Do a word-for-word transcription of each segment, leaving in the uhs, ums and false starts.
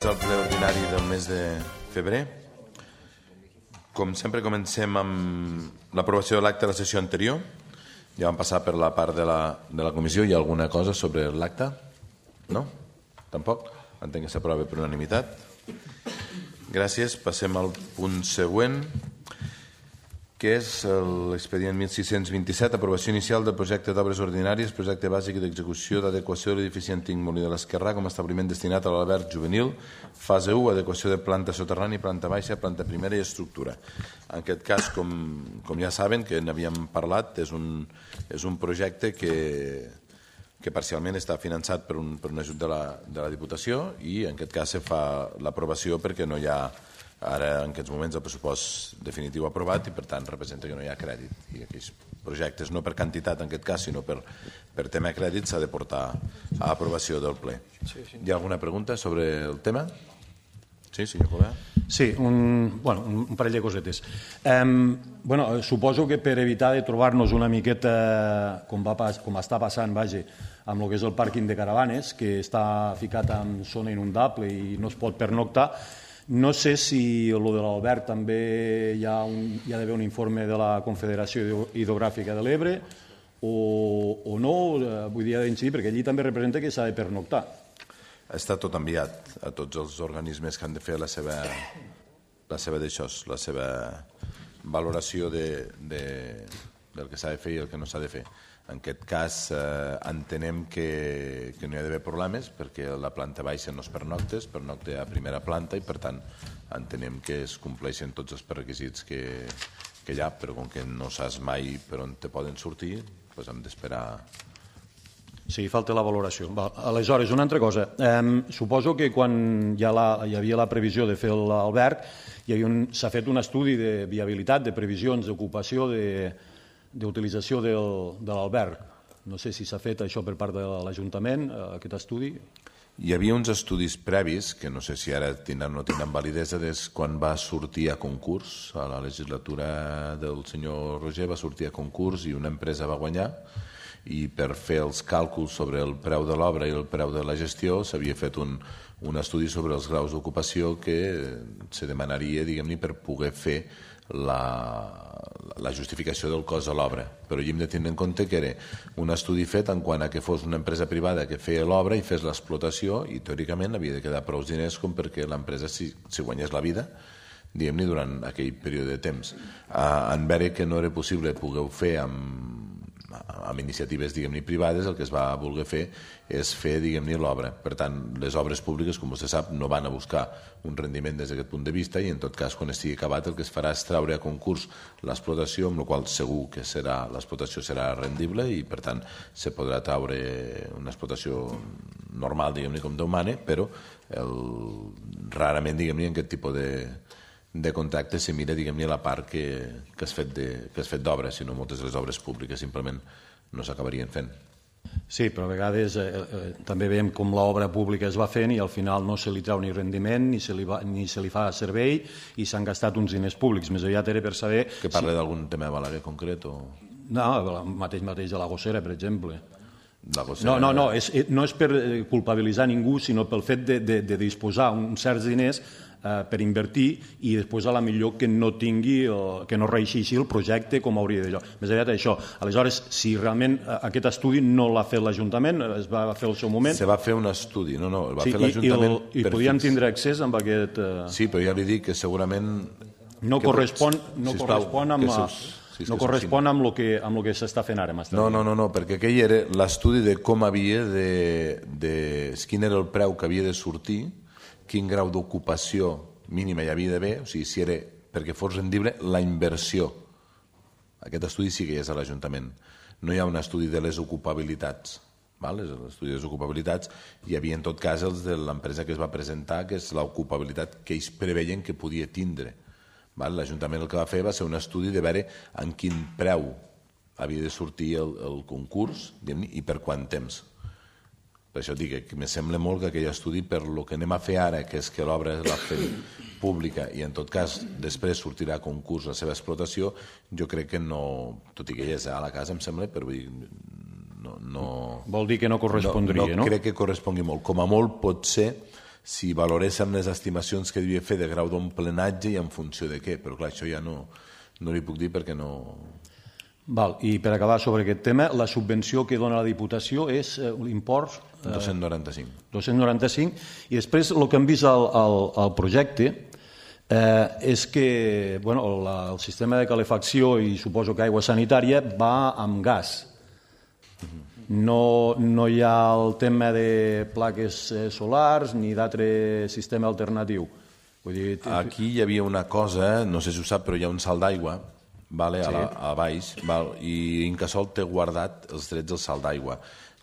El ple ordinari del mes de febrer. Com sempre comencem amb l'aprovació de l'acte de la sessió anterior. Ja vam passar per la part de la, de la comissió. Hi ha alguna cosa sobre l'acte? No? Tampoc? Entenc que s'aprova per unanimitat. Gràcies. Passem al punt següent, que és l'expedient mil sis-cents vint-i-set, aprovació inicial del projecte d'obres ordinàries, projecte bàsic d'execució d'adequació de l'edifici antic Molí de l'Esquerrà com a establiment destinat a l'alberg juvenil, fase u, adequació de planta soterrani, planta baixa, planta primera i estructura. En aquest cas, com, com ja saben, que n'havíem parlat, és un, és un projecte que, que parcialment està finançat per un, per un ajut de la, de la Diputació i en aquest cas se fa l'aprovació perquè no hi ha ara en aquests moments el pressupost definitiu aprovat i per tant representa que no hi ha crèdit i aquells projectes, no per quantitat en aquest cas sinó per, per tema crèdit s'ha de portar a aprovació del ple. Sí, sí. Hi ha alguna pregunta sobre el tema? Sí, senyor Colà. Sí, un, bueno, un parell de cosetes. Eh, bueno, suposo que per evitar de trobar-nos una miqueta com, va, com està passant, vaja, amb el que és el pàrquing de caravanes, que està ficat en zona inundable i no es pot pernoctar. No sé si el de l'Albert també hi ha, un, hi ha d'haver un informe de la Confederació Hidrogràfica de l'Ebre o, o no, vull dir, ha d'incidir, perquè allí també representa que s'ha de pernoctar. Està tot enviat a tots els organismes que han de fer la seva, la seva d'això, la seva valoració de, de, del que s'ha de fer i el que no s'ha de fer. En aquest cas eh, entenem que, que no hi ha d'haver problemes perquè la planta baixa no es pernocta, es pernocta a primera planta i per tant entenem que es compleixen tots els requisits que, que hi ha, però com que no saps mai per on te poden sortir, doncs hem d'esperar. Sí, falta la valoració. Va, aleshores, una altra cosa. Eh, suposo que quan hi, ha la, hi havia la previsió de fer l'alberg s'ha fet un estudi de viabilitat, de previsions d'ocupació, de d'utilització del, de l'alberg. No sé si s'ha fet això per part de l'Ajuntament, aquest estudi. Hi havia uns estudis previs, que no sé si ara tindran o no tindran validesa, des quan va sortir a concurs, a la legislatura del senyor Roger va sortir a concurs i una empresa va guanyar, i per fer els càlculs sobre el preu de l'obra i el preu de la gestió s'havia fet un, un estudi sobre els graus d'ocupació que se demanaria, diguem-ne, per poder fer la, la justificació del cost de l'obra. Però hi hem de tenir en compte que era un estudi fet en quant a que fos una empresa privada que feia l'obra i fes l'explotació i teòricament havia de quedar prou diners com perquè l'empresa si, si guanyés la vida, diguem-ne, durant aquell període de temps. Ah, en veure que no era possible poder fer amb amb iniciatives, diguem-ne, privades, el que es va voler fer és fer, diguem-ne, l'obra. Per tant, les obres públiques, com vostè sap, no van a buscar un rendiment des d'aquest punt de vista i, en tot cas, quan estigui acabat, el que es farà és treure a concurs l'explotació, amb la qual segur que serà l'explotació serà rendible i, per tant, se podrà treure una explotació normal, diguem-ne, com Déu mana, però el, rarament, diguem-ne, en aquest tipus de de contracte se mira, diguem-ne, la part que, que has fet d'obra, si no moltes de les obres públiques simplement no s'acabarien fent. Sí, però a vegades eh, eh, també veiem com l'obra pública es va fent i al final no se li trau ni rendiment ni se li, va, ni se li fa servei i s'han gastat uns diners públics. Més aviat era per saber... Que parla si... d'algun tema de Balaguer concret o...? No, el mateix mateix de la Gossera, per exemple. La Gossera... No, no, no, és, no és per culpabilitzar ningú, sinó pel fet de, de, de disposar uns certs diners eh, per invertir i després a la millor que no tingui, o, que no reeixeixi el projecte com hauria d'allò. Més aviat això. Aleshores, si realment aquest estudi no l'ha fet l'Ajuntament, es va fer al seu moment... Se va fer un estudi, no, no, el va sí, fer l'Ajuntament... I, i, i podíem tindre accés amb aquest... Eh... Sí, però ja li dic que segurament... No que correspon, no sisplau, correspon amb... seus, sí, no correspon amb el que, amb el que s'està fent ara. No, no, no, no, perquè aquell era l'estudi de com havia de, de... quin era el preu que havia de sortir, quin grau d'ocupació mínima hi havia d'haver, o sigui, si era perquè fos rendible la inversió. Aquest estudi sí que hi és a l'Ajuntament. No hi ha un estudi de les ocupabilitats. L'estudi de les ocupabilitats hi havia en tot cas els de l'empresa que es va presentar, que és l'ocupabilitat que ells preveien que podia tindre. L'Ajuntament el que va fer va ser un estudi de veure en quin preu havia de sortir el, el concurs i per quant temps. Per això dic que me sembla molt que aquell estudi, per lo que anem a fer ara, que és que l'obra la fem pública i en tot cas després sortirà a concurs la seva explotació, jo crec que no, tot i que ja és a la casa, em sembla, però vull dir, no, no... Vol dir que no correspondria, no? No crec que correspongui molt. Com a molt pot ser si valoréssim les estimacions que devia fer de grau d'omplenatge i en funció de què, però clar, això ja no, no li puc dir perquè no... Val, i per acabar sobre aquest tema, la subvenció que dona la Diputació és eh, l'import... Eh, dos-cents noranta-cinc. dos-cents noranta-cinc, i després el que hem vist al, al, al projecte eh, és que bueno, la, el sistema de calefacció i suposo que aigua sanitària va amb gas. No, no hi ha el tema de plaques solars ni d'altre sistema alternatiu. Vull dir... Aquí hi havia una cosa, no sé si ho sap, però hi ha un salt d'aigua vale, sí. a, la, a baix, val, i Incasòl té guardat els drets del salt d'aigua.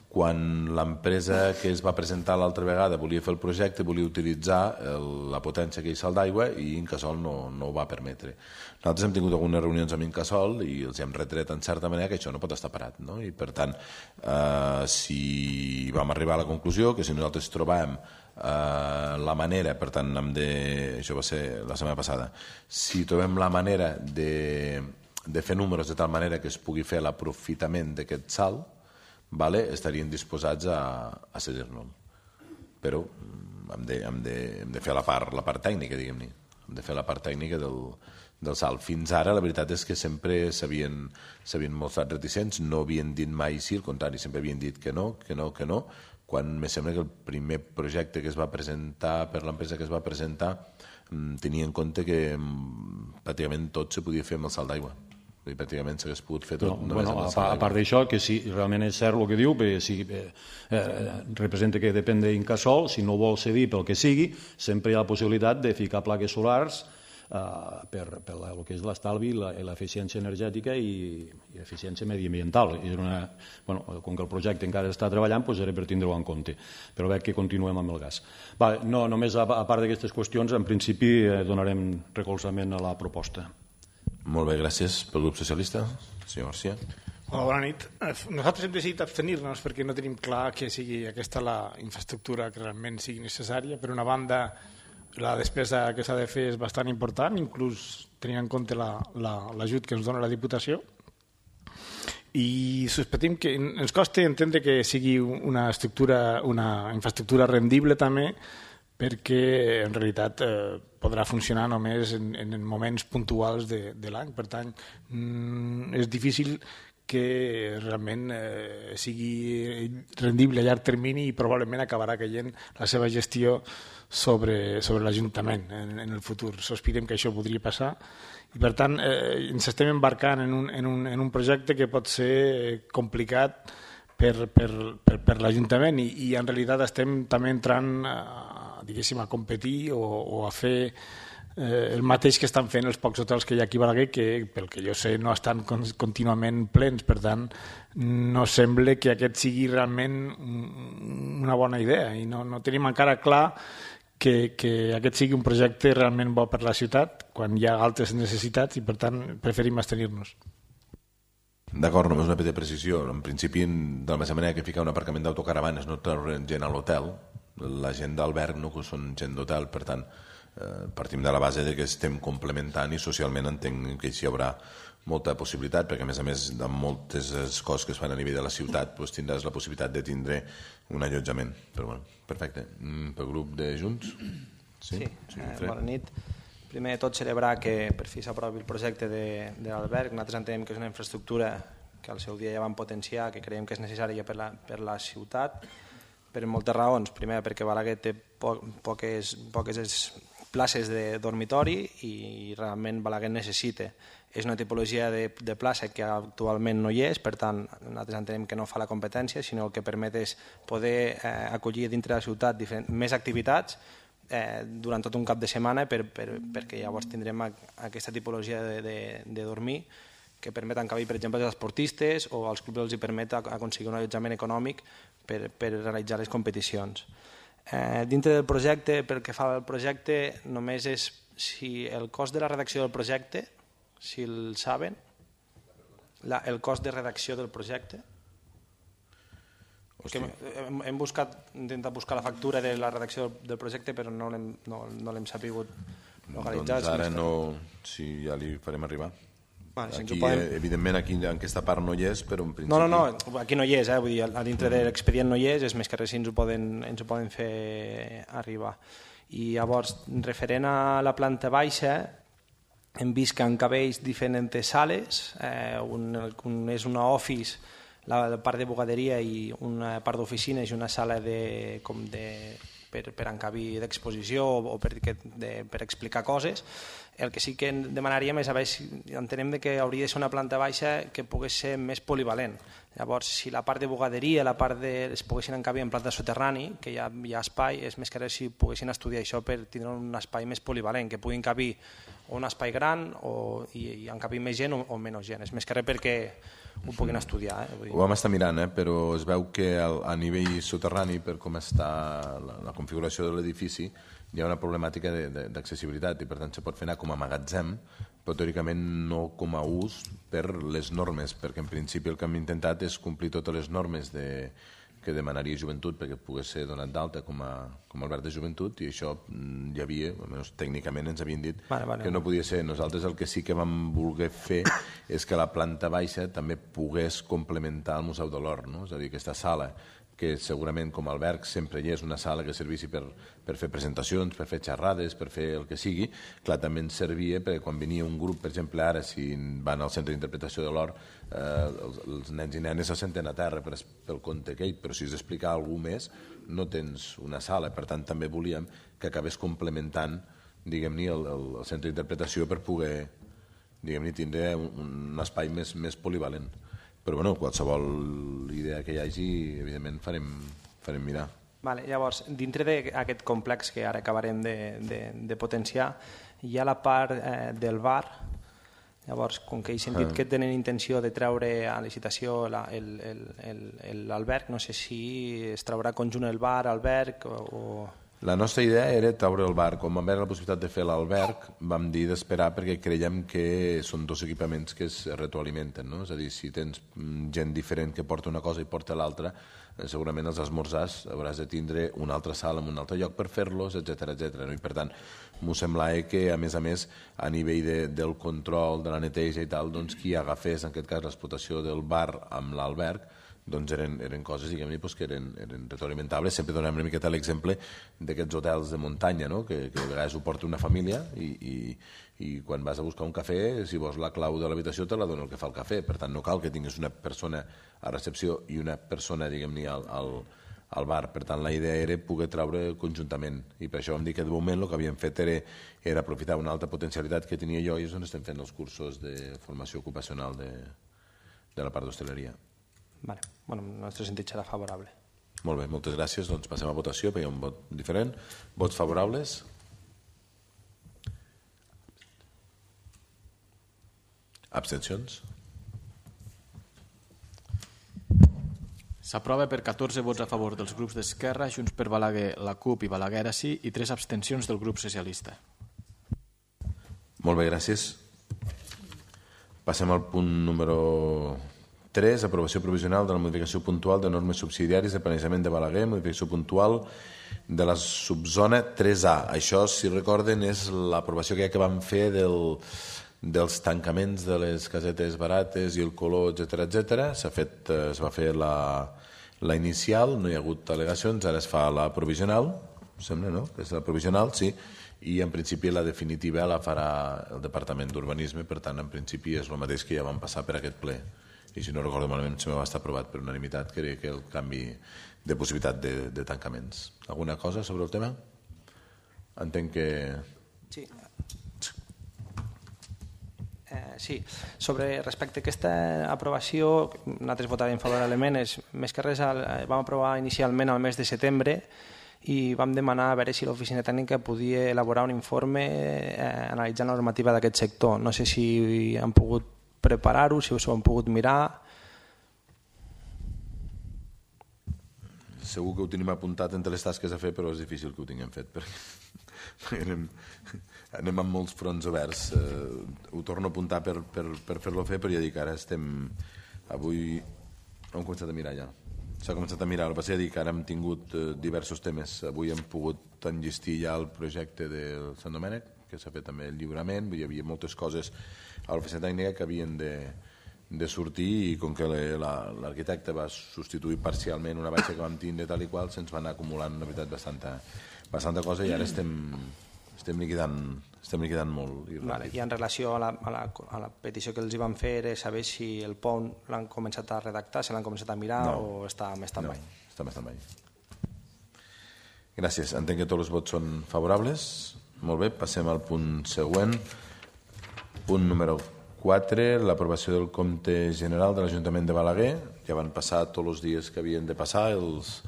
Quan l'empresa que es va presentar l'altra vegada volia fer el projecte, volia utilitzar el, la potència que hi salt d'aigua i Incasòl no, no ho va permetre. Nosaltres hem tingut algunes reunions amb Incasòl i els hem retret en certa manera que això no pot estar parat, no? I per tant, eh, si vam arribar a la conclusió que si nosaltres trobàvem eh, la manera, per tant, hem de, això va ser la setmana passada, si trobem la manera de, de fer números de tal manera que es pugui fer l'aprofitament d'aquest salt, vale, estarien disposats a, a cedir-nos. Però hem de, hem, de, hem de fer la part, la part tècnica, diguem-ne. Hem de fer la part tècnica del, del salt. Fins ara la veritat és que sempre s'havien mostrat reticents, no havien dit mai sí, al contrari, sempre havien dit que no, que no, que no, quan me sembla que el primer projecte que es va presentar per l'empresa que es va presentar tenia en compte que pràcticament tot se podia fer amb el salt d'aigua. I pràcticament s'hagués pogut fer tot. No, bueno, a, a part d'això, que si realment és cert el que diu, perquè si eh, eh, representa que depèn d'Incasòl, si no vol cedir pel que sigui, sempre hi ha la possibilitat de ficar plaques solars eh, per, per la, el que és l'estalvi i l'eficiència energètica i, i l'eficiència mediambiental. I una, bueno, com que el projecte encara està treballant, doncs era per tindre-ho en compte. Però veig que continuem amb el gas. Va, no, només a, a part d'aquestes qüestions, en principi eh, donarem recolzament a la proposta. Molt bé, gràcies pel grup socialista. Senyor García. Hola, bona nit. Nosaltres hem decidit abstenir-nos perquè no tenim clar que sigui aquesta la infraestructura que realment sigui necessària. Per una banda, la despesa que s'ha de fer és bastant important, inclús tenint en compte l'ajut que ens dona la Diputació. I sospestim que ens costa entendre que sigui una estructura, una infraestructura rendible també, perquè en realitat eh, podrà funcionar només en, en moments puntuals de, de l'any. Per tant, mm, és difícil que realment eh, sigui rendible a llarg termini i probablement acabarà caient la seva gestió sobre, sobre l'Ajuntament en, en el futur. Sospitem que això podria passar i per tant eh, ens estem embarcant en un, en, un, en un projecte que pot ser complicat per, per, per, per l'Ajuntament i, i en realitat estem també entrant a, diguéssim, a competir o, o a fer eh, el mateix que estan fent els pocs hotels que hi ha aquí a Balaguer, que pel que jo sé no estan contínuament plens, per tant no sembla que aquest sigui realment una bona idea i no, no tenim encara clar que, que aquest sigui un projecte realment bo per la ciutat quan hi ha altres necessitats i per tant preferim abstenir-nos. D'acord, només una petita precisió. En principi, de la mateixa manera que ficar un aparcament d'autocaravanes no trauran gent a l'hotel, la gent d'alberg no són gent d'hotel, per tant eh, partim de la base de que estem complementant i socialment entenc que hi haurà molta possibilitat, perquè a més a més de moltes coses que es fan a nivell de la ciutat doncs tindràs la possibilitat de tindre un allotjament. Però bueno, perfecte. Pel grup de Junts? Sí, sí, sí eh, bona nit. Primer de tot celebrar que per fi s'aprovi el projecte de, de l'alberg. Nosaltres entenem que és una infraestructura que al seu dia ja vam potenciar, que creiem que és necessària per la, per la ciutat, per moltes raons. Primer, perquè Balaguer té po poques, poques places de dormitori i realment Balaguer necessita. És una tipologia de, de plaça que actualment no hi és, per tant, nosaltres entenem que no fa la competència, sinó el que permet és poder eh, acollir dintre de la ciutat diferents, més activitats eh, durant tot un cap de setmana per, per, perquè llavors tindrem a, aquesta tipologia de, de, de dormir que permet encabir, per exemple, els esportistes o als clubs els hi permet aconseguir un allotjament econòmic per, per realitzar les competicions. Eh, dintre del projecte, pel que fa al projecte, només és si el cost de la redacció del projecte, si el saben, la, el cost de redacció del projecte. Que hem, hem buscat, intentat buscar la factura de la redacció del, del projecte, però no l'hem no, no sapigut localitzar. Doncs ara no, si ja li farem arribar. Aquí, evidentment, aquí en aquesta part no hi és, però en principi... No, no, no, aquí no hi és, vull dir, a dintre de l'expedient no hi és, és més que res si ens ho poden fer arribar. I llavors, referent a la planta baixa, hem vist que encabeix diferents sales, un és una office, la part de bugaderia i una part d'oficines i una sala per encabir d'exposició o per explicar coses. El que sí que demanaríem és, entenem que hauria de ser una planta baixa que pogués ser més polivalent. Llavors, si la part de bugaderia, la part de... es poguessin encabir en planta soterrani, que hi ha, hi ha espai, és més que res si poguessin estudiar això per tindre un espai més polivalent, que puguin encabir un espai gran o, i, i encabir més gent o, o menys gent. És més que res perquè ho puguin estudiar. Eh? Vull dir... Ho vam estar mirant, eh? Però es veu que a nivell soterrani, per com està la, la configuració de l'edifici, hi ha una problemàtica d'accessibilitat i per tant se pot fer anar com a magatzem, però teòricament no com a ús per les normes, perquè en principi el que hem intentat és complir totes les normes de, que demanaria joventut perquè pogués ser donat d'alta com a com a alberg de joventut, i això hi havia, almenys tècnicament ens havien dit vale, vale. que no podia ser. Nosaltres el que sí que vam voler fer és que la planta baixa també pogués complementar el Museu de l'Hort, no? És a dir, aquesta sala que segurament com a alberg sempre hi és una sala que servissi per, per fer presentacions, per fer xerrades, per fer el que sigui, clar, també ens servia perquè quan venia un grup, per exemple, ara, si van al centre d'interpretació de l'Hort, eh, els, els nens i nenes se senten a terra per, pel conte aquell, però si has d'explicar alguna més, no tens una sala. Per tant, també volíem que acabés complementant, diguem-ne, el, el, el centre d'interpretació per poder, diguem-ne, tindre un, un espai més, més polivalent. Però bueno, qualsevol idea que hi hagi, evidentment farem, farem mirar. Vale, llavors, dintre d'aquest complex que ara acabarem de, de, de potenciar, hi ha la part eh, del bar. Llavors, com que he sentit ah. que tenen intenció de treure a licitació l'alberg, no sé si es traurà conjunt el bar, alberg o... o... La nostra idea era treure el bar. Com vam veure la possibilitat de fer l'alberg, vam dir d'esperar perquè creiem que són dos equipaments que es retroalimenten, no? És a dir, si tens gent diferent que porta una cosa i porta l'altra, segurament els esmorzars hauràs de tindre una altra sala en un altre lloc per fer-los, etcètera, etcètera. I per tant, m'ho semblava que, a més a més, a nivell de, del control, de la neteja i tal, doncs qui agafés, en aquest cas, l'explotació del bar amb l'alberg, doncs eren, eren coses, diguem-ne, doncs, que eren, eren retroalimentables. Sempre donem una miqueta l'exemple d'aquests hotels de muntanya, no? que, que a vegades ho porta una família i, i, i quan vas a buscar un cafè, si vols la clau de l'habitació te la dona el que fa el cafè. Per tant, no cal que tinguis una persona a recepció i una persona, diguem-ne, al, al, al bar. Per tant, la idea era poder treure conjuntament. I per això vam dir que de moment el que havíem fet era, era aprofitar una altra potencialitat que tenia jo i és on estem fent els cursos de formació ocupacional de, de la part d'hostaleria. Vale. Bueno, en el nostre sentit serà favorable. Molt bé, moltes gràcies. Doncs passem a votació, perquè hi ha un vot diferent. Vots favorables? Abstencions? S'aprova per catorze vots a favor dels grups d'Esquerra, Junts per Balaguer, la CUP i Balaguer ara sí, i tres abstencions del grup socialista. Molt bé, gràcies. Passem al punt número tres, aprovació provisional de la modificació puntual de normes subsidiàries de planejament de Balaguer, modificació puntual de la subzona tres A. Això, si recorden, és l'aprovació que, que vam fer del, dels tancaments de les casetes barates i el color, etcètera, etcètera. S'ha fet, es va fer la, la inicial, no hi ha hagut al·legacions, ara es fa la provisional, sembla, no? És la provisional, sí, i en principi la definitiva la farà el Departament d'Urbanisme, per tant, en principi és el mateix que ja vam passar per aquest ple. I si no recordo malament, se va estar aprovat per unanimitat, que era que el canvi de possibilitat de, de tancaments. Alguna cosa sobre el tema? Entenc que... Sí. Eh, sí, sobre respecte a aquesta aprovació, nosaltres votarem favorablement, és, més que res el, vam aprovar inicialment al mes de setembre i vam demanar a veure si l'oficina tècnica podia elaborar un informe eh, analitzant la normativa d'aquest sector. No sé si han pogut preparar-ho, si us ho han pogut mirar. Segur que ho tenim apuntat entre les tasques a fer, però és difícil que ho tinguem fet, perquè anem, anem amb molts fronts oberts. Eh, ho torno a apuntar per, per, per fer-lo fer, però ja dic, ara estem... Avui hem començat a mirar ja. S'ha començat a mirar, el que passa és que ara hem tingut eh, diversos temes. Avui hem pogut enllestir ja el projecte de Sant Domènec, que s'ha fet també el lliurament, hi havia moltes coses a l'oficina tècnica que havien de, de sortir i com que l'arquitecte va substituir parcialment una baixa que vam tindre tal i qual, se'ns va anar acumulant una veritat bastanta, bastanta cosa i ara estem, estem, liquidant, estem liquidant molt. I, vale, I en relació a la, a, la, a la petició que els hi van fer era saber si el P O N l'han començat a redactar, si l'han començat a mirar no, o està més tan mai. No, està més tan mai. Gràcies. Entenc que tots els vots són favorables. Molt bé, passem al punt següent. Punt número quatre, l'aprovació del compte general de l'Ajuntament de Balaguer. Ja van passar tots els dies que havien de passar, els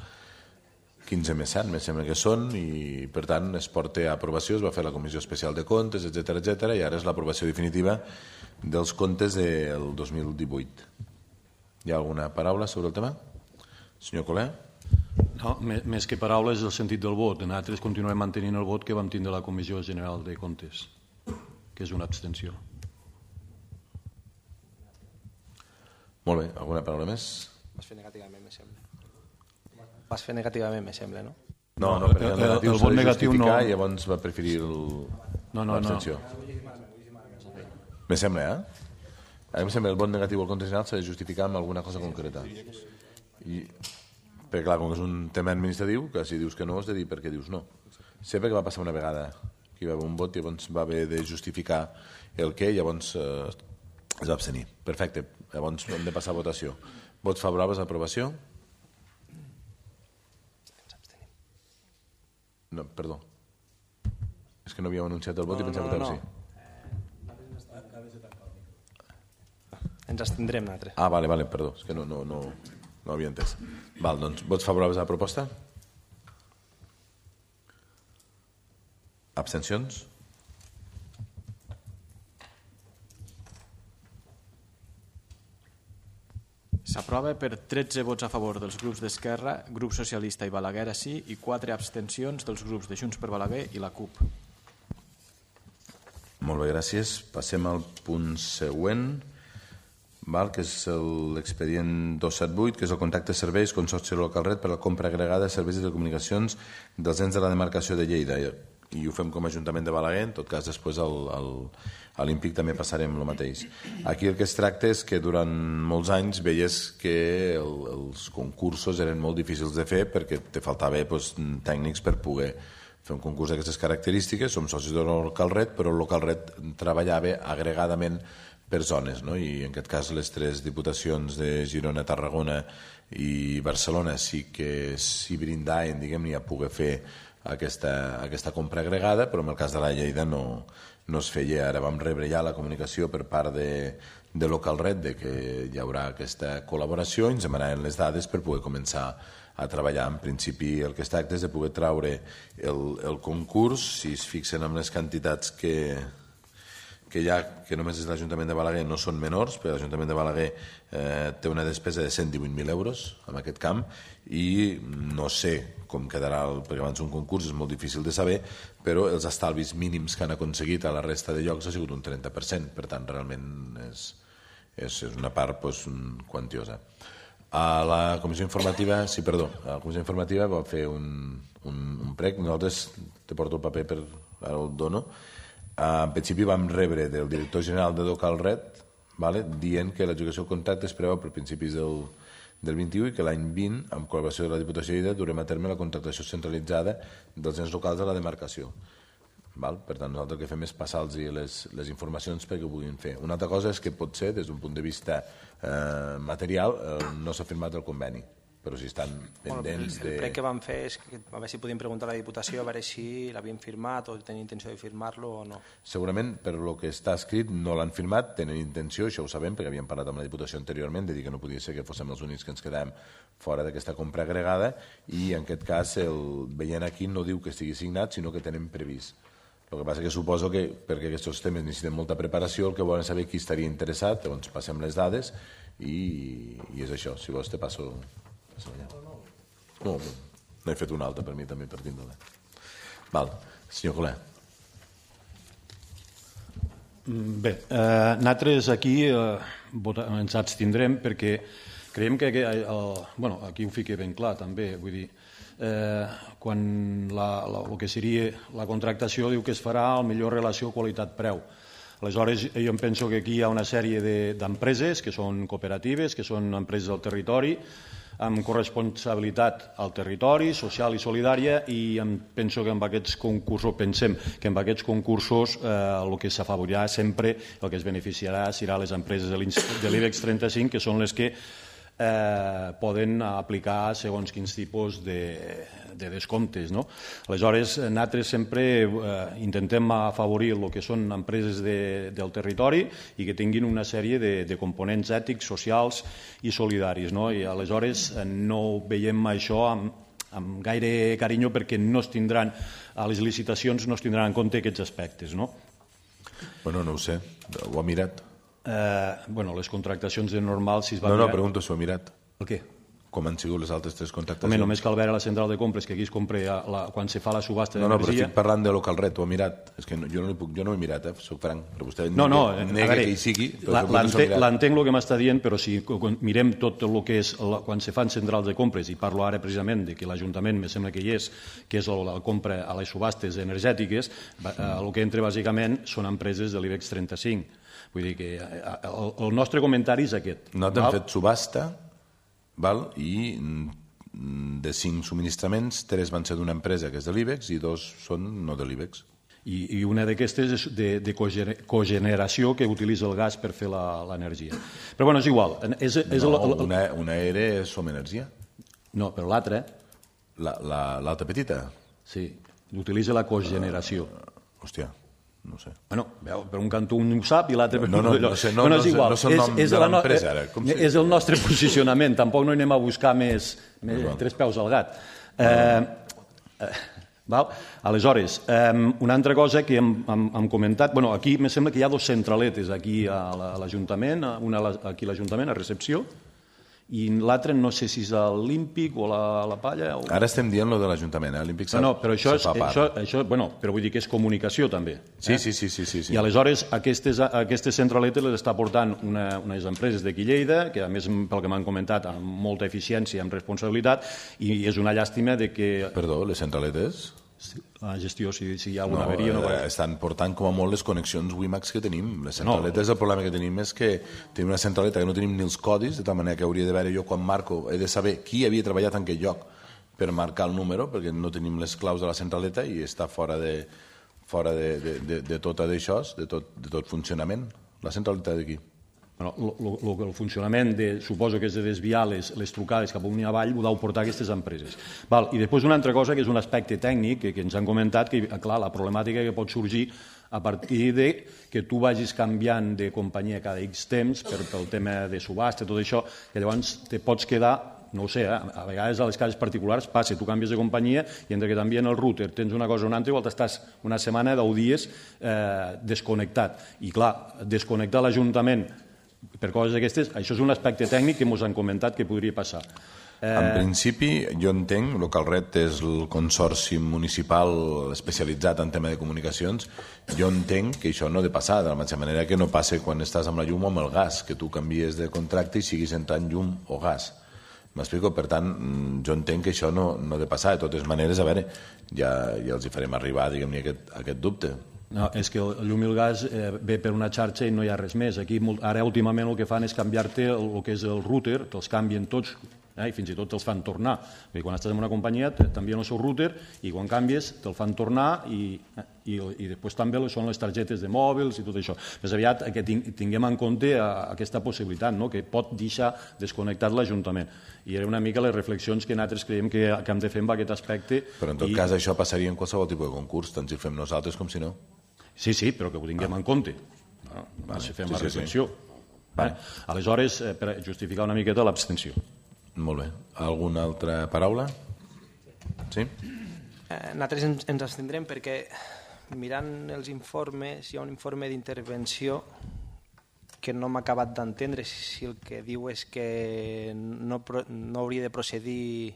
quinze més set, me sembla que són, i per tant es porta a aprovació, es va fer la Comissió Especial de Comptes, etcètera, etcètera, i ara és l'aprovació definitiva dels comptes del dos mil divuit. Hi ha alguna paraula sobre el tema? Senyor Colé? No, més que paraules, el sentit del vot. Nosaltres continuem mantenint el vot que vam tindre a la Comissió General de Comptes, que és una abstenció. Molt bé, alguna paraula més? Vas fer negativament, me sembla. Vas fer negativament, me sembla, no? No, no, perquè el negatiu s'ha de justificar i llavors va preferir l'abstenció. Me sembla, eh? A mi em sembla que el vot negatiu al compte general s'ha de justificar amb alguna cosa concreta. I, perquè clar, com que és un tema administratiu, que si dius que no has de dir per què dius no. Sé perquè va passar una vegada que hi va haver un vot i llavors va haver de justificar el què i llavors eh, es va abstenir. Perfecte, llavors hem de passar a votació. Vots favorables a aprovació? No, perdó. És que no havíem anunciat el vot no, i pensava no, no, que no. sí. Ens abstindrem nosaltres. Ah, vale, vale, perdó. És que no, no, no, no havia entès. Val, doncs, vots favorables a la proposta? Abstencions? S'aprova per tretze vots a favor dels grups d'Esquerra, Grup Socialista i Balaguer sí, i quatre abstencions dels grups de Junts per Balaguer i la CUP. Molt bé, gràcies. Passem al punt següent, val, que és l'expedient dos cents setanta i vuit, que és el contracte de serveis Consorci Local Red per a la compra agregada de serveis de telecomunicacions dels ens de la demarcació de Lleida. I ho fem com a Ajuntament de Balaguer, en tot cas després el, el, a l'Impic també passarem el mateix. Aquí el que es tracta és que durant molts anys veies que el, els concursos eren molt difícils de fer perquè te faltava pues, tècnics per poder fer un concurs d'aquestes característiques. Som socis de Local Red, però el Local Red treballava agregadament per zones, no? I en aquest cas les tres diputacions de Girona, Tarragona i Barcelona sí que s'hi brindaven, diguem-ne, a poder fer aquesta, aquesta compra agregada, però en el cas de la Lleida no, no es feia. Ara vam rebre ja la comunicació per part de, de Local Red de que hi haurà aquesta col·laboració i ens demanaven les dades per poder començar a treballar. En principi el que es tracta és de poder traure el, el concurs, si es fixen amb les quantitats que, que hi ha, que només és l'Ajuntament de Balaguer, no són menors, perquè l'Ajuntament de Balaguer eh, té una despesa de cent divuit mil euros en aquest camp i no sé com quedarà, el, perquè abans un concurs és molt difícil de saber, però els estalvis mínims que han aconseguit a la resta de llocs ha sigut un trenta per cent, per tant realment és, és, és una part pues, quantiosa. A la comissió informativa, sí, perdó, a la comissió informativa va fer un, un, un prec, nosaltres te porto el paper per ara el dono. En principi vam rebre del director general de Local Red, vale, dient que l'execució del contracte es preveu per principis del, del vint-i-u i que l'any vint, amb col·laboració de la Diputació de Lleida, durem a terme la contractació centralitzada dels ens locals de la demarcació. Val? Per tant, nosaltres el que fem és passar-los les, les informacions perquè ho puguin fer. Una altra cosa és que potser, des d'un punt de vista eh, material, eh, no s'ha firmat el conveni, però si estan pendents bueno, el, el prec que vam fer és que a veure si podíem preguntar a la Diputació a veure si l'havien firmat o tenen intenció de firmar-lo o no. Segurament, per lo que està escrit, no l'han firmat, tenen intenció, això ho sabem perquè havíem parlat amb la Diputació anteriorment, de dir que no podia ser que fóssim els únics que ens quedàvem fora d'aquesta compra agregada i en aquest cas, el veient aquí, no diu que estigui signat, sinó que tenen previst. El que passa que suposo que, perquè aquests temes necessiten molta preparació, el que volen saber qui estaria interessat, llavors passem les dades i, i és això. Si vols te passo... No, n'he fet una altra per mi també, per tindre-la. Val, senyor Colé. Bé, eh, nosaltres aquí eh, vota, ens abstindrem perquè creiem que, que eh, bueno, aquí ho fica ben clar també, vull dir, quan el que seria la contractació diu que es farà a millor relació qualitat-preu. Aleshores, jo em penso que aquí hi ha una sèrie d'empreses que són cooperatives, que són empreses del territori, amb corresponsabilitat al territori, social i solidària, i em penso que amb aquests concursos, pensem que amb aquests concursos el que s'afavorirà sempre, el que es beneficiarà serà les empreses de l'IBEX trenta-cinc, que són les que poden aplicar segons quins tipus de descomptes. Aleshores, nosaltres sempre intentem afavorir el que són empreses del territori i que tinguin una sèrie de components ètics, socials i solidaris. I aleshores no veiem això amb gaire carinyo perquè no es tindran, a les licitacions no es tindran en compte aquests aspectes. Bueno, no ho sé, ho ha mirat? Bueno, les contractacions de normal, si es va mirar... No, no, mirar... pregunto si ho ha mirat. El què? Com han sigut les altres tres contractacions? Home, només cal veure la central de compres, que aquí es compra quan se fa la subhasta d'energia... No, no, però estic parlant de local ret, ho ha mirat. És que jo no ho he mirat, eh, soc franc, però vostè no, no, nega que hi sigui... L'entenc el que m'està dient, però si mirem tot el que és quan se fan centrals de compres, i parlo ara precisament de que l'Ajuntament, me sembla que hi és, que és la compra a les subhastes energètiques, el que entra bàsicament són empreses de l'IBEX trenta-cinc. Vull dir que el nostre comentari és aquest. Nosaltres hem fet subhasta i de cinc subministraments, tres van ser d'una empresa que és de l'IBEX i dos són no de l'IBEX. I una d'aquestes és de cogeneració que utilitza el gas per fer l'energia. Però bueno, és igual. Una era és Som Energia. No, però l'altra... L'altra petita? Sí, utilitza la cogeneració. Hòstia... No sé. Bueno, veu, per un cantó un ho sap i l'altre... No, no, no sé, no és el nom de l'empresa ara. És el nostre posicionament, tampoc no anem a buscar més tres peus al gat. Aleshores, una altra cosa que hem comentat, bueno, aquí me sembla que hi ha dos centraletes aquí a l'Ajuntament, una aquí a l'Ajuntament, a recepció, i l'altre no sé si és l'Olímpic o la Palla... Ara estem dient el de l'Ajuntament, eh? L'Olímpic se fa part. No, però això, bueno, però vull dir que és comunicació també. Sí, sí, sí. I aleshores aquestes centraletes les està portant unes empreses d'aquí Lleida, que a més, pel que m'han comentat, amb molta eficiència, amb responsabilitat, i és una llàstima de que... Perdó, les centraletes? La gestió, si hi ha alguna averia... No, estan portant com a molt les connexions WiMAX que tenim. Les centraletes, el problema que tenim és que tenim una centraleta que no tenim ni els codis, de tal manera que hauria de veure jo quan marco, he de saber qui havia treballat en aquell lloc per marcar el número, perquè no tenim les claus de la centraleta i està fora de fora de tot d'això, de tot funcionament. La centraleta d'aquí. El funcionament, suposo que és de desviar les trucades cap amunt i avall, ho deu portar aquestes empreses. I després una altra cosa, que és un aspecte tècnic, que ens han comentat, que clar, la problemàtica que pot sorgir a partir de que tu vagis canviant de companyia cada X temps pel tema de subhasta, tot això, que llavors te pots quedar, no ho sé, a vegades a les cases particulars passa, tu canvies de companyia i entre que t'envien el router, tens una cosa o una altra, igual t'estàs una setmana, deu dies desconnectat. I clar, desconnectar l'Ajuntament per coses d'aquestes, això és un aspecte tècnic que ens han comentat que podria passar. En principi, jo entenc, LocalRed és el consorci municipal especialitzat en tema de comunicacions, jo entenc que això no ha de passar, de la mateixa manera que no passa quan estàs amb la llum o amb el gas, que tu canvies de contracte i siguis entrant llum o gas. M'explico? Per tant, jo entenc que això no ha de passar. De totes maneres, a veure, ja els hi farem arribar, diguem-ne, aquest dubte. No, és que el llum i el gas ve per una xarxa i no hi ha res més. Aquí, ara, últimament, el que fan és canviar-te el que és el router, te'ls canvien tots, i fins i tot te'ls fan tornar. Quan estàs en una companyia, t'envien el seu router i quan canvies te'l fan tornar i després també són les targetes de mòbils i tot això. Més aviat que tinguem en compte aquesta possibilitat, que pot deixar desconnectat l'Ajuntament. I era una mica les reflexions que nosaltres creiem que hem de fer amb aquest aspecte. Però en tot cas això passaria en qualsevol tipus de concurs, tant si ho fem nosaltres com si no. Sí, sí, però que ho tinguem en compte. Si fem la reflexió. Aleshores, per justificar una miqueta l'abstenció. Molt bé. Alguna altra paraula? Sí? Nosaltres ens abstindrem perquè mirant els informes, hi ha un informe d'intervenció que no m'ha acabat d'entendre si el que diu és que no hauria de procedir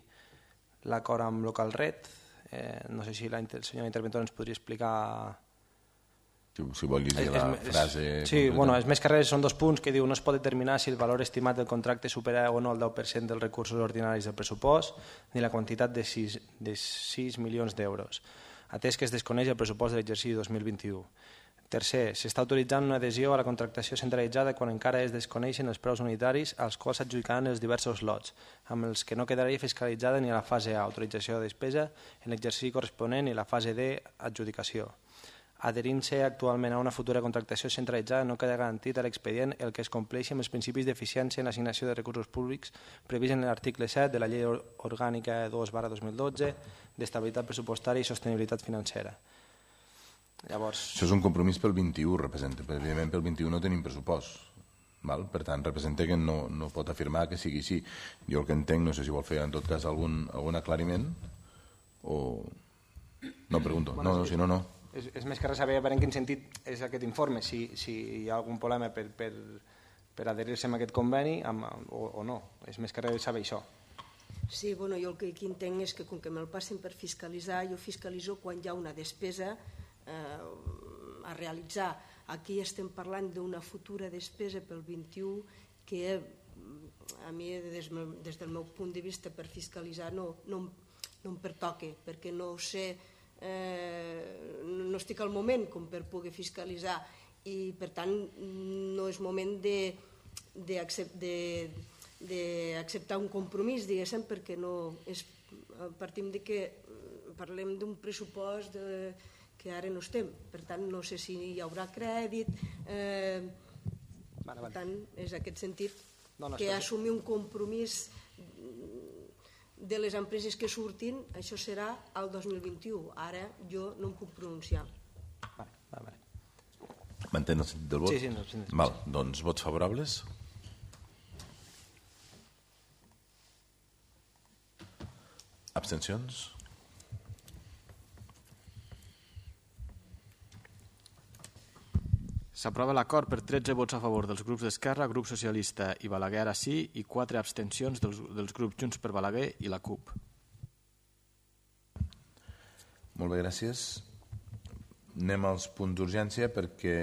l'acord amb LocalRed. No sé si el senyor interventor ens podria explicar Si vol llegir la frase... Sí, bueno, els més que res són dos punts que diu no es pot determinar si el valor estimat del contracte supera o no el deu per cent dels recursos ordinaris del pressupost ni la quantitat de sis milions d'euros, atès que es desconeix el pressupost de l'exercici dos mil vint-i-u. Tercer, s'està autoritzant una adhesió a la contractació centralitzada quan encara es desconeixen els preus unitaris als quals s'adjudicaran els diversos lots, amb els que no quedaria fiscalitzada ni la fase A, autorització de despesa, en l'exercici corresponent, ni la fase D, adjudicació. Adherint-se actualment a una futura contractació centralitzada no queda garantit a l'expedient el que es compleixi amb els principis d'eficiència en l'assignació de recursos públics previst en l'article set de la Llei Orgànica dos barra dos mil dotze d'estabilitat pressupostària i sostenibilitat financera. Llavors... Això és un compromís pel vint-i-u, representa. Evidentment pel vint-i-u no tenim pressupost. Val? Per tant, representa que no, no pot afirmar que sigui així. Jo el que entenc, no sé si vol fer en tot cas algun, algun aclariment o... No, pregunto. No, no, si no, no. És, és més que res saber en quin sentit és aquest informe, si, si hi ha algun problema per, per, per adherir-se a aquest conveni amb, o, o no. És més que res saber això. Sí, bueno, jo el que aquí entenc és que com que me'l passen per fiscalitzar, jo fiscalitzo quan hi ha una despesa eh, a realitzar. Aquí estem parlant d'una futura despesa pel vint-i-u que a mi des, des del meu punt de vista per fiscalitzar no, no, no em pertoca, perquè no ho sé, eh, no estic al moment com per poder fiscalitzar i per tant no és moment de, de, de, d'acceptar un compromís, diguéssim, perquè no és, partim de que parlem d'un pressupost de, que ara no estem, per tant no sé si hi haurà crèdit, eh, vale, vale. Per tant és aquest sentit no, no, que assumir un compromís de les empreses que surtin, això serà el dos mil vint-i-u, ara jo no em puc pronunciar. Vale, vale, vale. M'entén el sentit del vot? Sí, sí, no, sí, sí. Val, doncs vots favorables? Abstencions? S'aprova l'acord per tretze vots a favor dels grups d'Esquerra, Grup Socialista i Balaguer ara sí i quatre abstencions dels, dels grups Junts per Balaguer i la CUP. Molt bé, gràcies. Anem als punts d'urgència perquè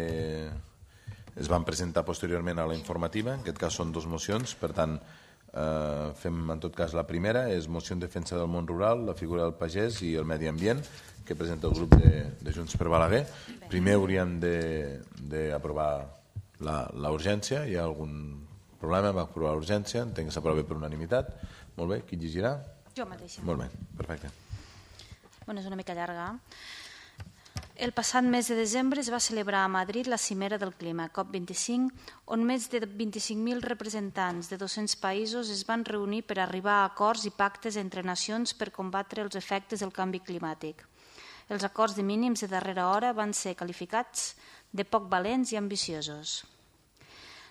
es van presentar posteriorment a la informativa. En aquest cas són dues mocions, per tant eh, fem en tot cas la primera, és moció en defensa del món rural, la figura del pagès i el medi ambient, que presenta el grup de, de Junts per Balaguer. Primer hauríem d'aprovar la urgència. Hi ha algun problema amb aprovar l'urgència? Entenc que s'aprova per unanimitat. Molt bé, qui llegirà? Jo mateixa. Molt bé, perfecte. Bueno, és una mica llarga. El passat mes de desembre es va celebrar a Madrid la cimera del clima, COP vint-i-cinc, on més de vint-i-cinc mil representants de dos-cents països es van reunir per arribar a acords i pactes entre nacions per combatre els efectes del canvi climàtic. Els acords de mínims de darrera hora van ser qualificats de poc valents i ambiciosos.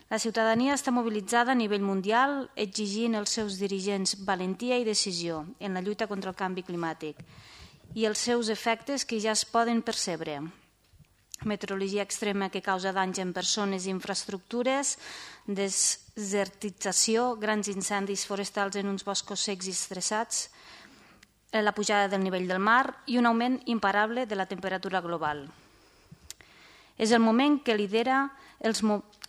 La ciutadania està mobilitzada a nivell mundial exigint als seus dirigents valentia i decisió en la lluita contra el canvi climàtic i els seus efectes que ja es poden percebre. Meteorologia extrema que causa danys en persones i infraestructures, desertització, grans incendis forestals en uns boscos secs i estressats, la pujada del nivell del mar i un augment imparable de la temperatura global. És el moment que lidera els,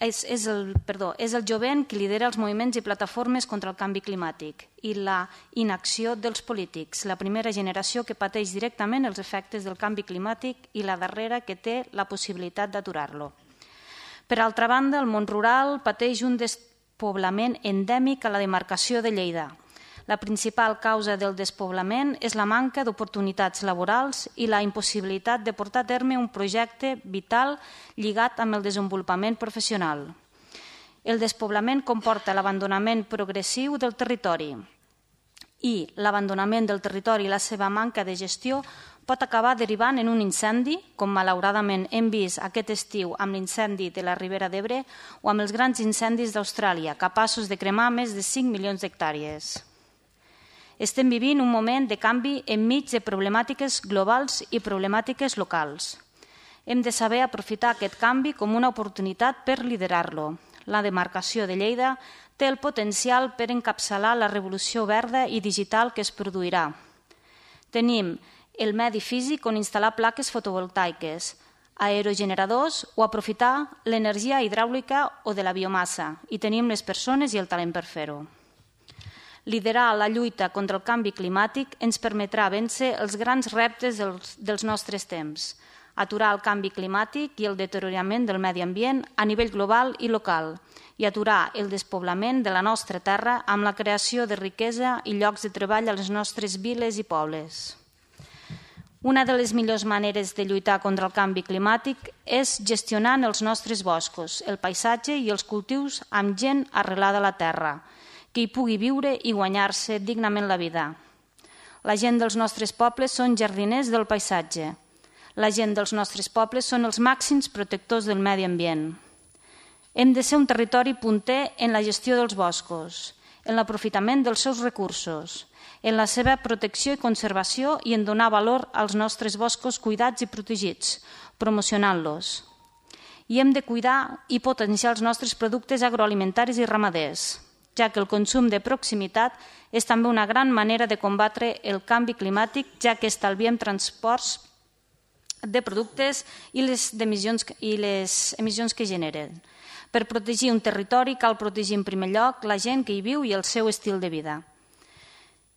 és, és, el, perdó, és el jovent que lidera els moviments i plataformes contra el canvi climàtic i la inacció dels polítics, la primera generació que pateix directament els efectes del canvi climàtic i la darrera que té la possibilitat d'aturar-lo. Per altra banda, el món rural pateix un despoblament endèmic a la demarcació de Lleida. La principal causa del despoblament és la manca d'oportunitats laborals i la impossibilitat de portar a terme un projecte vital lligat amb el desenvolupament professional. El despoblament comporta l'abandonament progressiu del territori i l'abandonament del territori i la seva manca de gestió pot acabar derivant en un incendi, com malauradament hem vist aquest estiu amb l'incendi de la Ribera d'Ebre o amb els grans incendis d'Austràlia, capaços de cremar més de cinc milions d'hectàrees. Estem vivint un moment de canvi enmig de problemàtiques globals i problemàtiques locals. Hem de saber aprofitar aquest canvi com una oportunitat per liderar-lo. La demarcació de Lleida té el potencial per encapçalar la revolució verda i digital que es produirà. Tenim el medi físic on instal·lar plaques fotovoltaiques, aerogeneradors o aprofitar l'energia hidràulica o de la biomassa, i tenim les persones i el talent per fer-ho. Liderar la lluita contra el canvi climàtic ens permetrà vèncer els grans reptes dels, dels nostres temps, aturar el canvi climàtic i el deteriorament del medi ambient a nivell global i local i aturar el despoblament de la nostra terra amb la creació de riquesa i llocs de treball a les nostres viles i pobles. Una de les millors maneres de lluitar contra el canvi climàtic és gestionant els nostres boscos, el paisatge i els cultius amb gent arrelada a la terra, que hi pugui viure i guanyar-se dignament la vida. La gent dels nostres pobles són jardiners del paisatge. La gent dels nostres pobles són els màxims protectors del medi ambient. Hem de ser un territori punter en la gestió dels boscos, en l'aprofitament dels seus recursos, en la seva protecció i conservació i en donar valor als nostres boscos cuidats i protegits, promocionant-los. I hem de cuidar i potenciar els nostres productes agroalimentaris i ramaders, ja que el consum de proximitat és també una gran manera de combatre el canvi climàtic, ja que estalviem transports de productes i les emissions, i les emissions que generen. Per protegir un territori cal protegir en primer lloc la gent que hi viu i el seu estil de vida.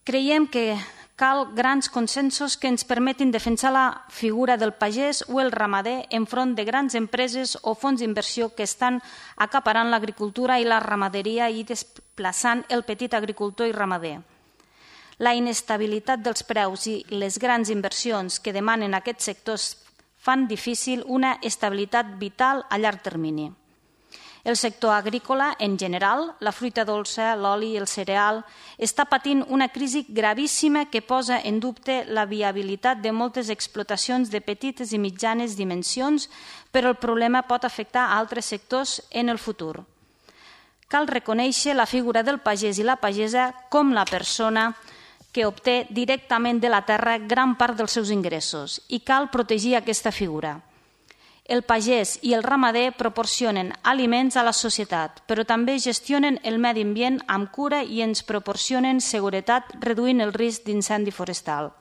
Creiem que cal grans consensos que ens permetin defensar la figura del pagès o el ramader enfront de grans empreses o fons d'inversió que estan acaparant l'agricultura i la ramaderia i desplaçant el petit agricultor i ramader. La inestabilitat dels preus i les grans inversions que demanen aquests sectors fan difícil una estabilitat vital a llarg termini. El sector agrícola, en general, la fruita dolça, l'oli i el cereal, està patint una crisi gravíssima que posa en dubte la viabilitat de moltes explotacions de petites i mitjanes dimensions, però el problema pot afectar a altres sectors en el futur. Cal reconèixer la figura del pagès i la pagesa com la persona que obté directament de la terra gran part dels seus ingressos i cal protegir aquesta figura. El pagès i el ramader proporcionen aliments a la societat, però també gestionen el medi ambient amb cura i ens proporcionen seguretat reduint el risc d'incendi forestal.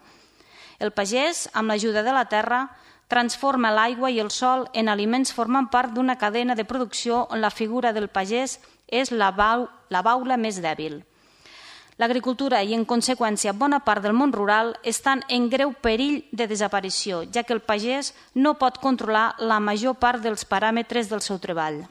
El pagès, amb l'ajuda de la terra, transforma l'aigua i el sol en aliments formant part d'una cadena de producció on la figura del pagès és la, bau, la baula més dèbil. L'agricultura i, en conseqüència, bona part del món rural estan en greu perill de desaparició, ja que el pagès no pot controlar la major part dels paràmetres del seu treball.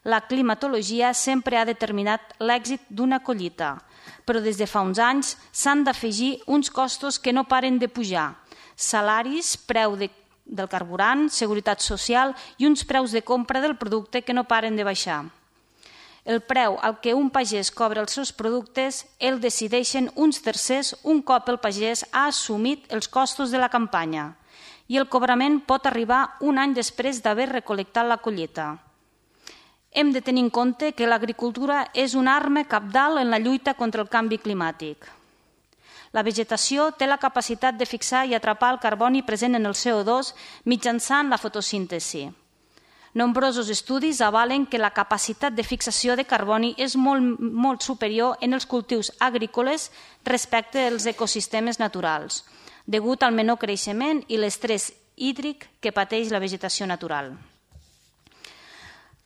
La climatologia sempre ha determinat l'èxit d'una collita, però des de fa uns anys s'han d'afegir uns costos que no paren de pujar: salaris, preu de, del carburant, seguretat social i uns preus de compra del producte que no paren de baixar. El preu al que un pagès cobra els seus productes el decideixen uns tercers un cop el pagès ha assumit els costos de la campanya i el cobrament pot arribar un any després d'haver recol·lectat la collita. Hem de tenir en compte que l'agricultura és una arma cabdal en la lluita contra el canvi climàtic. La vegetació té la capacitat de fixar i atrapar el carboni present en el C O dos mitjançant la fotosíntesi. Nombrosos estudis avalen que la capacitat de fixació de carboni és molt, molt superior en els cultius agrícoles respecte als ecosistemes naturals, degut al menor creixement i l'estrès hídric que pateix la vegetació natural.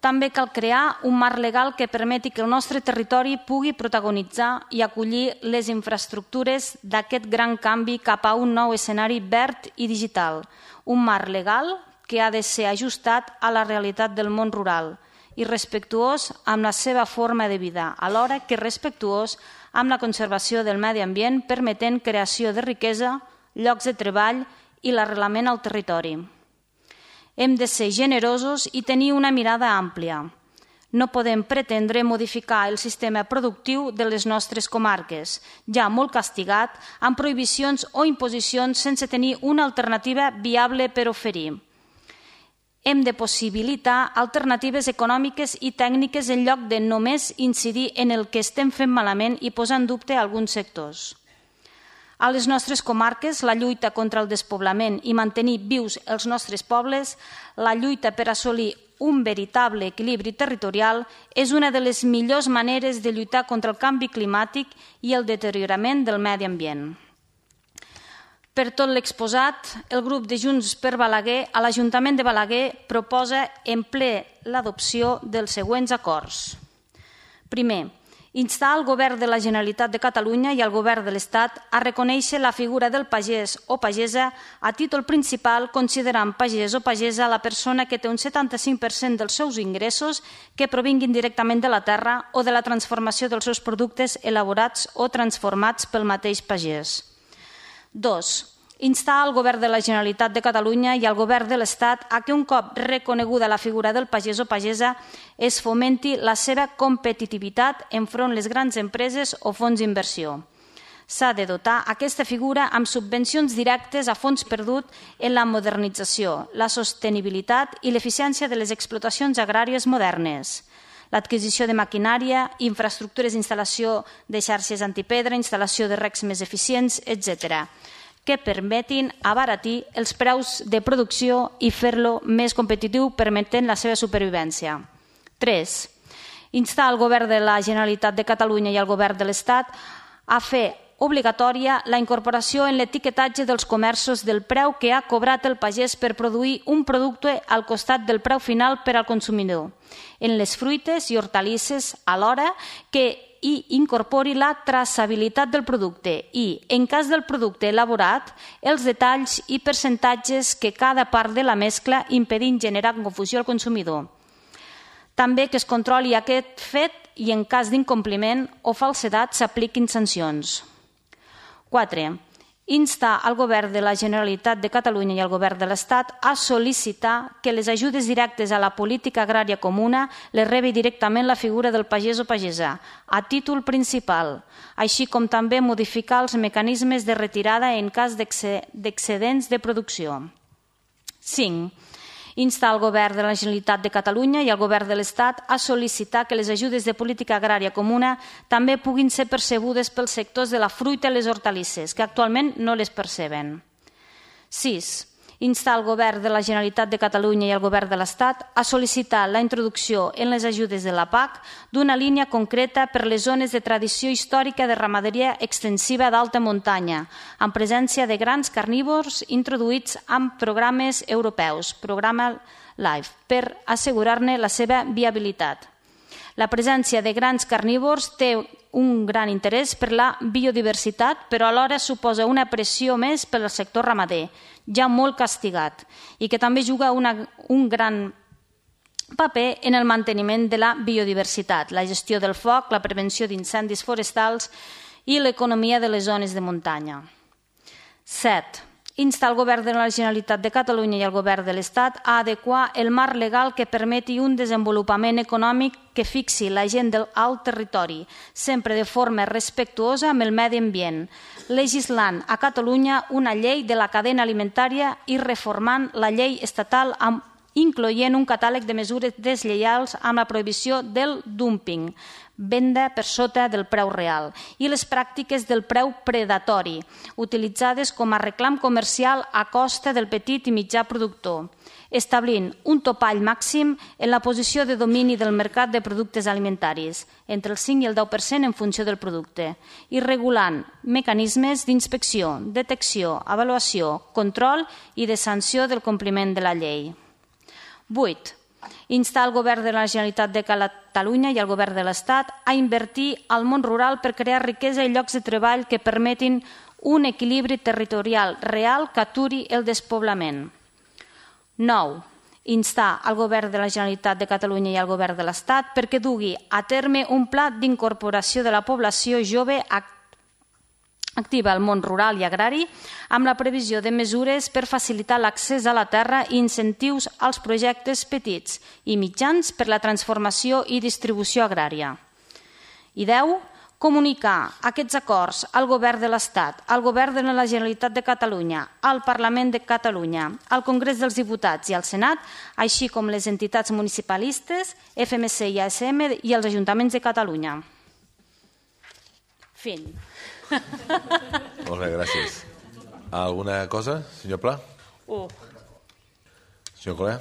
També cal crear un marc legal que permeti que el nostre territori pugui protagonitzar i acollir les infraestructures d'aquest gran canvi cap a un nou escenari verd i digital, un marc legal que ha de ser ajustat a la realitat del món rural i respectuós amb la seva forma de vida, alhora que respectuós amb la conservació del medi ambient, permetent creació de riquesa, llocs de treball i l'arrelament al territori. Hem de ser generosos i tenir una mirada àmplia. No podem pretendre modificar el sistema productiu de les nostres comarques, ja molt castigat, amb prohibicions o imposicions sense tenir una alternativa viable per oferir. Hem de possibilitar alternatives econòmiques i tècniques en lloc de només incidir en el que estem fent malament i posar en dubte alguns sectors. A les nostres comarques, la lluita contra el despoblament i mantenir vius els nostres pobles, la lluita per assolir un veritable equilibri territorial és una de les millors maneres de lluitar contra el canvi climàtic i el deteriorament del medi ambient. Per tot l'exposat, el grup de Junts per Balaguer a l'Ajuntament de Balaguer proposa en ple l'adopció dels següents acords. Primer, instar el Govern de la Generalitat de Catalunya i el Govern de l'Estat a reconèixer la figura del pagès o pagesa a títol principal, considerant pagès o pagesa la persona que té un setanta-cinc per cent dels seus ingressos que provinguin directament de la terra o de la transformació dels seus productes elaborats o transformats pel mateix pagès. Dos, instar el Govern de la Generalitat de Catalunya i el Govern de l'Estat a que un cop reconeguda la figura del pagès o pagesa es fomenti la seva competitivitat enfront les grans empreses o fons d'inversió. S'ha de dotar aquesta figura amb subvencions directes a fons perdut en la modernització, la sostenibilitat i l'eficiència de les explotacions agràries modernes, l'adquisició de maquinària, infraestructures d'instal·lació de xarxes antipedra, instal·lació de recs més eficients, etcètera, que permetin abaratir els preus de producció i fer-lo més competitiu, permetent la seva supervivència. Tres, instar el Govern de la Generalitat de Catalunya i el Govern de l'Estat a fer obligatòria la incorporació en l'etiquetatge dels comerços del preu que ha cobrat el pagès per produir un producte al costat del preu final per al consumidor, en les fruites i hortalisses, alhora que i incorpori la traçabilitat del producte i, en cas del producte elaborat, els detalls i percentatges que cada part de la mescla impedint generar confusió al consumidor. També que es controli aquest fet i, en cas d'incompliment o falsedat, s'apliquin sancions. Quatre. Instar el Govern de la Generalitat de Catalunya i el Govern de l'Estat a sol·licitar que les ajudes directes a la política agrària comuna les rebi directament la figura del pagès o pagesa, a títol principal, així com també modificar els mecanismes de retirada en cas d'excedents de producció. Cinc. Instar el Govern de la Generalitat de Catalunya i el Govern de l'Estat a sol·licitar que les ajudes de política agrària comuna també puguin ser percebudes pels sectors de la fruita i les hortalisses, que actualment no les perceben. Sis. Instar el Govern de la Generalitat de Catalunya i el Govern de l'Estat a sol·licitar la introducció en les ajudes de la P A C d'una línia concreta per les zones de tradició històrica de ramaderia extensiva d'alta muntanya, amb presència de grans carnívors introduïts amb programes europeus, programa LIFE, per assegurar-ne la seva viabilitat. La presència de grans carnívors té un gran interès per la biodiversitat, però alhora suposa una pressió més per al sector ramader, ja molt castigat, i que també juga una, un gran paper en el manteniment de la biodiversitat, la gestió del foc, la prevenció d'incendis forestals i l'economia de les zones de muntanya. Set. Instar el Govern de la Generalitat de Catalunya i el Govern de l'Estat a adequar el marc legal que permeti un desenvolupament econòmic que fixi la gent al territori, sempre de forma respectuosa amb el medi ambient, legislant a Catalunya una llei de la cadena alimentària i reformant la llei estatal amb incloent un catàleg de mesures deslleials amb la prohibició del dumping, venda per sota del preu real, i les pràctiques del preu predatori, utilitzades com a reclam comercial a costa del petit i mitjà productor, establint un topall màxim en la posició de domini del mercat de productes alimentaris, entre el cinc i el deu per cent en funció del producte, i regulant mecanismes d'inspecció, detecció, avaluació, control i de sanció del compliment de la llei. Vuit. Instar el Govern de la Generalitat de Catalunya i el Govern de l'Estat a invertir al món rural per crear riquesa i llocs de treball que permetin un equilibri territorial real que aturi el despoblament. Nou. Instar el Govern de la Generalitat de Catalunya i el Govern de l'Estat perquè dugui a terme un pla d'incorporació de la població jove activa al món rural i agrari amb la previsió de mesures per facilitar l'accés a la terra i incentius als projectes petits i mitjans per la transformació i distribució agrària. I deu. Comunicar aquests acords al Govern de l'Estat, al Govern de la Generalitat de Catalunya, al Parlament de Catalunya, al Congrés dels Diputats i al Senat, així com les entitats municipalistes, F M C i A S M i els ajuntaments de Catalunya. Fin. Molt bé, gràcies. Alguna cosa, senyor Pla? Uh. Senyor Colea?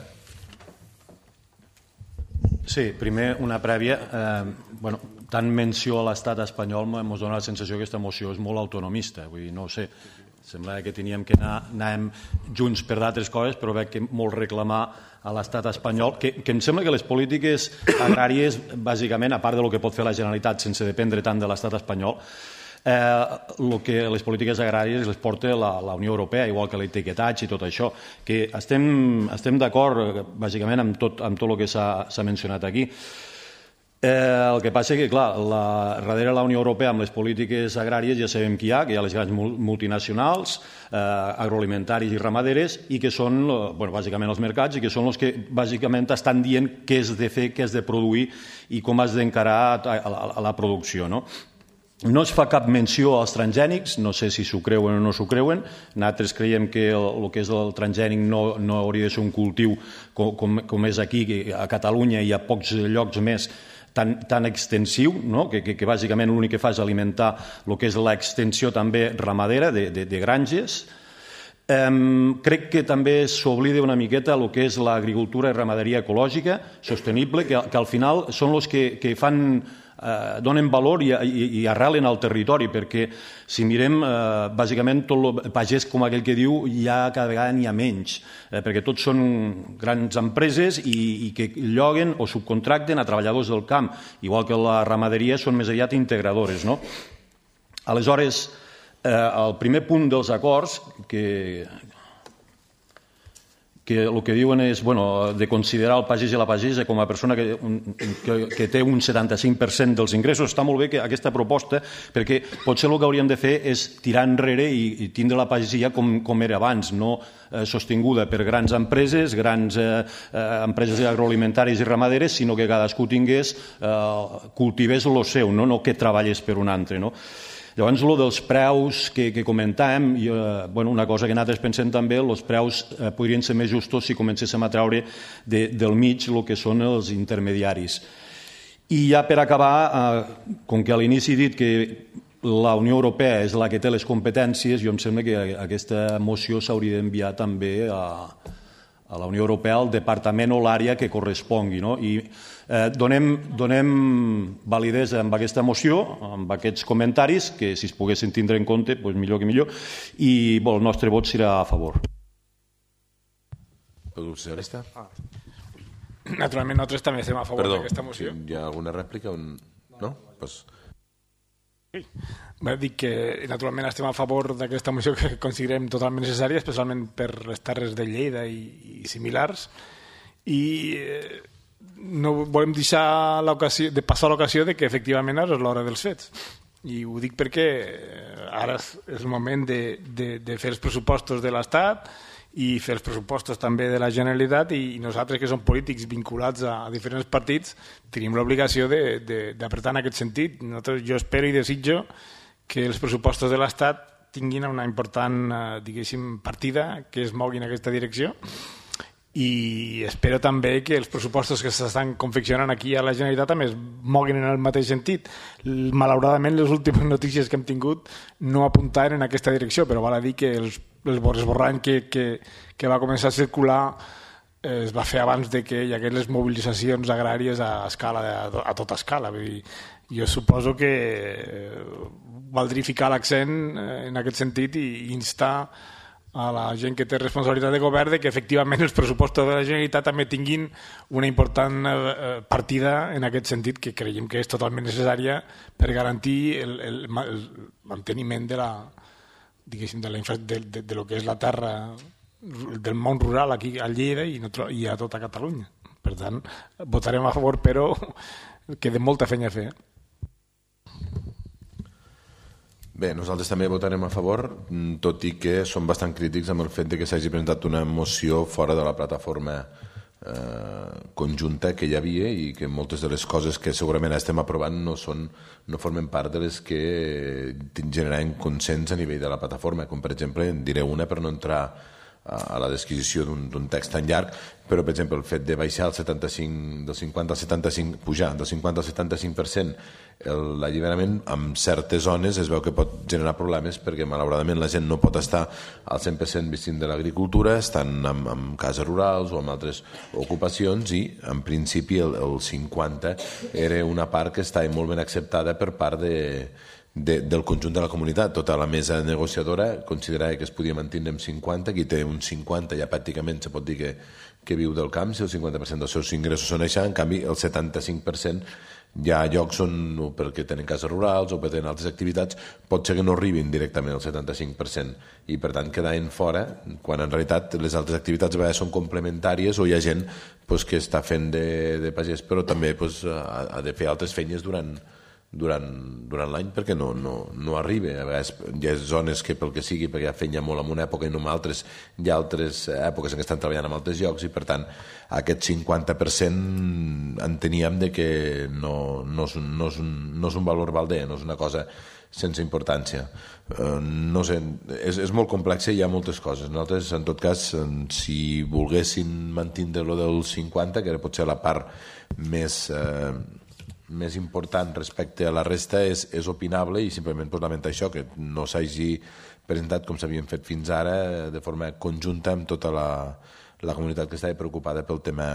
Sí, primer una prèvia. Eh, bueno, tant menció a l'estat espanyol ens dona la sensació que aquesta moció és molt autonomista. Vull dir, no sé, Sembla que teníem que anar, anàvem junts per d'altres coses, però veig que molt reclamar a l'estat espanyol, que, que em sembla que les polítiques agràries, bàsicament, a part del que pot fer la Generalitat sense dependre tant de l'estat espanyol, eh, el que les polítiques agràries les porta la, la Unió Europea, igual que l'etiquetatge i tot això, que estem, estem d'acord, bàsicament, amb tot, amb tot el que s'ha mencionat aquí. Eh, el que passa és que, clar, la, darrere la Unió Europea amb les polítiques agràries ja sabem qui hi ha, que hi ha les grans multinacionals, eh, agroalimentaris i ramaderes, i que són, bueno, bàsicament els mercats, i que són els que bàsicament estan dient què has de fer, què has de produir i com has d'encarar a, a, a la producció, no? No es fa cap menció als transgènics, no sé si s'ho creuen o no s'ho creuen. Nosaltres creiem que el, el que és el transgènic no, no hauria de ser un cultiu com, com, com és aquí, a Catalunya i a pocs llocs més, tan, tan extensiu, no? que, que, que bàsicament l'únic que fa és alimentar el que és l'extensió també ramadera de, de, de granges. Um, crec que també s'oblida una miqueta el que és l'agricultura i ramaderia ecològica, sostenible, que, que al final són els que, que fan... Eh, donen valor i, i, i arrelen al territori, perquè si mirem eh, bàsicament tot el pagès, com aquell que diu, ja cada vegada n'hi ha menys, eh, perquè tots són grans empreses i, i que lloguen o subcontracten a treballadors del camp, igual que la ramaderia són més aviat integradores, no? Aleshores, eh, el primer punt dels acords que... que el que diuen és, bueno, de considerar el pagès i la pagesa com a persona que, que, que té un setanta-cinc per cent dels ingressos. Està molt bé que aquesta proposta, perquè potser el que hauríem de fer és tirar enrere i, i tindre la pagesia com, com era abans, no eh, sostinguda per grans empreses, grans eh, eh, empreses agroalimentàries i ramaderes, sinó que cadascú tingués, eh, cultivés el seu, no, no que treballés per un altre, no? Llavors, el dels preus que, que comentàvem, i, eh, bueno, una cosa que nosaltres pensem també, els preus eh, podrien ser més justos si comencéssim a treure de, del mig el que són els intermediaris. I ja per acabar, eh, com que a l'inici he dit que la Unió Europea és la que té les competències, jo em sembla que aquesta moció s'hauria d'enviar també a, a la Unió Europea, al departament o l'àrea que correspongui, no? I eh, donem, donem validesa amb aquesta moció, amb aquests comentaris, que si es poguessin tindre en compte, doncs millor que millor, i bon, el nostre vot serà a favor. El grup socialista? Ah. Naturalment, nosaltres també estem a favor d'aquesta moció. Perdó, hi ha alguna rèplica? On... No? Pues... Sí. Va dir que naturalment estem a favor d'aquesta moció que considerem totalment necessària, especialment per les terres de Lleida i, i similars, i eh, no volem deixar l'ocasió de passar l'ocasió de que efectivament ara és l'hora dels fets, i ho dic perquè ara és el moment de, de, de fer els pressupostos de l'Estat i fer els pressupostos també de la Generalitat, i nosaltres que som polítics vinculats a, a diferents partits tenim l'obligació d'apretar en aquest sentit. Nosaltres, jo espero i desitjo que els pressupostos de l'Estat tinguin una important, eh, diguéssim, partida que es mogui en aquesta direcció, i espero també que els pressupostos que s'estan confeccionant aquí a la Generalitat també es moguin en el mateix sentit. Malauradament, les últimes notícies que hem tingut no apuntaven en aquesta direcció, però val a dir que els, els esborrany que, que, que va començar a circular eh, es va fer abans de que hi hagués les mobilitzacions agràries a escala, a, a tota escala. Vull dir, jo suposo que eh, valdria ficar l'accent en aquest sentit i instar a la gent que té responsabilitat de govern de que efectivament els pressupostos de la Generalitat també tinguin una important eh, partida en aquest sentit, que creiem que és totalment necessària per garantir el, el, el manteniment de la, diguéssim, de, la infra, de, de, de lo que és la terra, del món rural aquí a Lleida i, no, i a tota Catalunya. Per tant, votarem a favor, però queda molta feina a fer. Bé, nosaltres també votarem a favor, tot i que som bastant crítics amb el fet de que s'hagi presentat una moció fora de la plataforma eh, conjunta que hi havia, i que moltes de les coses que segurament estem aprovant no, són, no formen part de les que generaran consens a nivell de la plataforma, com per exemple, en diré una per no entrar a la descripció d'un text tan llarg, però per exemple el fet de baixar el setanta-cinc, del cinquanta al setanta-cinc, pujar del cinquanta al setanta-cinc per cent l'alliberament, en certes zones es veu que pot generar problemes, perquè malauradament la gent no pot estar al cent per cent vestint de l'agricultura, estan en, en cases rurals o en altres ocupacions, i en principi el, el cinquanta era una part que estava molt ben acceptada per part de de, del conjunt de la comunitat. Tota la mesa negociadora considerava que es podia mantenir amb cinquanta, qui té un cinquanta ja pràcticament se pot dir que, que viu del camp, si el cinquanta per cent dels seus ingressos són això, en canvi el setanta-cinc per cent hi ha llocs on, o perquè tenen cases rurals o perquè tenen altres activitats, pot ser que no arribin directament al setanta-cinc per cent i per tant quedaven fora, quan en realitat les altres activitats a vegades són complementàries o hi ha gent pues, que està fent de, de pagès però també pues, ha, ha de fer altres feines durant, durant, durant l'any perquè no, no, no arriba. A vegades hi ha zones que pel que sigui, perquè ja feien molt en una època i no en altres, hi ha altres èpoques en què estan treballant en altres llocs i per tant aquest cinquanta per cent enteníem de que no, no, és un, no, és un, no és un valor balder, no és una cosa sense importància. Uh, no sé, és, és molt complex i hi ha moltes coses. Nosaltres, en tot cas, si volguessin mantenir lo del cinquanta, que era potser la part més... Uh, més important respecte a la resta és, és opinable i simplement pues, lamentar això, que no s'hagi presentat com s'havien fet fins ara de forma conjunta amb tota la, la comunitat que estava preocupada pel tema,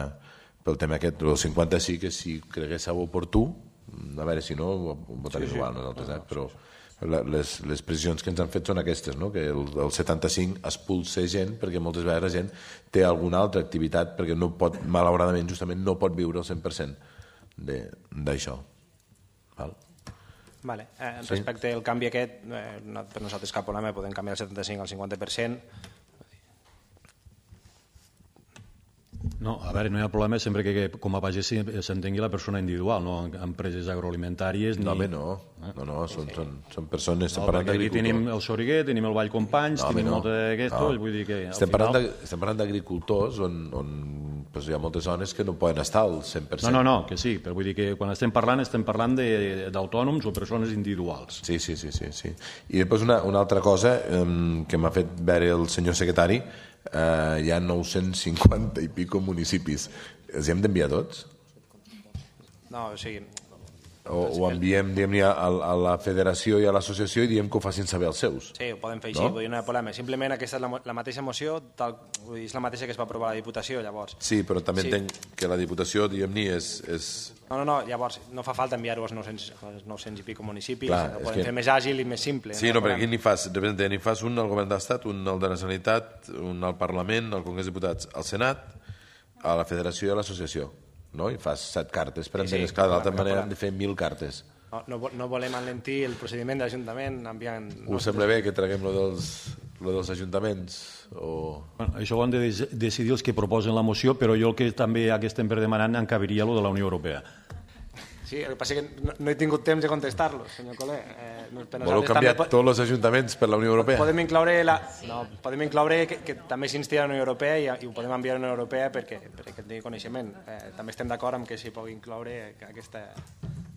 pel tema aquest. El cinquanta sí que si creguéssiu oportú, a veure si no ho votaré sí, igual sí. Nosaltres, eh? Però les, les precisions que ens han fet són aquestes, no? Que el, el setanta-cinc expulsa gent perquè moltes vegades la gent té alguna altra activitat perquè no pot, malauradament justament no pot viure al cent per cent d'això. Val? Vale. Eh, respecte sí. al canvi aquest, eh, no, per nosaltres cap problema, podem canviar el setanta-cinc al cinquanta per cent. No, a veure, no hi ha problema sempre que, que com a pagès s'entengui la persona individual, no empreses agroalimentàries ni... No, home, no, no, no són, sí. són, són persones... No, perquè aquí tenim el Soriguer, tenim el Vall Companys, no, tenim no. molta d'aquesto, no. vull dir que... Estem parlant final... d'agricultors on, on pues, hi ha moltes zones que no poden estar al cent per cent. No, no, no, que sí, però vull dir que quan estem parlant estem parlant d'autònoms o persones individuals. Sí, sí, sí, sí, sí. I després una, una altra cosa um, que m'ha fet veure el senyor secretari, Uh, hi ha nou-cents cinquanta i pico municipis. Els hem d'enviar tots? No, o sigui... O, o enviem diguem, a, a la federació i a l'associació i diem que ho facin saber els seus? Sí, ho podem fer així, no? Vull dir, no hi ha problema. Simplement aquesta és la, la mateixa moció, tal, vull dir, és la mateixa que es va aprovar a la Diputació, llavors. Sí, però també sí. entenc que la Diputació, diguem-ne, és, és... No, no, no, llavors no fa falta enviar-ho als nou-cents i pico municipis, Clar, ho podem que... fer més àgil i més simple. Sí, no, no perquè aquí n'hi fas, ni fas un al Govern d'Estat, un al de la Sanitat, un al Parlament, al Congrés de Diputats, al Senat, a la Federació i a l'Associació, no? I fas set cartes, per entendre, sí, sí, clar, d'altra manera hem de fer mil cartes. No, no, no volem alentir el procediment de l'Ajuntament enviant... Us sembla bé que traguem lo dels, lo dels ajuntaments? O... Bueno, això ho han de decidir els que proposen la moció, però jo el que també que estem per demanar encabiria lo de la Unió Europea. Sí, el que passa és que no, no he tingut temps de contestar-lo, senyor Coler. Eh, Voleu canviar també... tots els ajuntaments per la Unió Europea? Podem incloure, la... no, podem incloure que, que també s'insti a la Unió Europea i, i ho podem enviar a la Unió Europea perquè, perquè tingui coneixement. Eh, també estem d'acord amb que s'hi pugui incloure aquesta...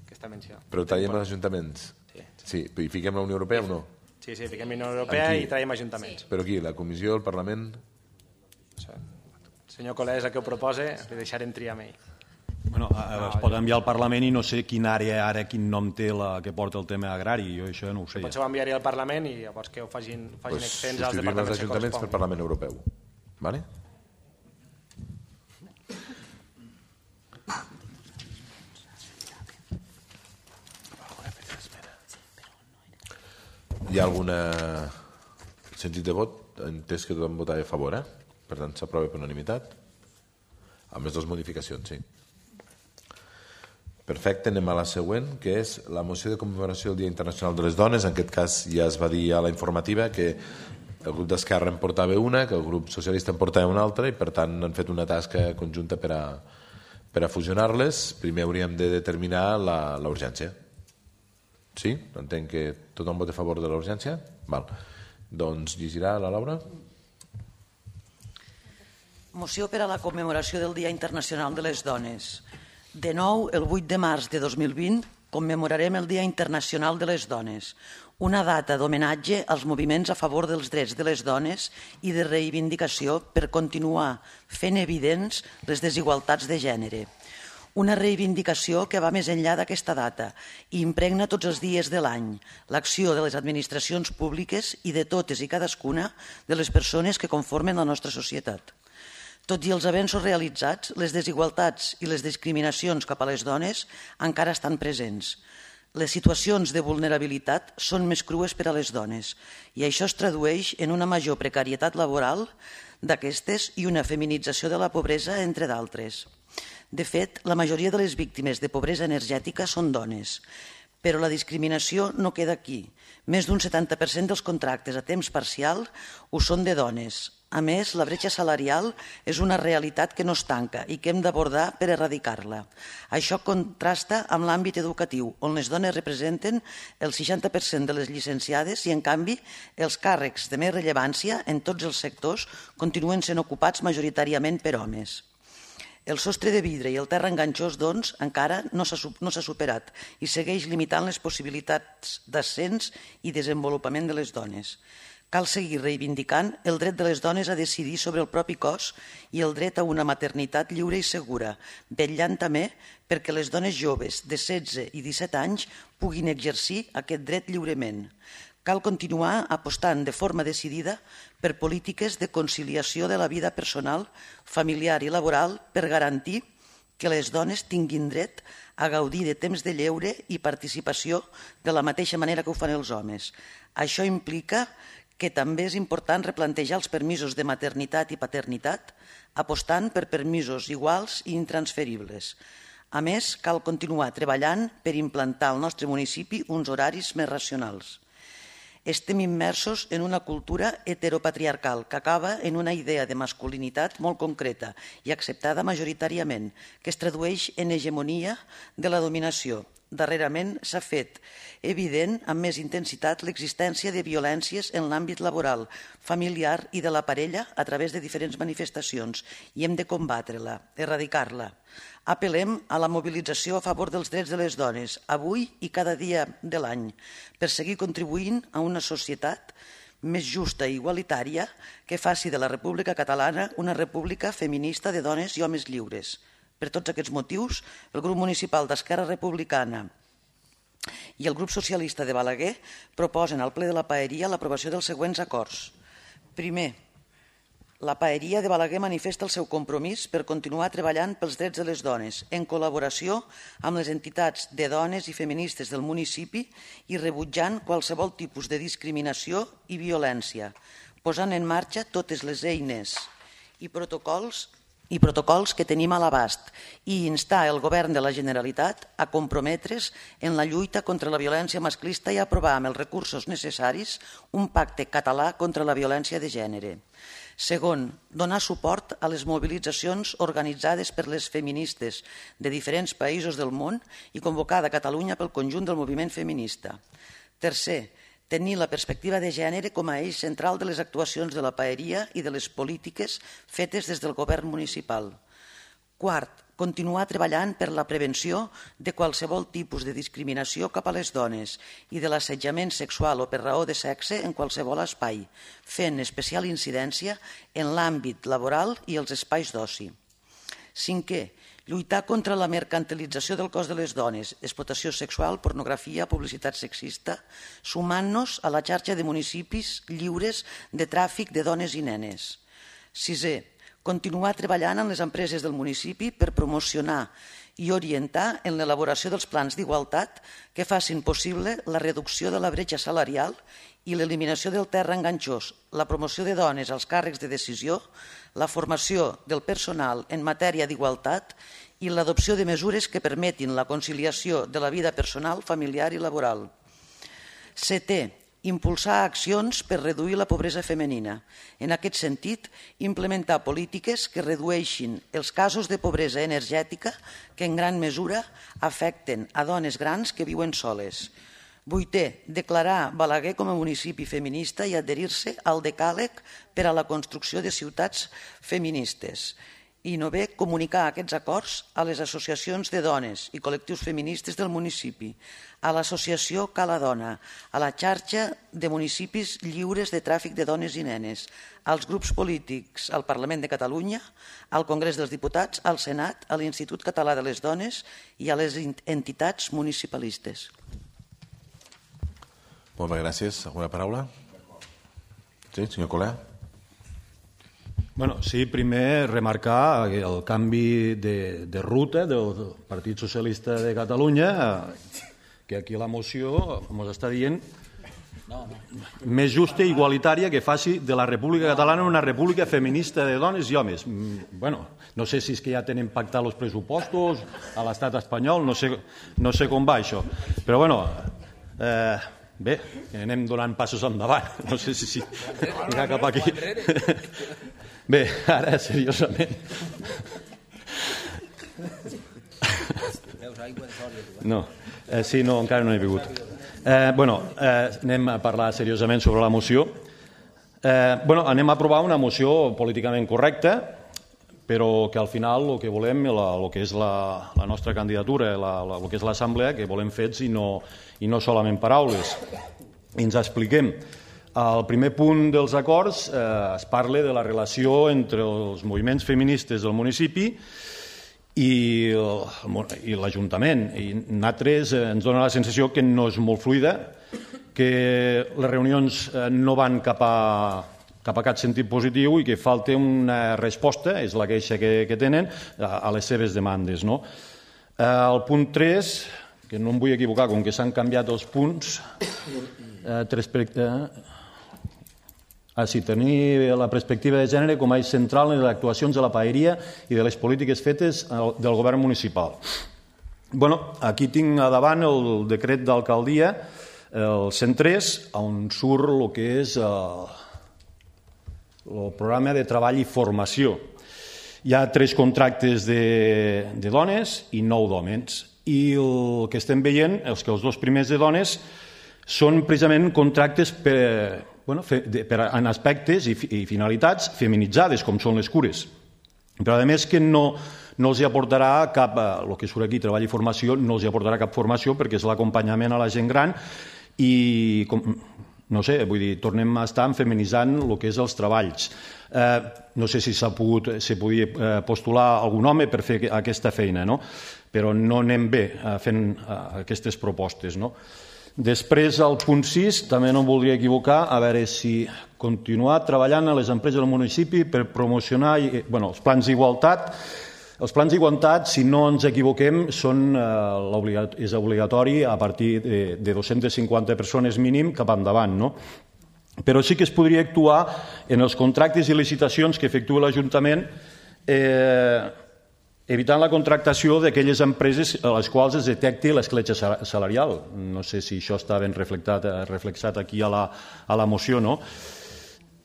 aquesta menció. Però traiem els ajuntaments? Sí. Sí. I fiquem la Unió Europea o no? Sí, sí, fiquem la Unió Europea i traiem ajuntaments. Sí. Però aquí, la Comissió, el Parlament... El senyor Colés, el que ho proposa, li deixarem triar amb ell. Bueno, no, es pot enviar al Parlament i no sé quin àrea ara, quin nom té la que porta el tema agrari, jo això no ho sé. Potser ho enviaré al Parlament i llavors que ho facin, facin pues extens als departaments els ajuntaments pel Parlament Europeu. Vale? Hi ha alguna sentit de vot? Entès que tothom votava a favor, eh? Per tant, s'aprova per unanimitat. Amb les dues modificacions, sí. Perfecte, anem a la següent, que és la moció de commemoració del Dia Internacional de les Dones. En aquest cas ja es va dir a la informativa que el grup d'Esquerra en portava una, que el grup socialista en portava una altra i per tant han fet una tasca conjunta per a, per a fusionar-les. Primer hauríem de determinar la, la urgència. Sí? Entenc que tothom vota a favor de la urgència? Val. Doncs llegirà la Laura. Moció per a la commemoració del Dia Internacional de les Dones. De nou, el vuit de març de dos mil vint, commemorarem el Dia Internacional de les Dones, una data d'homenatge als moviments a favor dels drets de les dones i de reivindicació per continuar fent evidents les desigualtats de gènere. Una reivindicació que va més enllà d'aquesta data i impregna tots els dies de l'any l'acció de les administracions públiques i de totes i cadascuna de les persones que conformen la nostra societat. Tot i els avenços realitzats, les desigualtats i les discriminacions cap a les dones encara estan presents. Les situacions de vulnerabilitat són més crues per a les dones i això es tradueix en una major precarietat laboral d'aquestes i una feminització de la pobresa, entre d'altres. De fet, la majoria de les víctimes de pobresa energètica són dones, però la discriminació no queda aquí. Més d'un setanta per cent dels contractes a temps parcial ho són de dones. A més, la bretxa salarial és una realitat que no es tanca i que hem d'abordar per erradicar-la. Això contrasta amb l'àmbit educatiu, on les dones representen el seixanta per cent de les llicenciades i, en canvi, els càrrecs de més rellevància en tots els sectors continuen sent ocupats majoritàriament per homes. El sostre de vidre i el terra enganxós, doncs, encara no s'ha superat i segueix limitant les possibilitats d'ascens i desenvolupament de les dones. Cal seguir reivindicant el dret de les dones a decidir sobre el propi cos i el dret a una maternitat lliure i segura, vetllant també perquè les dones joves de setze i disset anys puguin exercir aquest dret lliurement. Cal continuar apostant de forma decidida per polítiques de conciliació de la vida personal, familiar i laboral per garantir que les dones tinguin dret a gaudir de temps de lleure i participació de la mateixa manera que ho fan els homes. Això implica que també és important replantejar els permisos de maternitat i paternitat, apostant per permisos iguals i intransferibles. A més, cal continuar treballant per implantar al nostre municipi uns horaris més racionals. Estem immersos en una cultura heteropatriarcal que acaba en una idea de masculinitat molt concreta i acceptada majoritàriament, que es tradueix en hegemonia de la dominació. Darrerament s'ha fet evident amb més intensitat l'existència de violències en l'àmbit laboral, familiar i de la parella a través de diferents manifestacions i hem de combatre-la, erradicar-la. Apel·lem a la mobilització a favor dels drets de les dones, avui i cada dia de l'any, per seguir contribuint a una societat més justa i igualitària que faci de la República Catalana una república feminista de dones i homes lliures. Per tots aquests motius, el grup municipal d'Esquerra Republicana i el grup socialista de Balaguer proposen al ple de la Paeria l'aprovació dels següents acords. Primer, la Paeria de Balaguer manifesta el seu compromís per continuar treballant pels drets de les dones, en col·laboració amb les entitats de dones i feministes del municipi i rebutjant qualsevol tipus de discriminació i violència, posant en marxa totes les eines i protocols i protocols que tenim a l'abast i instar el govern de la Generalitat a comprometre's en la lluita contra la violència masclista i aprovar amb els recursos necessaris un pacte català contra la violència de gènere. Segon, donar suport a les mobilitzacions organitzades per les feministes de diferents països del món i convocada a Catalunya pel conjunt del moviment feminista. Tercer, tenir la perspectiva de gènere com a eix central de les actuacions de la Paeria i de les polítiques fetes des del govern municipal. Quart, continuar treballant per la prevenció de qualsevol tipus de discriminació cap a les dones i de l'assetjament sexual o per raó de sexe en qualsevol espai, fent especial incidència en l'àmbit laboral i els espais d'oci. Cinquè, lluitar contra la mercantilització del cos de les dones, explotació sexual, pornografia, publicitat sexista, sumant-nos a la xarxa de municipis lliures de tràfic de dones i nenes. Sisè, continuar treballant amb les empreses del municipi per promocionar i orientar en l'elaboració dels plans d'igualtat que facin possible la reducció de la bretxa salarial i l'eliminació del terra enganxós, la promoció de dones als càrrecs de decisió, la formació del personal en matèria d'igualtat i l'adopció de mesures que permetin la conciliació de la vida personal, familiar i laboral. Setè, impulsar accions per reduir la pobresa femenina. En aquest sentit, implementar polítiques que redueixin els casos de pobresa energètica que en gran mesura afecten a dones grans que viuen soles. Vuitè, declarar Balaguer com a municipi feminista i adherir-se al decàleg per a la construcció de ciutats feministes. I novè, comunicar aquests acords a les associacions de dones i col·lectius feministes del municipi, a l'associació Cala Dona, a la xarxa de municipis lliures de tràfic de dones i nenes, als grups polítics, al Parlament de Catalunya, al Congrés dels Diputats, al Senat, a l'Institut Català de les Dones i a les entitats municipalistes. Moltes gràcies. Alguna paraula? Sí, senyor Colea? Bueno, sí, primer remarcar el canvi de, de ruta del Partit Socialista de Catalunya, que aquí la moció ens està dient més justa i igualitària, que faci de la República Catalana una república feminista de dones i homes. Bueno, no sé si és que ja tenen pactat els pressupostos a l'estat espanyol, no sé, no sé com va això. Però bueno, eh, bé, anem donant passos endavant. No sé si... si mirar cap aquí. Bé, ara, seriosament. No, eh, sí, no, encara no he begut. Eh, bueno, eh, anem a parlar seriosament sobre la moció. Eh, bueno, anem a aprovar una moció políticament correcta, però que al final el que volem, la, el que és la, la nostra candidatura, la, la, el que és l'assemblea, que volem fets i no, i no solament paraules. I ens expliquem. Al primer punt dels acords eh, es parla de la relació entre els moviments feministes del municipi i, i l'Ajuntament. I nosaltres eh, ens dona la sensació que no és molt fluida, que les reunions eh, no van cap a, cap a cap sentit positiu i que falta una resposta, és la queixa que, que tenen, a, a les seves demandes. No? Eh, el punt tres, que no em vull equivocar, com que s'han canviat els punts, eh, respecte... Ah, sí, tenir la perspectiva de gènere com a eix central en les actuacions de la paeria i de les polítiques fetes del govern municipal. Bueno, aquí tinc a davant el decret d'alcaldia, el cent tres, on surt el que és el, el programa de treball i formació. Hi ha tres contractes de, de dones i nou d'homes. I el que estem veient, els que els dos primers de dones, són precisament contractes per... Bueno, per, en aspectes i, i finalitats feminitzades, com són les cures. Però, a més, que no, no els aportarà cap, el que surt aquí, treball i formació, no els aportarà cap formació perquè és l'acompanyament a la gent gran i, com, no sé, vull dir, tornem a estar feminitzant el que és els treballs. Eh, no sé si s'ha pogut, se podia eh, postular algun home per fer aquesta feina, no? Però no anem bé eh, fent eh, aquestes propostes, no? Després, al punt sis, també no em voldria equivocar, a veure si continuar treballant a les empreses del municipi per promocionar bueno, els plans d'igualtat. Els plans d'igualtat, si no ens equivoquem, són, eh, és obligatori a partir de, de dues-centes cinquanta persones mínim cap endavant, no? Però sí que es podria actuar en els contractes i licitacions que efectua l'Ajuntament eh, evitant la contractació d'aquelles empreses a les quals es detecti l'escletxa salarial. No sé si això està ben reflexat aquí a la, a la moció, no?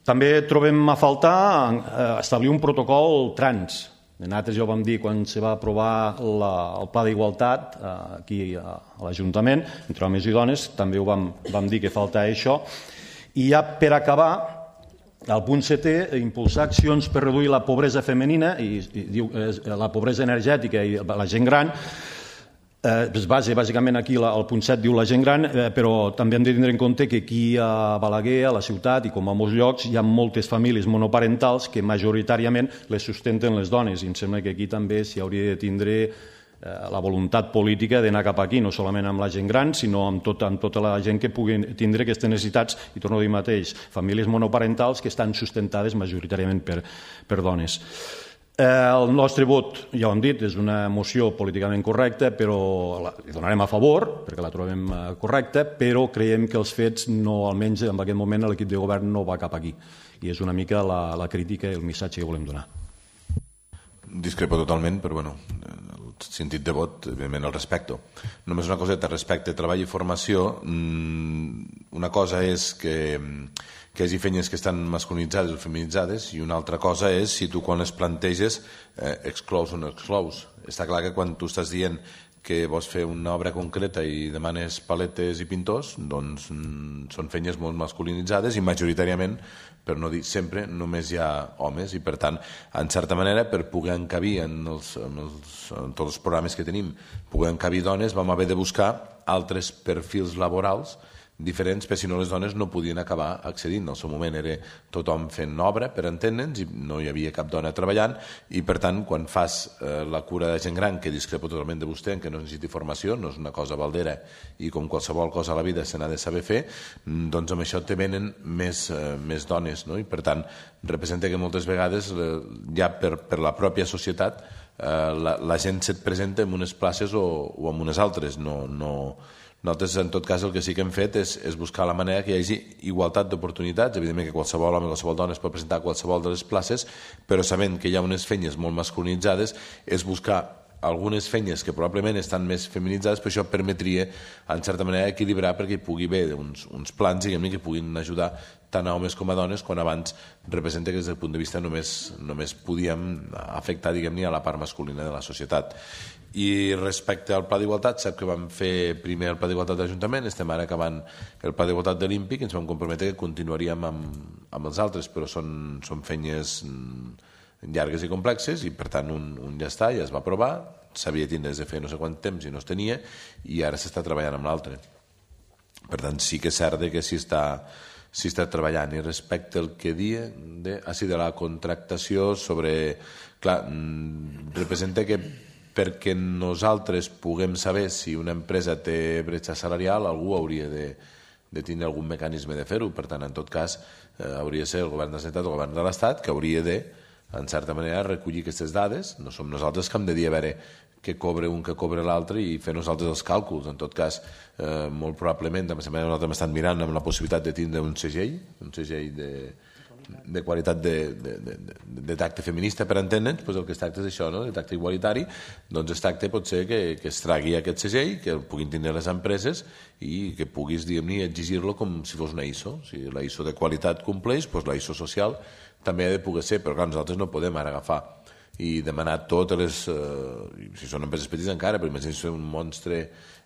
També trobem a faltar establir un protocol trans. Nosaltres ja ho vam dir quan se va aprovar la, el pla d'igualtat aquí a l'Ajuntament, entre homes i dones, també ho vam, vam dir que falta això. I ja per acabar, al punt setè, impulsar accions per reduir la pobresa femenina i, i diu, eh, la pobresa energètica i la gent gran. Eh, es basa bàsicament aquí, la, el punt set diu la gent gran, eh, però també hem de tindre en compte que aquí a Balaguer, a la ciutat i com a molts llocs, hi ha moltes famílies monoparentals que majoritàriament les sustenten les dones i em sembla que aquí també s'hi hauria de tindre la voluntat política d'anar cap aquí, no solament amb la gent gran, sinó amb, tot, amb tota la gent que pugui tindre aquestes necessitats, i torno a dir mateix, famílies monoparentals que estan sustentades majoritàriament per, per dones. Eh, el nostre vot, ja ho hem dit, és una moció políticament correcta, però la hi donarem a favor, perquè la trobem correcta, però creiem que els fets, no, almenys en aquest moment, l'equip de govern no va cap aquí. I és una mica la, la crítica i el missatge que volem donar. Discrepo totalment, però bueno, sentit de vot, evidentment el respecto. Només una coseta respecte a treball i formació. Una cosa és que, que hi hagi feines que estan masculinitzades o feminitzades i una altra cosa és si tu quan les planteges eh, exclous o no exclous. Està clar que quan tu estàs dient que vols fer una obra concreta i demanes paletes i pintors, doncs són feines molt masculinitzades i majoritàriament, per no dir sempre, només hi ha homes i per tant, en certa manera, per poder encabir en, els, en, els, en tots els programes que tenim, poder encabir dones, vam haver de buscar altres perfils laborals diferents, perquè si no les dones no podien acabar accedint. En el seu moment era tothom fent obra, per entendre'ns, i no hi havia cap dona treballant, i per tant, quan fas eh, la cura de gent gran, que discrepo totalment de vostè, en què no necessiti formació, no és una cosa baldera, i com qualsevol cosa a la vida se n'ha de saber fer, doncs amb això te venen més, eh, més dones, no? I per tant, representa que moltes vegades, eh, ja per, per la pròpia societat, la, la gent se't presenta en unes places o, o en unes altres. No, no, nosaltres, en tot cas, el que sí que hem fet és, és buscar la manera que hi hagi igualtat d'oportunitats. Evidentment que qualsevol home, qualsevol dona es pot presentar a qualsevol de les places, però sabent que hi ha unes feines molt masculinitzades, és buscar algunes feines que probablement estan més feminitzades, però això permetria, en certa manera, equilibrar perquè hi pugui haver uns, uns plans, diguem-ne, que puguin ajudar tant a homes com a dones, quan abans representa que des del punt de vista només, només podíem afectar, diguem-ne, a la part masculina de la societat. I respecte al Pla d'Igualtat, sap que vam fer primer el Pla d'Igualtat de l'Ajuntament, estem ara acabant el Pla d'Igualtat de l'I N P I C, ens vam comprometre que continuaríem amb, amb els altres, però són, són feines llargues i complexes i per tant un, un ja està, ja es va aprovar, s'havia tindre de fer no sé quant temps i no es tenia i ara s'està treballant amb l'altre. Per tant, sí que és cert que s'hi està, s'hi està treballant. I respecte al que dia de, ah, sí, de la contractació sobre... Clar, representa que perquè nosaltres puguem saber si una empresa té bretxa salarial, algú hauria de, de tindre algun mecanisme de fer-ho. Per tant, en tot cas, eh, hauria de ser el govern de la Generalitat o el govern de l'Estat que hauria de, en certa manera, recollir aquestes dades. No som nosaltres que hem de dir a veure què cobra un, què cobra l'altre i fer nosaltres els càlculs. En tot cas, eh, molt probablement, també nosaltres hem estat mirant amb la possibilitat de tindre un segell, un segell de... de qualitat de, de, de, de tacte feminista, per entendre'ns, doncs el que es tracta és això, no? De tacte igualitari, doncs es tracta potser que, que es tragui aquest segell, que el puguin tindre les empreses i que puguis, diguem-ne, exigir-lo com si fos una I S O. Si la I S O de qualitat compleix, doncs la I S O social també ha de poder ser, però clar, nosaltres no podem ara agafar i demanar totes les... Eh, si són empreses petites encara, però imagina si és un monstre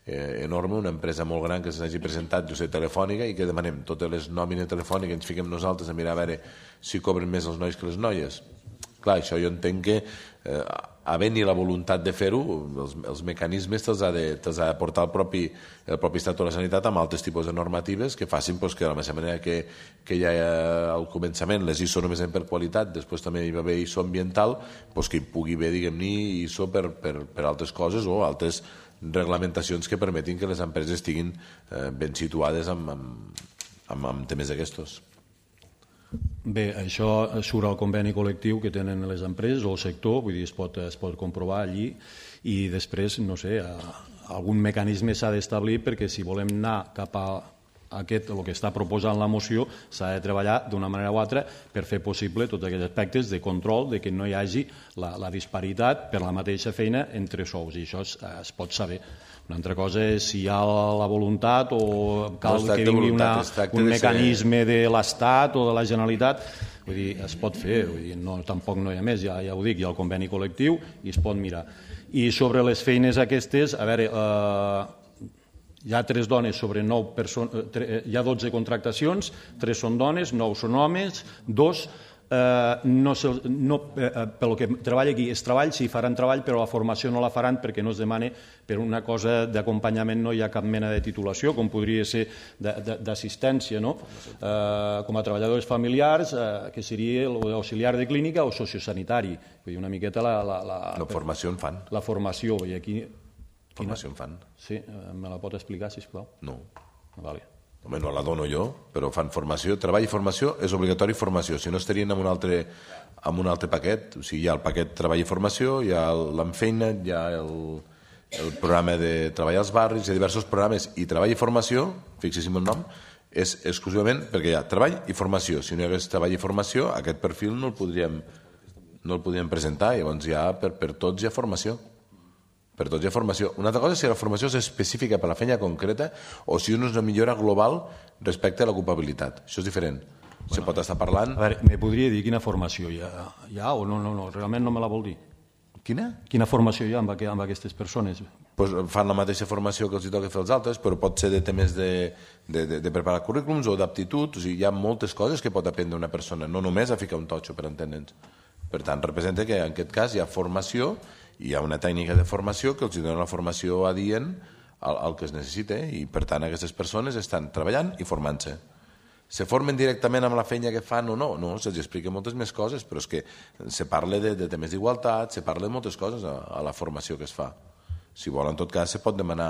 eh, enorme, una empresa molt gran que s'hagi presentat, jo sé, telefònica, i que demanem totes les nòmines telefòniques, ens fiquem nosaltres a mirar a veure si cobren més els nois que les noies. Clar, això jo entenc que eh, havent-hi la voluntat de fer-ho, els, els mecanismes te'ls ha, de, te'ls ha de portar el propi, el propi Estat de la Sanitat amb altres tipus de normatives que facin pues, que de la mateixa manera que, que ja al començament les I S O només eren per qualitat, després també hi va haver I S O ambiental, pues, que hi pugui haver, diguem-ne, I S O per, per, per altres coses o altres reglamentacions que permetin que les empreses estiguin eh, ben situades amb, amb, amb, amb temes d'aquestos. Bé, això surt al conveni col·lectiu que tenen les empreses o el sector, vull dir, es pot, es pot comprovar allí i després, no sé, algun mecanisme s'ha d'establir perquè si volem anar cap a aquest, el que està proposant la moció, s'ha de treballar d'una manera o altra per fer possible tots aquests aspectes de control, de que no hi hagi la, la disparitat per la mateixa feina entre sous, i això es, es pot saber. Una altra cosa és si hi ha la voluntat o cal no que vingui una, un mecanisme de l'Estat o de la Generalitat. Vull dir, es pot fer, vull dir, no, tampoc no hi ha més, ja, ja ho dic, hi ha el conveni col·lectiu i es pot mirar. I sobre les feines aquestes, a veure, eh, hi ha tres dones sobre nou persones, hi ha dotze contractacions, tres són dones, nou són homes, dos Eh, no, no, eh, pel que treballa aquí és treball, sí, faran treball, però la formació no la faran perquè no es demana per una cosa d'acompanyament, no hi ha cap mena de titulació, com podria ser d'assistència, no? Eh, com a treballadors familiars, eh, que seria l'auxiliar de clínica o sociosanitari. Vull dir, una miqueta la... La, la, la formació en fan. La formació, i aquí... Formació en fan. Sí, me la pot explicar, sisplau? No. Vale. Home, no la dono jo, però fan formació. Treball i formació és obligatori formació, si no estarien en un altre, en un altre paquet. O sigui, hi ha el paquet treball i formació, hi ha l'Enfeina, hi ha el, el programa de treball als barris, hi ha diversos programes, i treball i formació, fixéssim el nom, és exclusivament perquè hi ha treball i formació. Si no hi hagués treball i formació, aquest perfil no el podríem, no el podríem presentar, llavors ja per, per tots hi ha formació. Per tots hi ha formació. Una altra cosa és si la formació és específica per a la feina concreta o si és una millora global respecte a l'ocupabilitat. Això és diferent. Bueno, se pot estar parlant... A veure, me podria dir quina formació hi ha, hi ha o no, no, no, realment no me la vol dir. Quina? Quina formació hi ha amb, amb aquestes persones? Pues fan la mateixa formació que els hi toca fer els altres, però pot ser de temes de, de, de, de preparar currículums o d'aptitud. O sigui, hi ha moltes coses que pot aprendre una persona, no només a ficar un totxo, per entendre'ns. Per tant, representa que en aquest cas hi ha formació, hi ha una tècnica de formació que els dona la formació adient al, al que es necessita i per tant aquestes persones estan treballant i formant-se. Se formen directament amb la feina que fan o no? No, se'ls explica moltes més coses, però és que se parla de, de temes d'igualtat, se parla de moltes coses a, a la formació que es fa. Si vol, en tot cas, se pot demanar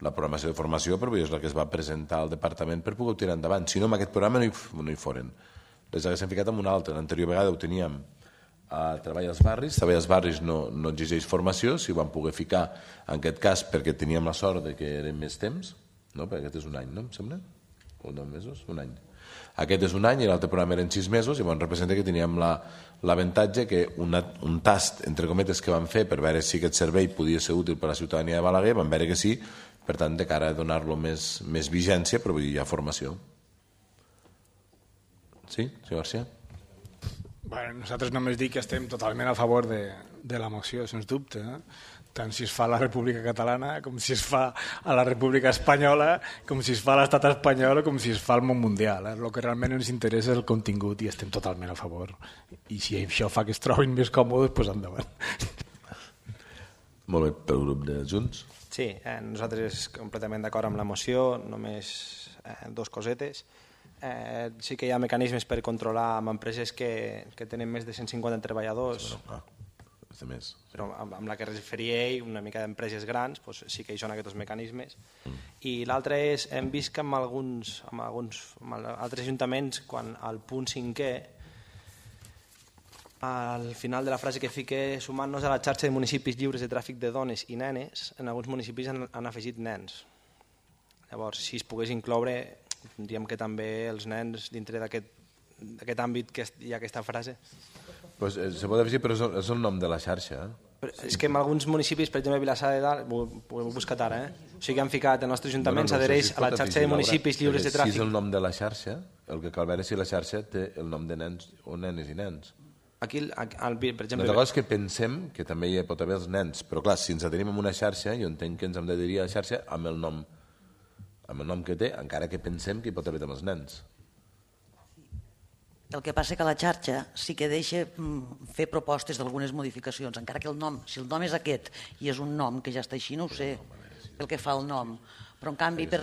la programació de formació, però és la que es va presentar al departament per poder tirar endavant. Si no, amb aquest programa no hi, no hi foren. Les haguéssim ficat en un altre. L'anterior vegada ho teníem a treball als barris. Treball als barris no, no exigeix formació, si ho vam poder ficar en aquest cas perquè teníem la sort de que eren més temps, no? Perquè aquest és un any, no? Em sembla? O nou mesos? Un any. Aquest és un any i l'altre programa eren sis mesos, i llavors representa que teníem l'avantatge que una, un tast, entre cometes, que vam fer per veure si aquest servei podia ser útil per a la ciutadania de Balaguer, vam veure que sí, per tant, de cara a donar-lo més, més vigència, però vull dir, hi ha formació. Sí, senyor García? Bueno, nosaltres només dic que estem totalment a favor de, de la moció, sens dubte, eh? Tant si es fa a la República Catalana, com si es fa a la República Espanyola, com si es fa a l'estat espanyol o com si es fa al món mundial. Eh? El que realment ens interessa és el contingut i estem totalment a favor. I si això fa que es trobin més còmodes, doncs endavant. Molt bé, pel grup de Junts. Sí, eh, nosaltres completament d'acord amb la moció, només eh, dos cosetes. Eh, sí que hi ha mecanismes per controlar amb empreses que, que tenen més de cent cinquanta treballadors, Bueno, ah, de més. però amb, amb la que es referia ell, una mica d'empreses grans, doncs sí que hi són aquests mecanismes. Mm. I l'altre és, hem vist que amb alguns, amb alguns amb altres ajuntaments, quan al punt cinquè, al final de la frase que fique, sumant-nos a la xarxa de municipis lliures de tràfic de dones i nenes, en alguns municipis han, han afegit nens. Llavors, si es pogués incloure, diríem que també els nens dintre d'aquest àmbit que hi ha aquesta frase. Pues, eh, se pot afegir, però és el, és el nom de la xarxa. Eh? Però és que en alguns municipis, per exemple, Vilassar de Dalt, ho, ho he buscat ara, eh? O sigui, han ficat, el nostre ajuntament No, no, no, s'adhereix si es a la pot xarxa afegir, de municipis Laura, lliures de perquè tràfic. Si és el nom de la xarxa, el que cal veure és si la xarxa té el nom de nens o nenes i nens. Aquí, al, al, per exemple... Una cosa és que pensem que també hi pot haver els nens, però clar, si ens adherim a una xarxa, jo entenc que ens hem d'adherir a la xarxa amb el nom amb el nom que té, encara que pensem que hi pot haver amb els nens. El que passa que la xarxa sí que deixa mm, fer propostes d'algunes modificacions, encara que el nom, si el nom és aquest i és un nom que ja està així, no ho sé, el que fa el nom. Però en canvi, per,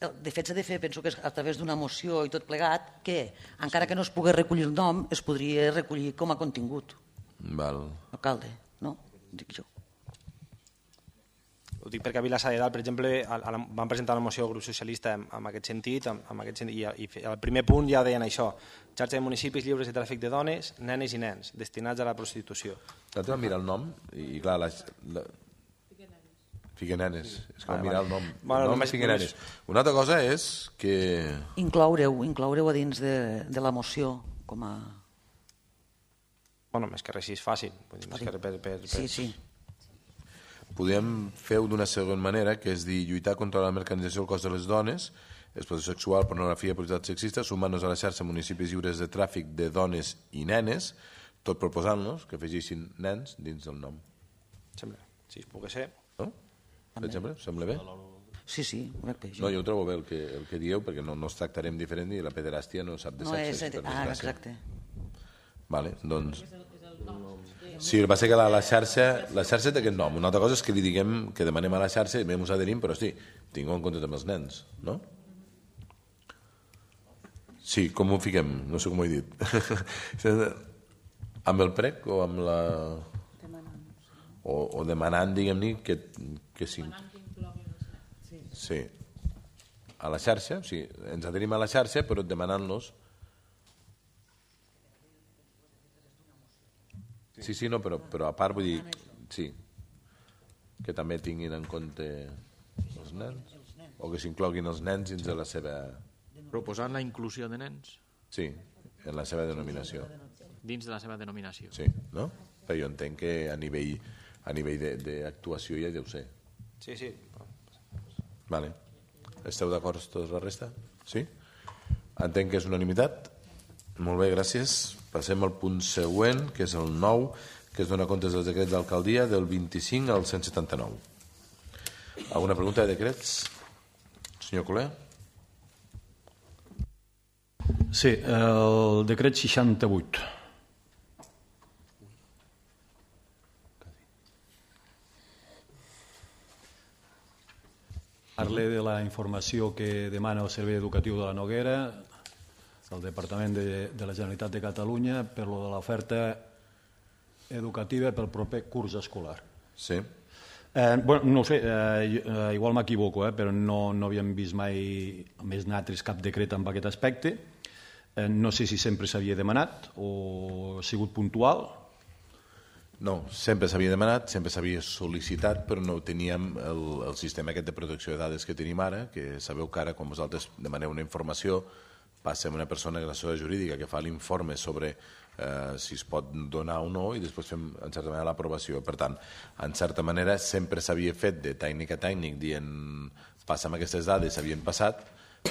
de fet s'ha de fer, penso que és a través d'una moció i tot plegat, que encara que no es pogués recollir el nom, es podria recollir com a contingut. Val. Alcalde, no? Dic jo. Ho dic perquè a Vilassar de Dalt, per exemple, a, a la, van presentar una moció al grup socialista en, en aquest sentit, en, en aquest sentit i, i al primer punt ja deien això, xarxa de municipis lliures de tràfic de dones, nenes i nens, destinats a la prostitució. L'altre va mirar el nom i, i clar, la, la... Figuenenes, és que va mirar el nom. Bueno, el nom només, Figuenenes. Una altra cosa és que... Incloure-ho, incloure-ho a dins de, de la moció com a... Bueno, més que res si és fàcil. Vull dir, més que res per, per, per... Sí, sí. Podem fer-ho d'una segona manera, que és dir lluitar contra la mercantilització del cos de les dones, explotació sexual, pornografia, publicitat sexista, sumant-nos a la xarxa municipis lliures de tràfic de dones i nenes, tot proposant-nos que afegeixin nens dins del nom. Sembla, si es pogués ser. No? Per exemple, sembla bé? Sí, sí, crec que No, jo ho trobo bé el que, el que dieu, perquè no, no es tractarem diferent i la pederàstia no sap de no sexe. és... per Ah, desgràcia. exacte. Vale, doncs... Sí, el que passa que la, la xarxa la xarxa té aquest nom. Una altra cosa és que li diguem que demanem a la xarxa i ens adherim, però sí, tinguem en compte també els nens, no? Sí, com ho fiquem? No sé com ho he dit. Amb el prec o amb la... O, o demanant, diguem-ne, que, que sí. Sí. A la xarxa, sí, ens adherim a la xarxa, però demanant-los... Sí, sí, no, però, però a part vull dir, sí, que també tinguin en compte els nens, o que s'incloguin els nens dins de la seva... Proposant la inclusió de nens? Sí, en la seva denominació. Dins de la seva denominació. Sí, no? Però jo entenc que a nivell, a nivell d'actuació ja deu ser. Sí, sí. Vale. Esteu d'acord tota la resta? Sí? Entenc que és unanimitat? Molt bé, gràcies. Passem al punt següent, que és el nou, que es dona comptes dels decrets d'alcaldia del vint-i-cinc al cent setanta-nou. Alguna pregunta de decrets? Senyor Coler? Sí, el decret seixanta-vuit. Parle de la informació que demana el Servei Educatiu de la Noguera, el Departament de, de la Generalitat de Catalunya, per lo de l'oferta educativa pel proper curs escolar. Sí. Eh, bueno, no ho sé, eh, igual m'equivoco, eh, però no, no havíem vist mai més nosaltres cap decret en aquest aspecte. Eh, no sé si sempre s'havia demanat o ha sigut puntual No, sempre s'havia demanat, sempre s'havia sol·licitat, però no teníem el, el sistema aquest de protecció de dades que tenim ara, que sabeu que ara, quan vosaltres demaneu una informació, passa a una persona de l'assessora jurídica que fa l'informe sobre eh, si es pot donar o no, i després fem, en certa manera, l'aprovació. Per tant, en certa manera, sempre s'havia fet de tècnic a tècnic, dient, passa'm aquestes dades, s'havien passat,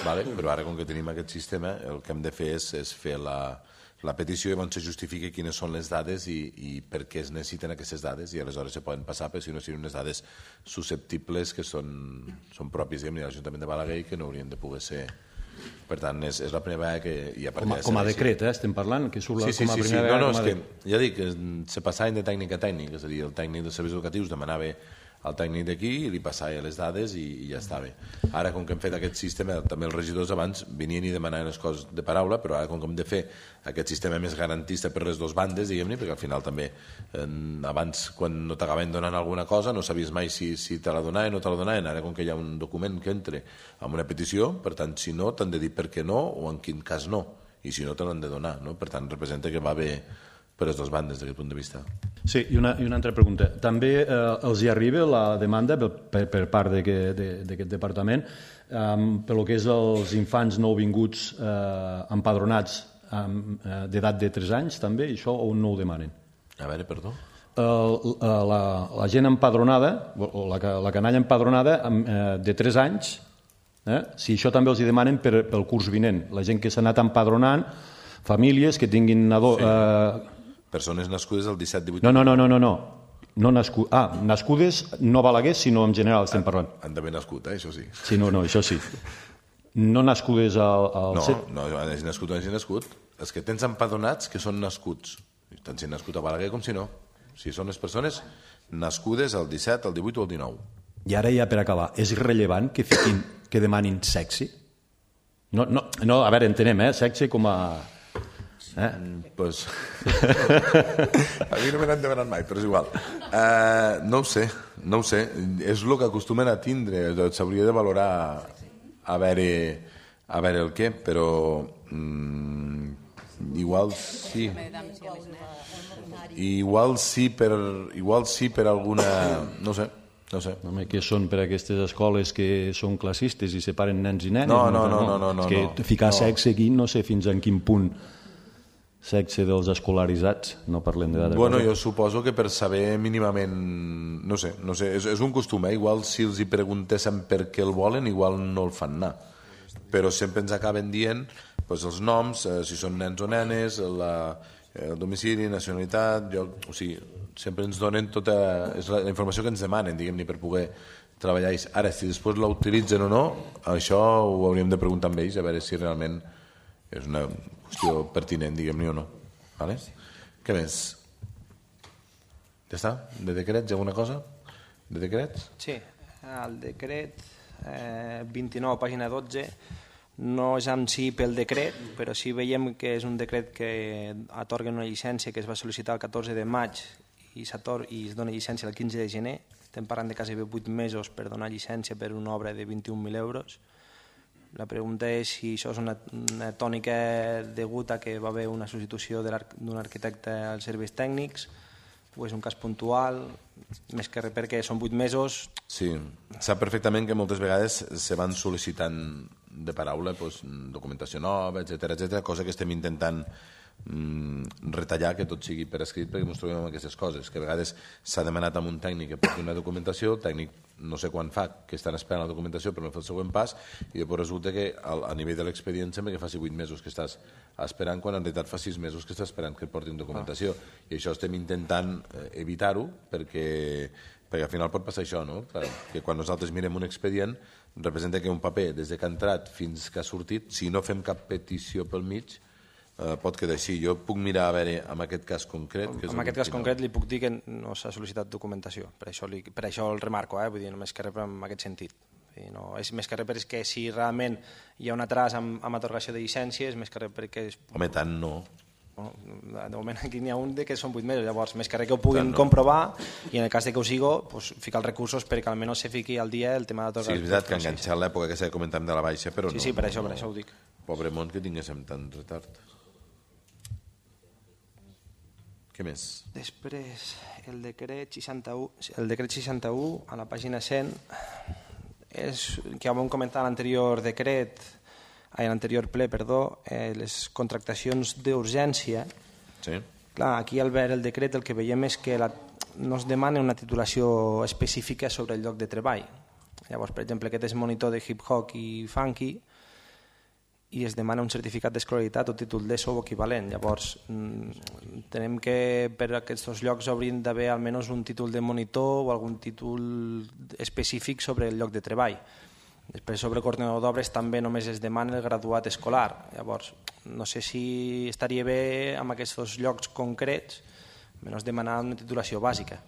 vale? Però ara, com que tenim aquest sistema, el que hem de fer és, és fer la... la petició i llavors se justifica quines són les dades i, i per què es necessiten aquestes dades i aleshores se poden passar, però si no siguin unes dades susceptibles que són, són pròpies de l'Ajuntament de Balaguer i que no haurien de poder ser. Per tant, és, és la primera vegada que... I a com, a, com a decret, eh, estem parlant, que surt sí, sí, com a sí, primera sí. vegada. No, no, és de... que, ja dic, se passaven de tècnic a tècnic, és a dir, el tècnic de serveis educatius demanava al tècnic d'aquí i li passava les dades i, i ja estava. Ara, com que hem fet aquest sistema, també els regidors abans venien i demanaven les coses de paraula, però ara com que hem de fer aquest sistema més garantista per les dues bandes, diguem-ne, perquè al final també eh, abans, quan no t'acabaven donant alguna cosa, no sabies mai si, si te la donaven o no te la donaven. Ara, com que hi ha un document que entre amb una petició, per tant, si no, t'han de dir per què no o en quin cas no, i si no, te l'han de donar, no? Per tant, representa que va bé per les dues bandes, d'aquest punt de vista. Sí, i una, i una altra pregunta. També eh, els hi arriba la demanda per, per part d'aquest departament eh, per lo que és els infants nouvinguts eh, empadronats eh, d'edat de tres anys, també, i això on no ho demanen? A veure, perdó? Eh, la, la gent empadronada, o la, la canalla empadronada eh, de tres anys, eh, si això també els hi demanen per, pel curs vinent. La gent que s'ha anat empadronant, famílies que tinguin... Ado, sí. eh, Persones nascudes el disset divuit... No, no, no, no, no. no nascu... Ah, nascudes no Balaguer, sinó en general estem parlant. Han d'haver nascut, eh? Això sí. Sí, no, no, això sí. No nascudes al... al... No, no, hagi nascut o hagi nascut. Els que tens empadronats que són nascuts. Tant si han nascut a Balaguer com si no. Si són les persones nascudes el disset, el divuit o el dinou. I ara ja per acabar, és rellevant que fiquin, que demanin sexe? No, no, no, a veure, entenem, eh? Sexe com a... Eh? Mm, pues... a mi no me n'han demanat mai, però és igual. Uh, no ho sé, no ho sé. És el que acostumen a tindre. S'hauria de valorar a veure, a veure el què, però mm, igual sí. Igual sí per, igual sí per alguna... No sé. No sé. Home, que són per aquestes escoles que són classistes i separen nens i nenes? No, no, no. no, no, no, és que no. ficar no. sexe aquí no sé fins en quin punt sexe dels escolaritzats, no parlem de dada. Bueno, jo suposo que per saber mínimament, no sé, no sé és, és un costum, eh? Igual si els hi preguntéssim per què el volen, igual no el fan anar. Però sempre ens acaben dient pues, els noms, eh, si són nens o nenes, la, el domicili, nacionalitat, lloc, o sigui, sempre ens donen tota és la, la informació que ens demanen, diguem-ne, per poder treballar. Ara, si després la utilitzen o no, això ho hauríem de preguntar amb ells, a veure si realment és una qüestió pertinent, diguem-ne, o no. Vale? Què més? Ja està? De decrets, alguna cosa? De decrets? Sí, el decret eh, vint-i-nou, pàgina dotze, no és en si pel decret, però sí veiem que és un decret que atorga una llicència que es va sol·licitar el catorze de maig i, i es dona llicència el quinze de gener. Estem parlant de quasi vuit mesos per donar llicència per una obra de vint-i-un mil euros. La pregunta és si això és una, una tònica degut a que va haver una substitució d'un arquitecte als serveis tècnics o és un cas puntual, més que res perquè són vuit mesos. Sí, sap perfectament que moltes vegades se van sol·licitant de paraula doncs, documentació nova, etcètera, etcètera, cosa que estem intentant mm, retallar, que tot sigui per escrit, perquè ens trobem amb aquestes coses, que a vegades s'ha demanat amb un tècnic que porti una documentació, el tècnic no sé quan fa que estan esperant la documentació per no fer el següent pas, i després resulta que a nivell de l'expedient sembla que faci vuit mesos que estàs esperant, quan en realitat fa sis mesos que estàs esperant que et portin documentació, ah. i això estem intentant evitar-ho, perquè, perquè al final pot passar això, no? Que quan nosaltres mirem un expedient representa que un paper, des que ha entrat fins que ha sortit, si no fem cap petició pel mig, Uh, pot quedar així. Jo puc mirar a veure en aquest cas concret que és en aquest cas concret li puc dir que no s'ha sol·licitat documentació, per això, li, per això el remarco, eh? Vull dir, només que res en aquest sentit. No, és més que res perquè si realment hi ha un atras amb, amb atorgació de llicències, més que res perquè... És... Home, tant no. Bueno, de moment aquí n'hi ha un de que són vuit mesos, llavors més que res que ho puguin no. comprovar, i en el cas de que ho sigo, pues, ficar els recursos perquè almenys se fiqui al dia el tema d'atorgació. Sí, és veritat que ha enganxat l'època que s'ha comentat de la baixa, però sí, no. Sí, per això, no, per això ho dic. Pobre món que tinguéssim tant retard. Què més? Després, el decret seixanta-u, el decret seixanta-u a la pàgina cent, és, que ja vam comentar a l'anterior decret, a l'anterior ple, perdó, eh, les contractacions d'urgència. Sí. Clar, aquí al veure el decret el que veiem és que la, no es demana una titulació específica sobre el lloc de treball. Llavors, per exemple, aquest és monitor de hip-hop i funky i es demana un certificat d'escolaritat o títol d'ESO o equivalent. Llavors, entenem que per aquests dos llocs haurien d'haver almenys un títol de monitor o algun títol específic sobre el lloc de treball. Després, sobre coordinador d'obres també només es demana el graduat escolar. Llavors, no sé si estaria bé amb aquests dos llocs concrets almenys demanar una titulació bàsica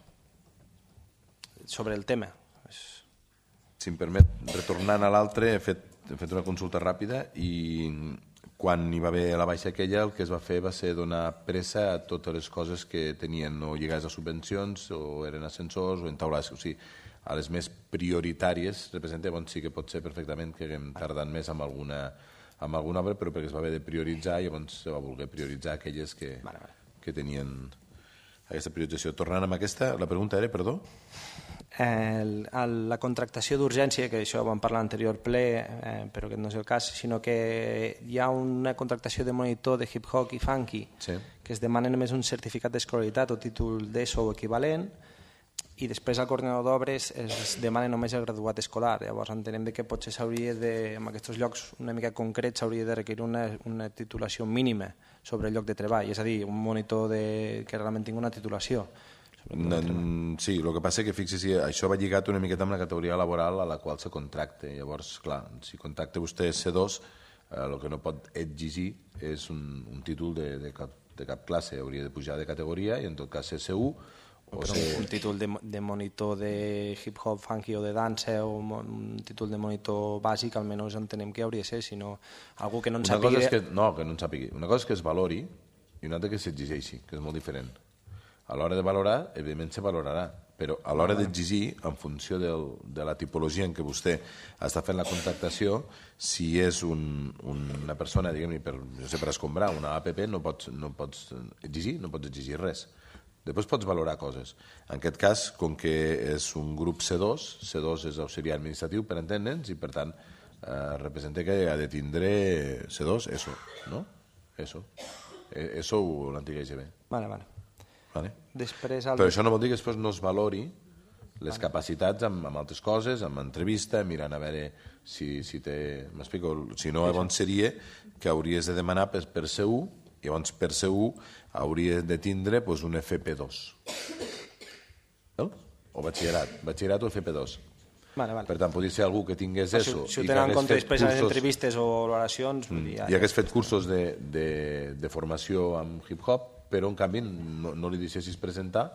sobre el tema. Si em permet, retornant a l'altre, he fet, he fet una consulta ràpida i quan hi va haver la baixa aquella el que es va fer va ser donar pressa a totes les coses que tenien o lligades a subvencions o eren ascensors o entaulades, o sigui, a les més prioritàries representa, doncs sí que pot ser perfectament que haguem tardat més amb alguna, amb alguna obra, però perquè es va haver de prioritzar i llavors se va voler prioritzar aquelles que, vale, vale. que tenien aquesta priorització. Tornant amb aquesta, la pregunta era, perdó? El, el, la contractació d'urgència, que això ho vam parlar a l'anterior ple, eh, però aquest no és el cas, sinó que hi ha una contractació de monitor de hip-hop i funky, sí. que es demana només un certificat d'escolaritat o títol d'ESO o equivalent, i després al coordinador d'obres es demana només el graduat escolar. Llavors entenem que potser s'hauria de, en aquests llocs una mica concrets, s'hauria de requerir una, una titulació mínima sobre el lloc de treball, és a dir, un monitor de, que realment tingui una titulació. No, sí, el que passa és que fixi-s'hi, això va lligat una miqueta amb la categoria laboral a la qual se contracta. Llavors, clar, si contracta vostè C dos, eh, el que no pot exigir és un, un títol de, de, cap, de cap classe, hauria de pujar de categoria i en tot cas ser C u o però ser... un títol de, de monitor de hip-hop, funky o de dansa o un títol de monitor bàsic almenys entenem que hauria de ser, sinó algú que no en sàpiga... Que, no, que no en sàpiga. Una cosa és que es valori i una altra que s'exigeixi, que és molt diferent. A l'hora de valorar, evidentment se valorarà, però a l'hora d'exigir, en funció del, de la tipologia en què vostè està fent la contractació, si és un, una persona, diguem-ne, per, no sé, per escombrar una A P P, no pots, no pots exigir, no pots exigir res. Després pots valorar coses. En aquest cas, com que és un grup C dos, C dos és auxiliar administratiu, per entendre'ns, i per tant eh, representa que ha de tindre C dos, ESO, no? ESO. ESO o l'antiga I G B. Vale, vale. Vale. Després el... Però això no vol dir que després no es valori les vale. capacitats amb, amb altres coses, amb entrevista, mirant a veure si, si té... M'explico? Si no, llavors seria que hauries de demanar per, per C u, i llavors per C u hauries de tindre pues, un F P dos. No? O batxillerat. Batxillerat o F P dos. Vale, vale. Per tant, podria ser algú que tingués si, eso. Si ho tenen en compte després cursos... les entrevistes o valoracions... Mm. Ja, I hagués fet cursos de, de, de formació amb hip-hop, però en canvi no, no li deixessis presentar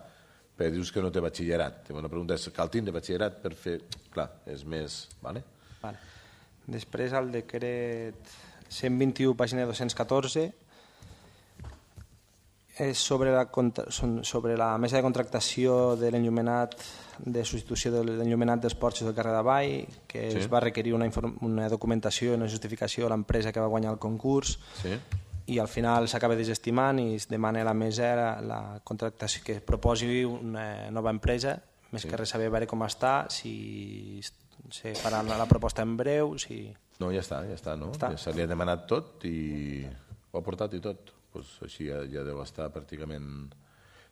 perquè dius que no té batxillerat. La pregunta és, cal tindre batxillerat per fer... Clar, és més... Vale? Vale. Després el decret cent vint-i-u, pàgina dos-cents catorze, és sobre la, sobre la mesa de contractació de l'enllumenat de substitució de l'enllumenat dels porxos del carrer d'Avall, que sí. es va requerir una, una documentació i una justificació a l'empresa que va guanyar el concurs, sí. i al final s'acaba desestimant i es demana a la mesa la, la contractació que proposi una nova empresa, més sí. que res saber veure com està, si se farà la, la proposta en breu, si... No, ja està, ja està, no? Està. Ja se li ha demanat tot i ho ha portat i tot. Pues així ja, ja deu estar pràcticament...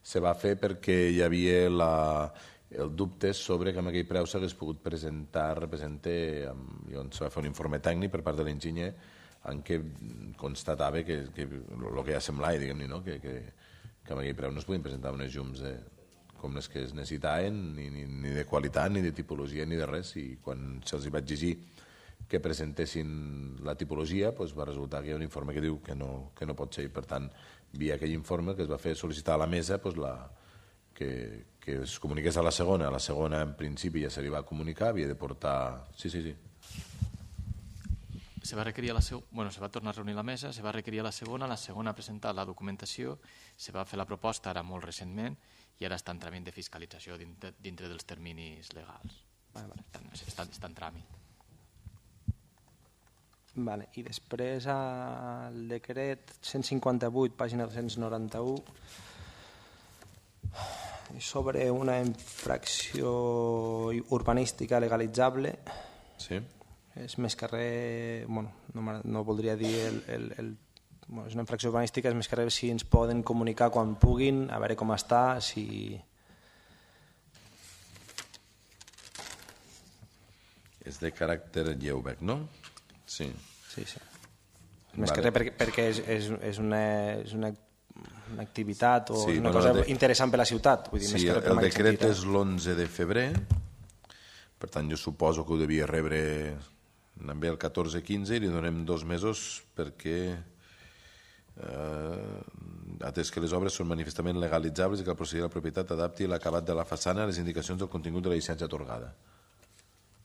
Se va fer perquè hi havia la, el dubte sobre que amb aquell preu s'hagués pogut presentar, representar, i on se va fer un informe tècnic per part de l'enginyer en què constatava que, que el que ja semblava, diguem-ne, no? que, que, que amb aquell preu no es podien presentar unes llums de, com les que es necessitaven, ni, ni, ni de qualitat, ni de tipologia, ni de res, i quan se'ls va exigir que presentessin la tipologia, doncs va resultar que hi ha un informe que diu que no, que no pot ser, i per tant, via aquell informe que es va fer sol·licitar a la mesa doncs la, que, que es comuniqués a la segona. A la segona, en principi, ja se li va comunicar, havia de portar... Sí, sí, sí. Se va requerir a la seg... bueno, se va tornar a reunir la mesa, se va requerir a la segona, la segona ha presentat la documentació, se va fer la proposta ara molt recentment i ara està en tràmit de fiscalització dintre, dintre dels terminis legals. Vale, vale. Està, està en tràmit. Vale. I després el decret cent cinquanta-vuit, pàgina dos-cents noranta-u, Sobre una infracció urbanística legalitzable, sí. És més que res, bueno, no, no voldria dir el, el, el, bueno, és una infracció urbanística, és més que res si ens poden comunicar quan puguin, a veure com està, si... És de caràcter lleu, no? Sí. Sí, sí. Més vale. Que res perquè, perquè és, és, és una... És una una activitat o sí, una bueno, cosa de... interessant per la ciutat. Vull dir, sí, més que el, el decret sentit, és l'onze de febrer, per tant jo suposo que ho devia rebre també el catorze quinze i li donem dos mesos perquè eh, atès que les obres són manifestament legalitzables i que el procediment de la propietat adapti l'acabat de la façana a les indicacions del contingut de la llicència atorgada.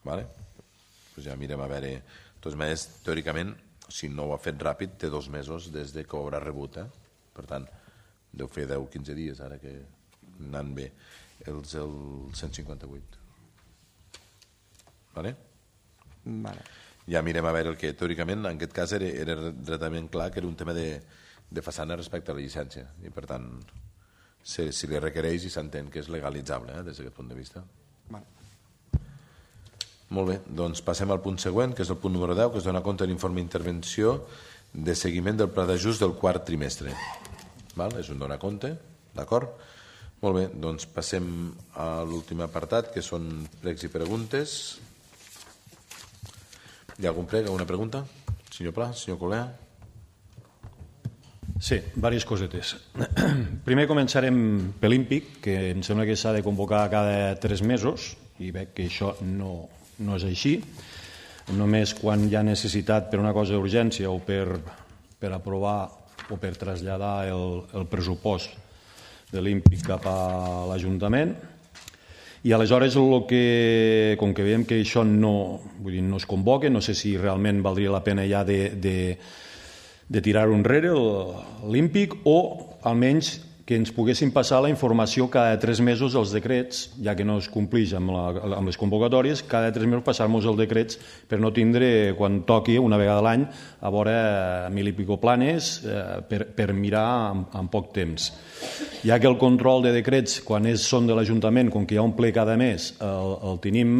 Vale? Pues ja mirem a veure. De totes maneres, teòricament, si no ho ha fet ràpid, té dos mesos des de que ho haurà rebut. Eh? Per tant, deu fer deu quinze dies ara que anant bé els el cent cinquanta vuit. Vale? Vale. Ja mirem a veure el que teòricament en aquest cas era, era retament clar que era un tema de, de façana respecte a la llicència i per tant si, si li requereix i s'entén que és legalitzable eh, des d'aquest punt de vista. Vale. Molt bé, doncs passem al punt següent que és el punt número deu que es dona compte de l'informe d'intervenció de seguiment del pla d'ajust del quart trimestre. Val? És un donar compte, d'acord? Molt bé, doncs passem a l'últim apartat, que són pregs i preguntes. Hi ha algun preg, alguna pregunta? Senyor Pla, senyor Colea? Sí, diverses cosetes. Primer començarem per l'Ímpic, que em sembla que s'ha de convocar cada tres mesos, i veig que això no, no és així. Només quan hi ha necessitat per una cosa d'urgència o per, per aprovar o per traslladar el, el pressupost de l'Ímpic cap a l'Ajuntament. I aleshores, el que, com que veiem que això no, vull dir, no es convoca, no sé si realment valdria la pena ja de, de, de tirar-ho enrere l'Ímpic o almenys que ens poguessin passar la informació cada tres mesos dels decrets, ja que no es complix amb, la, amb les convocatòries, cada tres mesos passar-nos els decrets per no tindre, quan toqui, una vegada a l'any, a veure mil i pico planes eh, per, per mirar en, en poc temps. Ja que el control de decrets, quan és, són de l'Ajuntament, com que hi ha un ple cada mes, el, el tenim,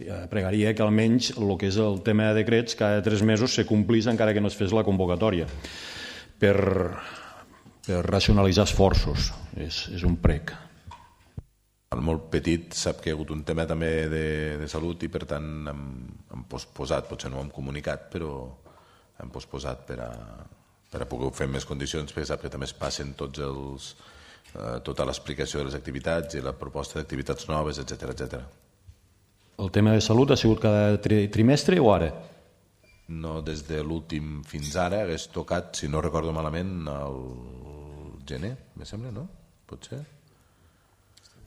eh, pregaria que almenys el que és el tema de decrets cada tres mesos se complís encara que no es fes la convocatòria. Per... per racionalitzar esforços, és, és un prec. El molt petit sap que hi ha hagut un tema també de, de salut i per tant hem, hem posposat, potser no ho hem comunicat, però hem posposat per a, per a poder fer més condicions, perquè sap que també es passen tots els, eh, tota l'explicació de les activitats i la proposta d'activitats noves, etcètera, etcètera. El tema de salut ha sigut cada tri trimestre o ara? No, des de l'últim fins ara hagués tocat, si no recordo malament, el gener, me sembla, no? Potser?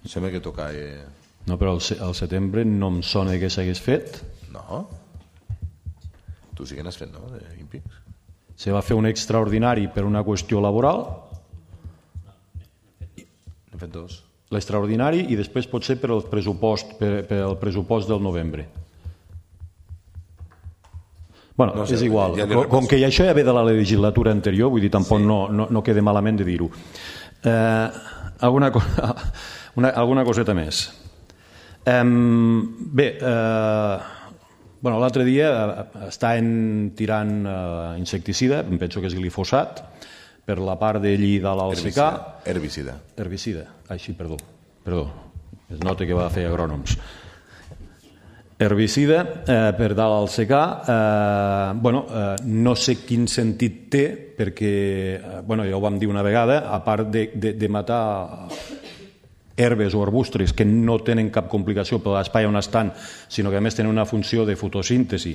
Em sembla que toca... Eh... No, però al setembre no em sona que s'hagués fet. No? Tu sí que n'has fet, no, d'Ímpics? Se va fer un extraordinari per una qüestió laboral. N'hem fet dos. L'extraordinari i després potser per el pressupost, per, per el pressupost del novembre. Bueno, no sé, és igual, ja com, com que això ja ve de la legislatura anterior, vull dir, tampoc sí. no, no, no queda malament de dir-ho. Eh, alguna, una, alguna coseta més. Eh, bé, eh, bueno, l'altre dia estaven tirant eh, insecticida, em penso que és glifosat, per la part de Lli de l'Alsecà. Herbicida. Herbicida, així, perdó. Perdó, es nota que va fer agrònoms. Herbicida eh, per dalt al secà, eh, bueno, eh, no sé quin sentit té perquè, eh, bueno, ja ho vam dir una vegada, a part de, de, de matar herbes o arbustres que no tenen cap complicació per l'espai on estan, sinó que a més tenen una funció de fotosíntesi.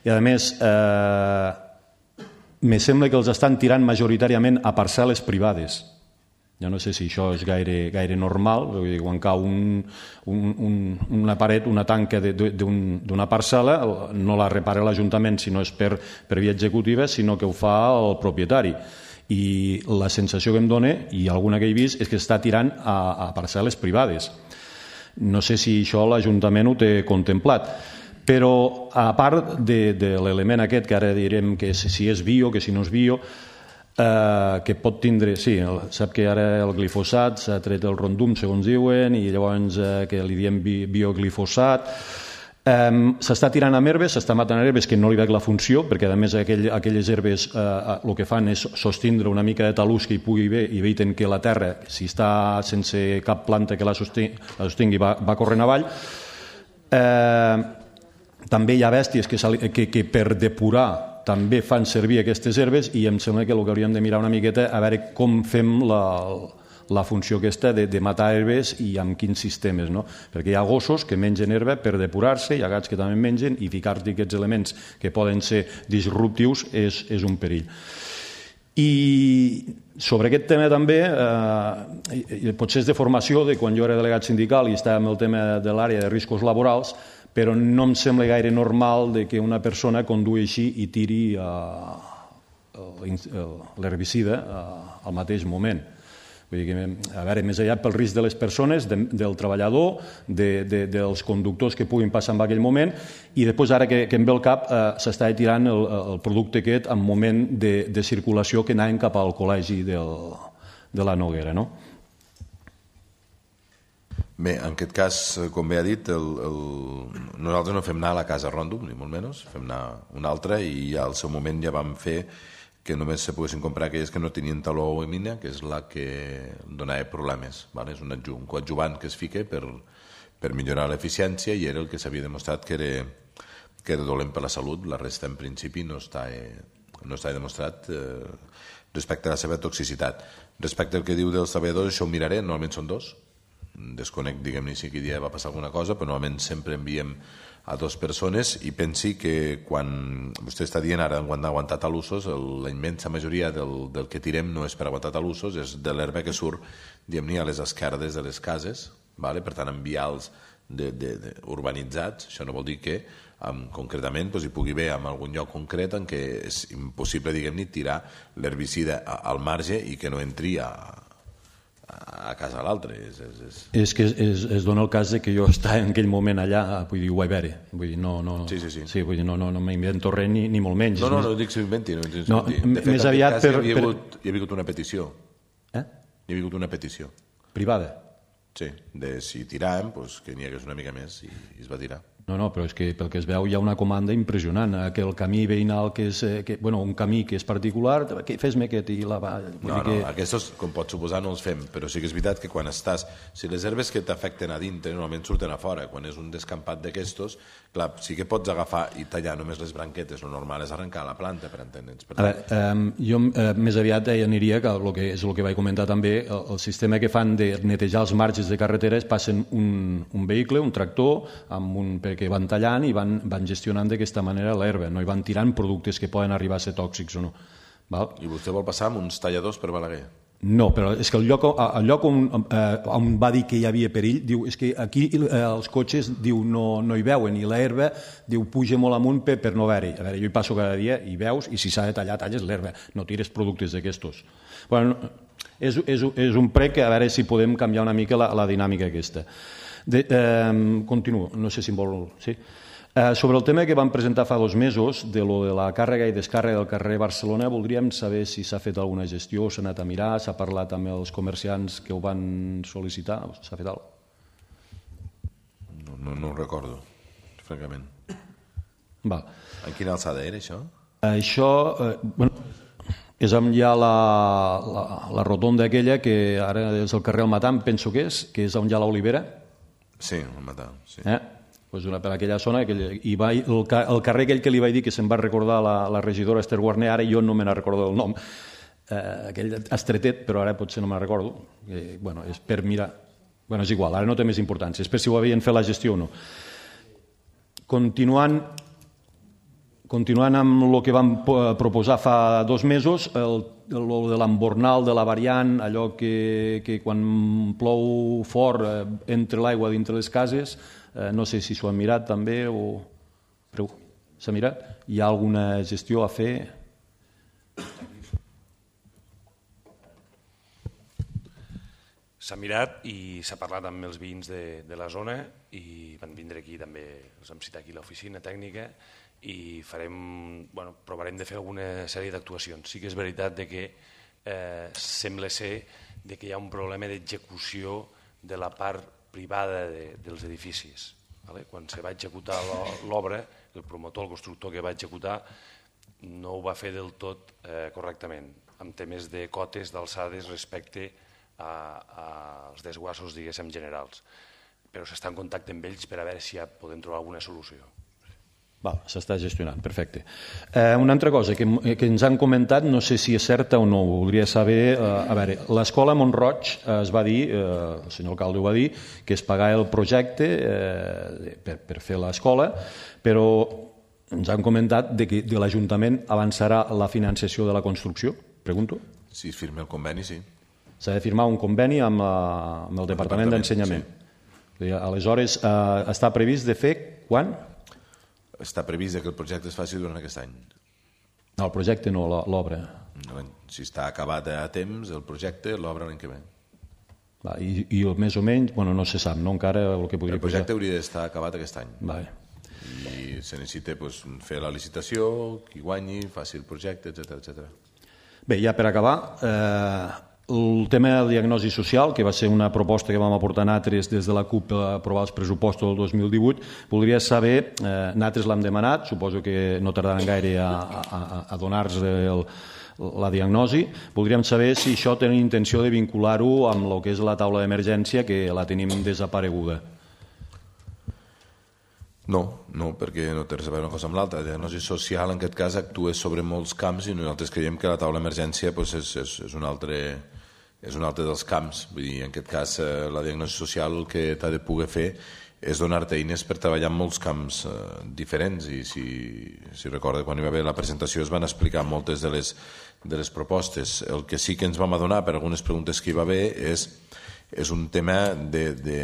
I a més, eh, me sembla que els estan tirant majoritàriament a parcel·les privades. Ja no sé si això és gaire, gaire normal, quan cau un, un, un, una paret, una tanca d'una parcel·la, no la repara l'Ajuntament si no és per, per via executiva, sinó que ho fa el propietari. I la sensació que em dona, i alguna que he vist, és que està tirant a, a parcel·les privades. No sé si això l'Ajuntament ho té contemplat. Però a part de, de l'element aquest, que ara direm que si és bio, que si no és bio, eh, que pot tindre, sí, el, sap que ara el glifosat s'ha tret el rondum, segons diuen, i llavors eh, que li diem bi, bioglifosat. Eh, s'està tirant amb herbes, s'està matant herbes que no li veig la funció, perquè a més aquell, aquelles herbes eh, el que fan és sostindre una mica de talús que hi pugui haver i eviten que la terra, si està sense cap planta que la sostingui, la sostingui va, va corrent avall. Eh, també hi ha bèsties que, que, que per depurar també fan servir aquestes herbes i em sembla que el que hauríem de mirar una miqueta a veure com fem la, la funció aquesta de, de matar herbes i amb quins sistemes, no? Perquè hi ha gossos que mengen herba per depurar-se, hi ha gats que també mengen i ficar-hi aquests elements que poden ser disruptius és, és un perill. I sobre aquest tema també, eh, potser és de formació, de quan jo era delegat sindical i estava amb el tema de l'àrea de riscos laborals, però no em sembla gaire normal de que una persona condueixi i tiri uh, l'herbicida uh, al mateix moment. Vull dir que, a veure, més allà pel risc de les persones, de, del treballador, de, de, dels conductors que puguin passar en aquell moment, i després, ara que, que em ve el cap, uh, s'està tirant el, el producte aquest en moment de, de circulació que anaven cap al col·legi del, de la Noguera, no? Bé, en aquest cas, com bé ha dit, el, el... nosaltres no fem anar a la casa Rondum, ni molt menys, fem anar una altra i al seu moment ja vam fer que només se poguessin comprar aquelles que no tenien taló o emina, que és la que donava problemes. Vale? És un, adju un coadjuvant que es fica per, per millorar l'eficiència i era el que s'havia demostrat que era, que era dolent per la salut. La resta, en principi, no està, no està demostrat eh, respecte a la seva toxicitat. Respecte al que diu dels treballadors, això ho miraré, normalment són dos. Desconec, diguem-ne, si aquell dia va passar alguna cosa, però normalment sempre enviem a dues persones i pensi que quan vostè està dient ara quan d'aguantar talussos, la immensa majoria del, del que tirem no és per aguantar talussos, és de l'herba que surt, diguem-ne, a les esquerdes de les cases, vale? Per tant, en vials de, de, de, urbanitzats. Això no vol dir que um, concretament doncs, hi pugui haver en algun lloc concret en què és impossible, diguem-ne, tirar l'herbicida al marge i que no entri a a casa l'altre. És, és, és... és que es, es dona el cas de que jo estava en aquell moment allà, vull dir, ho vaig veure. Vull dir, no, no, sí, sí, sí. Sí, vull dir, no, no, no m'invento res ni, ni molt menys. No, no, no dic que s'inventi. No, no, de fet, més aviat per... Hi havia, hagut, hi havia hagut una petició. Eh? Hi havia hagut una petició. Privada? Sí, de si tiràvem, doncs, que n'hi hagués una mica més i, i es va tirar. No, no, però és que pel que es veu hi ha una comanda impressionant, que el camí veïnal que és, que, bueno, un camí que és particular, que fes-me aquest i la va... No, no, que... aquests, com pots suposar, no els fem, però sí que és veritat que quan estàs... Si les herbes que t'afecten a dintre normalment surten a fora, quan és un descampat d'aquestos, clar, sí que pots agafar i tallar només les branquetes, el normal és arrencar la planta, per entendre'ns. Per tant... A veure, um, jo uh, més aviat eh, aniria, que, el que és el que vaig comentar també, el, el sistema que fan de netejar els marges de carreteres, passen un, un vehicle, un tractor, amb un, perquè van tallant i van, van gestionant d'aquesta manera l'herba, no hi van tirant productes que poden arribar a ser tòxics o no. Val? I vostè vol passar amb uns talladors per Balaguer? No, però és que el lloc, el lloc on, eh, on va dir que hi havia perill, diu, és que aquí eh, els cotxes diu, no, no hi veuen i l'herba diu, puja molt amunt per, per no veure-hi. A veure, jo hi passo cada dia i veus, i si s'ha de tallar, talles l'herba, no tires productes d'aquestos. Bueno, és, és, és un prec que a veure si podem canviar una mica la, la dinàmica aquesta. De, eh, continuo, no sé si em vol... Sí? Eh, sobre el tema que vam presentar fa dos mesos, de lo de la càrrega i descàrrega del carrer Barcelona, voldríem saber si s'ha fet alguna gestió, s'ha anat a mirar, s'ha parlat amb els comerciants que ho van sol·licitar, s'ha fet alguna cosa? No, no, no ho recordo, francament. Va. En quina alçada era, això? Això, eh, bueno, és on hi ha la, la, la rotonda aquella que ara és el carrer El Matam, penso que és, que és on hi ha l'Olivera. Sí, El Matam, sí. Eh? Pues una, per aquella zona, aquella, i va, el, el carrer aquell que li vaig dir que se'n va recordar la, la regidora Esther Guarner, ara jo no me n'ha recordat el nom, eh, aquell estretet, però ara potser no me'n recordo. Eh, bueno, és per mirar... Bueno, és igual, ara no té més importància, és per si ho havien fet la gestió o no. Continuant, continuant amb el que vam proposar fa dos mesos, el, el de l'embornal de la variant, allò que, que quan plou fort eh, entra l'aigua dintre les cases, eh, no sé si s'ho han mirat també o... S'ha mirat? Hi ha alguna gestió a fer? S'ha mirat i s'ha parlat amb els veïns de, de la zona i van vindre aquí també, els vam citar aquí a l'oficina tècnica i farem, bueno, provarem de fer alguna sèrie d'actuacions. Sí que és veritat de que eh, sembla ser de que hi ha un problema d'execució de la part privada de, dels edificis. Vale? Quan se va executar l'obra, el promotor, el constructor que va executar, no ho va fer del tot eh, correctament, amb temes de cotes d'alçades respecte a, als desguassos, diguéssim, generals. Però s'està en contacte amb ells per a veure si ja podem trobar alguna solució. S'està gestionant, perfecte. Eh, una altra cosa que, que ens han comentat, no sé si és certa o no, voldria saber, eh, a veure, l'escola Montroig eh, es va dir, eh, el senyor alcalde ho va dir, que es pagava el projecte eh, per, per fer l'escola, però ens han comentat de que de l'Ajuntament avançarà la financiació de la construcció, pregunto? Si es firma el conveni, sí. S'ha de firmar un conveni amb, la, amb el Departament d'Ensenyament. Sí. Aleshores, eh, està previst de fer quan? Està previst que el projecte es faci durant aquest any. No, el projecte no, l'obra. Si està acabat a temps, el projecte, l'obra l'any que ve. Va, i, I més o menys, bueno, no se sap, no encara el que podria... El projecte posar... hauria d'estar acabat aquest any. Vale. I se necessita pues, fer la licitació, qui guanyi, faci el projecte, etcètera, etcètera. Bé, ja per acabar, eh, el tema del diagnosi social, que va ser una proposta que vam aportar nosaltres des de la CUP a aprovar els pressupostos del dos mil divuit, voldria saber, eh, nosaltres l'hem demanat, suposo que no tardaran gaire a, a, a donar-nos el, la diagnosi, voldríem saber si això tenen intenció de vincular-ho amb el que és la taula d'emergència, que la tenim desapareguda. No, no, perquè no té res a veure una cosa amb l'altra. La diagnosi social, en aquest cas, actua sobre molts camps i nosaltres creiem que la taula d'emergència pues, és, és, és, un altre, és un altre dels camps. Vull dir, en aquest cas, eh, la diagnosi social el que t'ha de poder fer és donar-te eines per treballar en molts camps eh, diferents. I si, si recorda, quan hi va haver la presentació es van explicar moltes de les, de les propostes. El que sí que ens vam adonar per algunes preguntes que hi va haver és és un tema de, de,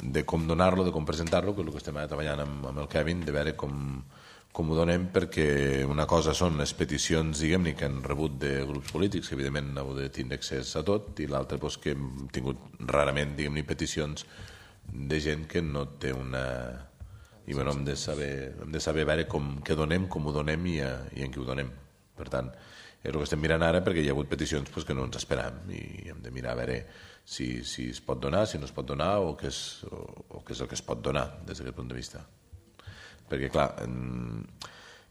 de com donar-lo, de com presentar-lo, que és el que estem treballant amb, amb el Kevin, de veure com, com ho donem, perquè una cosa són les peticions, diguem-ne, que han rebut de grups polítics, que evidentment heu de tindre accés a tot, i l'altre doncs, que hem tingut rarament, diguem-ne, peticions de gent que no té una... I bueno, hem de saber, hem de saber veure com, què donem, com ho donem i, a, i en qui ho donem. Per tant, és el que estem mirant ara, perquè hi ha hagut peticions doncs, que no ens esperam i hem de mirar a veure si, si es pot donar, si no es pot donar o què és, o, o què és el que es pot donar des d'aquest punt de vista. Perquè, clar, en,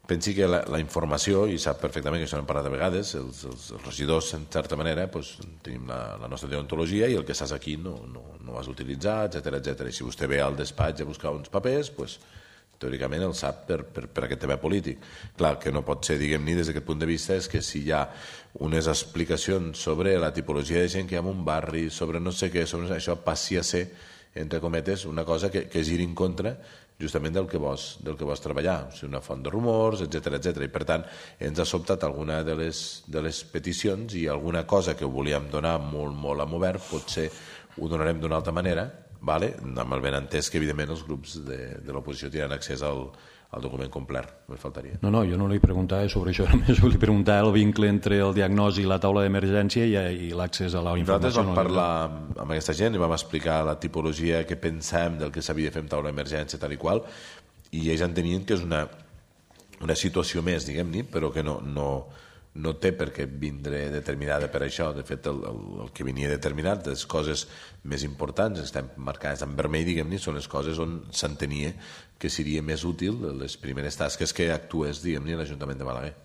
pensi que la, la informació, i sap perfectament que això n'hem parlat a vegades, els, els, els regidors, en certa manera, doncs, tenim la, la nostra deontologia i el que estàs aquí no, no, no has d'utilitzar, etcètera, etcètera. I si vostè ve al despatx a buscar uns papers, doncs, teòricament el sap per, per, per aquest tema polític. Clar, que no pot ser, diguem-ne, des d'aquest punt de vista, és que si hi ha unes explicacions sobre la tipologia de gent que hi ha en un barri, sobre no sé què, sobre això passi a ser, entre cometes, una cosa que, que giri en contra justament del que vols, del que vols treballar, o sigui, una font de rumors, etcètera, etcètera. I per tant, ens ha sobtat alguna de les, de les peticions i alguna cosa que ho volíem donar molt, molt a obert, potser ho donarem d'una altra manera, vale? Amb el benentès que evidentment els grups de, de l'oposició tindran accés al, al document complet, només faltaria. No, no, jo no li preguntava sobre això, només li preguntava el vincle entre el diagnòstic i la taula d'emergència i, i l'accés a la informació. Nosaltres vam parlar amb aquesta gent i vam explicar la tipologia que pensàvem del que s'havia de fer amb taula d'emergència tal i qual, i ells entenien que és una, una situació més, diguem-ne, però que no... no no té per què vindre determinada per això. De fet, el, el, el que venia determinat, les coses més importants, estan marcades en vermell, diguem-ne, són les coses on s'entenia que seria més útil les primeres tasques que actués, diguem-ne, l'Ajuntament de Balaguer.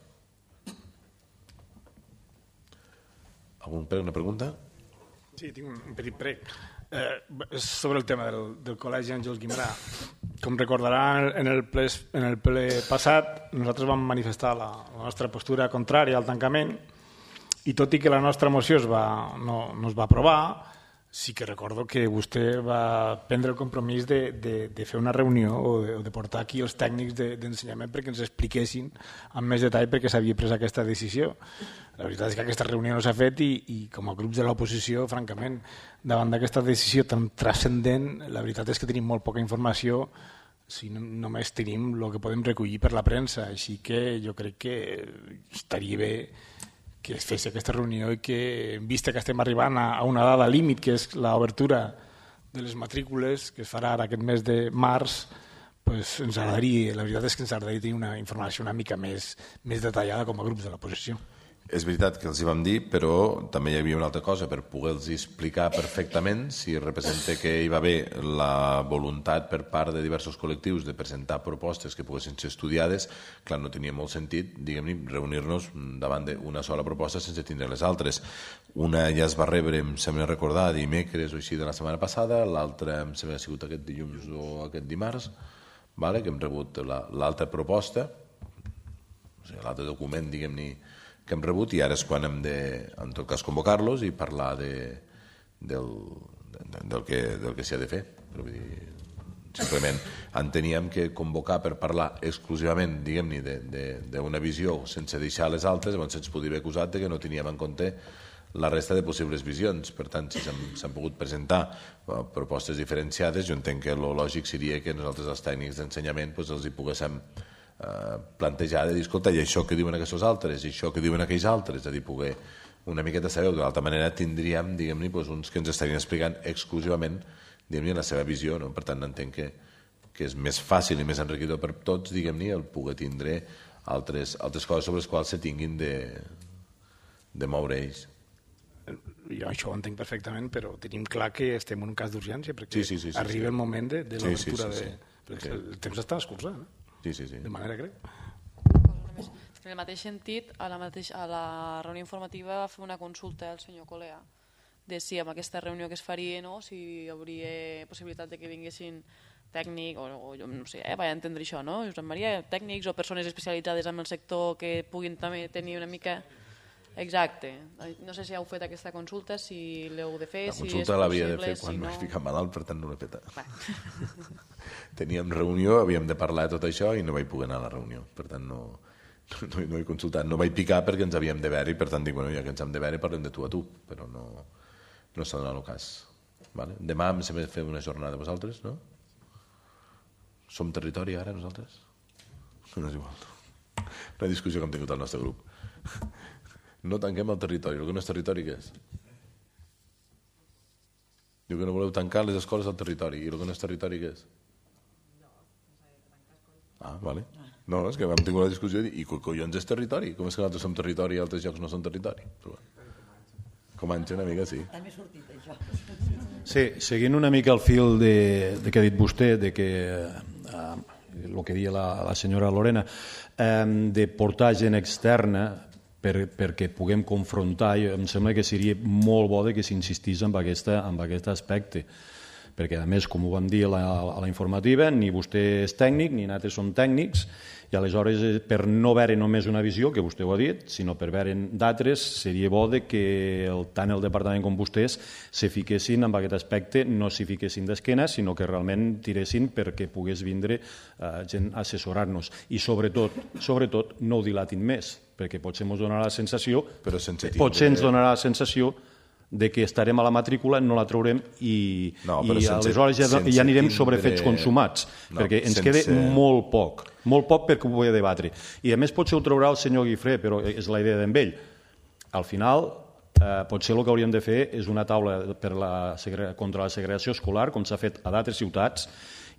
Algun prec, una pregunta? Sí, tinc un petit prec. Eh, sobre el tema del, del Col·legi Àngels Guimerà. Com recordaran, en el ple, en el ple passat nosaltres vam manifestar la, la nostra postura contrària al tancament i tot i que la nostra moció es va, no, no es va aprovar, sí que recordo que vostè va prendre el compromís de, de, de fer una reunió o de, o de portar aquí els tècnics de, d'ensenyament perquè ens expliquessin amb més detall per què s'havia pres aquesta decisió. La veritat és que aquesta reunió no s'ha fet i, i com a grups de l'oposició, francament, davant d'aquesta decisió tan transcendent, la veritat és que tenim molt poca informació si no, només tenim el que podem recollir per la premsa. Així que jo crec que estaria bé que es fes aquesta reunió i que, vista que estem arribant a, a una dada límit, que és l'obertura de les matrícules, que es farà ara aquest mes de març, pues, ens agradaria, la veritat és que ens agradaria tenir una informació una mica més, més detallada com a grups de l'oposició. És veritat que els hi vam dir, però també hi havia una altra cosa, per poder-los explicar perfectament si representa que hi va haver la voluntat per part de diversos col·lectius de presentar propostes que poguessin ser estudiades. Clar, no tenia molt sentit, diguem-ne, reunir-nos davant d'una sola proposta sense tindre les altres. Una ja es va rebre, em sembla recordar, dimecres o així de la setmana passada, l'altra em sembla que ha sigut aquest dilluns o aquest dimarts, vale? Que hem rebut l'altra proposta, o sigui, l'altre document, diguem-ne, que hem rebut, i ara és quan hem de, en tot cas, convocar-los i parlar de, del, de, del que, del que s'hi ha de fer. Però vull dir, simplement enteníem que convocar per parlar exclusivament, diguem-ne, d'una visió sense deixar les altres, llavors se'ns podria haver acusat de que no teníem en compte la resta de possibles visions. Per tant, si s'han pogut presentar propostes diferenciades, jo entenc que el lògic seria que nosaltres, els tècnics d'ensenyament, doncs els hi poguéssim plantejar de dir, escolta, i això que diuen aquests altres, i això que diuen aquells altres, és a dir, poder una miqueta saber, de l'altra manera tindríem, diguem-ne, uns que ens estarien explicant exclusivament, diguem-ne, la seva visió, no? Per tant, entenc que, que és més fàcil i més enriquidor per tots, diguem-ne, el poder tindre altres, altres coses sobre les quals se tinguin de, de moure ells. Jo això ho entenc perfectament, però tenim clar que estem en un cas d'urgència, perquè sí, sí, sí, sí, arriba sí. el moment de, de l'obertura sí, sí, sí, sí. de... Perquè sí. El temps està escurçant, eh? Sí, sí, sí. De manera greu. En el mateix sentit, a la, mateix, a la reunió informativa va fer una consulta al senyor Colea de si amb aquesta reunió que es faria, no, si hi hauria possibilitat de que vinguessin tècnics, o, o jo no sé, eh, vaig entendre això, no? Josep Maria, tècnics o persones especialitzades en el sector que puguin també tenir una mica... Exacte. No sé si heu fet aquesta consulta, si l'heu de fer, si és possible... La consulta l'havia de fer quan si no... m'he ficat malalt, per tant no l'he feta. Teníem reunió, havíem de parlar de tot això i no vaig poder anar a la reunió. Per tant, no, no, no he consultat. No vaig picar perquè ens havíem de veure i per tant dic, bueno, ja que ens hem de veure parlem de tu a tu, però no, no s'ha donat el cas. Vale? Demà em sembla fer una jornada de vosaltres, no? Som territori ara, nosaltres? No és igual. Una discussió que hem tingut al nostre grup. No tanquem el territori. El que no és territori, què és? Diu que no voleu tancar les escoles al territori. I el que no és territori, què és? Ah, vale. No, és que vam tenir una discussió i collons és territori. Com és que nosaltres som territori i altres llocs no són territori? Però, Comanxe una mica, sí. També ha sortit això. Sí, seguint una mica el fil de, de que ha dit vostè, de que eh, el que deia la, la senyora Lorena, eh, de portar gent externa per, perquè puguem confrontar, em sembla que seria molt bo de que s'insistís en, aquesta, en aquest aspecte, perquè a més, com ho vam dir a la, a la informativa, ni vostè és tècnic, ni nosaltres som tècnics, i aleshores, per no veure només una visió, que vostè ho ha dit, sinó per veure d'altres, seria bo de que el, tant el departament com vostès se fiquessin en aquest aspecte, no s'hi fiquessin d'esquena, sinó que realment tiressin perquè pogués vindre eh, gent a assessorar-nos. I sobretot, sobretot, no ho dilatin més, perquè potser ens donarà la sensació, però sense tindre... potser ens donarà la sensació de que estarem a la matrícula, no la traurem i, no, i sense, aleshores ja, ja anirem tindre... sobre fets consumats, no, perquè ens sense... queda molt poc, molt poc perquè ho vull debatre. I a més potser ho trobarà el senyor Guifré, però és la idea d'en ell. Al final, eh, potser el que hauríem de fer és una taula per la, contra la segregació escolar, com s'ha fet a d'altres ciutats,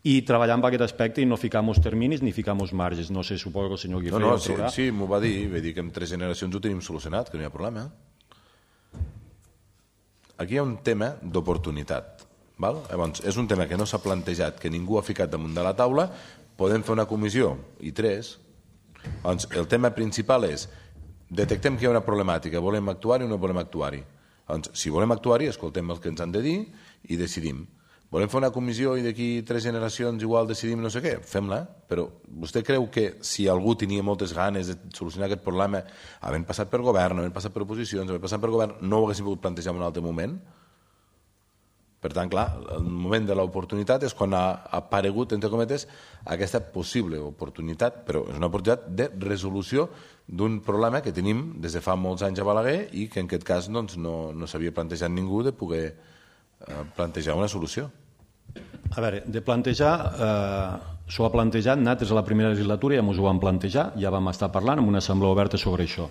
i treballar en aquest aspecte i no ficar-nos terminis ni ficar-nos marges. No sé, suposo que el senyor Guifré no, no, ho trobarà. Sí, sí m'ho va dir, va dir que en tres generacions ho tenim solucionat, que no hi ha problema. Aquí hi ha un tema d'oportunitat. Llavors, és un tema que no s'ha plantejat, que ningú ha ficat damunt de la taula, podem fer una comissió i tres. Llavors, el tema principal és detectem que hi ha una problemàtica, volem actuar-hi o no volem actuar-hi. Llavors, si volem actuar-hi, escoltem el que ens han de dir i decidim. Volem fer una comissió i d'aquí tres generacions igual decidim no sé què? Fem-la, però vostè creu que si algú tenia moltes ganes de solucionar aquest problema, havent passat per govern, havent passat per oposicions, havent passat per govern, no ho haguéssim pogut plantejar en un altre moment? Per tant, clar, el moment de l'oportunitat és quan ha aparegut, entre cometes, aquesta possible oportunitat, però és una oportunitat de resolució d'un problema que tenim des de fa molts anys a Balaguer i que en aquest cas doncs, no, no s'havia plantejat ningú de poder eh, plantejar una solució. A veure, de plantejar, eh, s'ho ha plantejat, nosaltres a la primera legislatura ja ens ho vam plantejar, ja vam estar parlant en una assemblea oberta sobre això.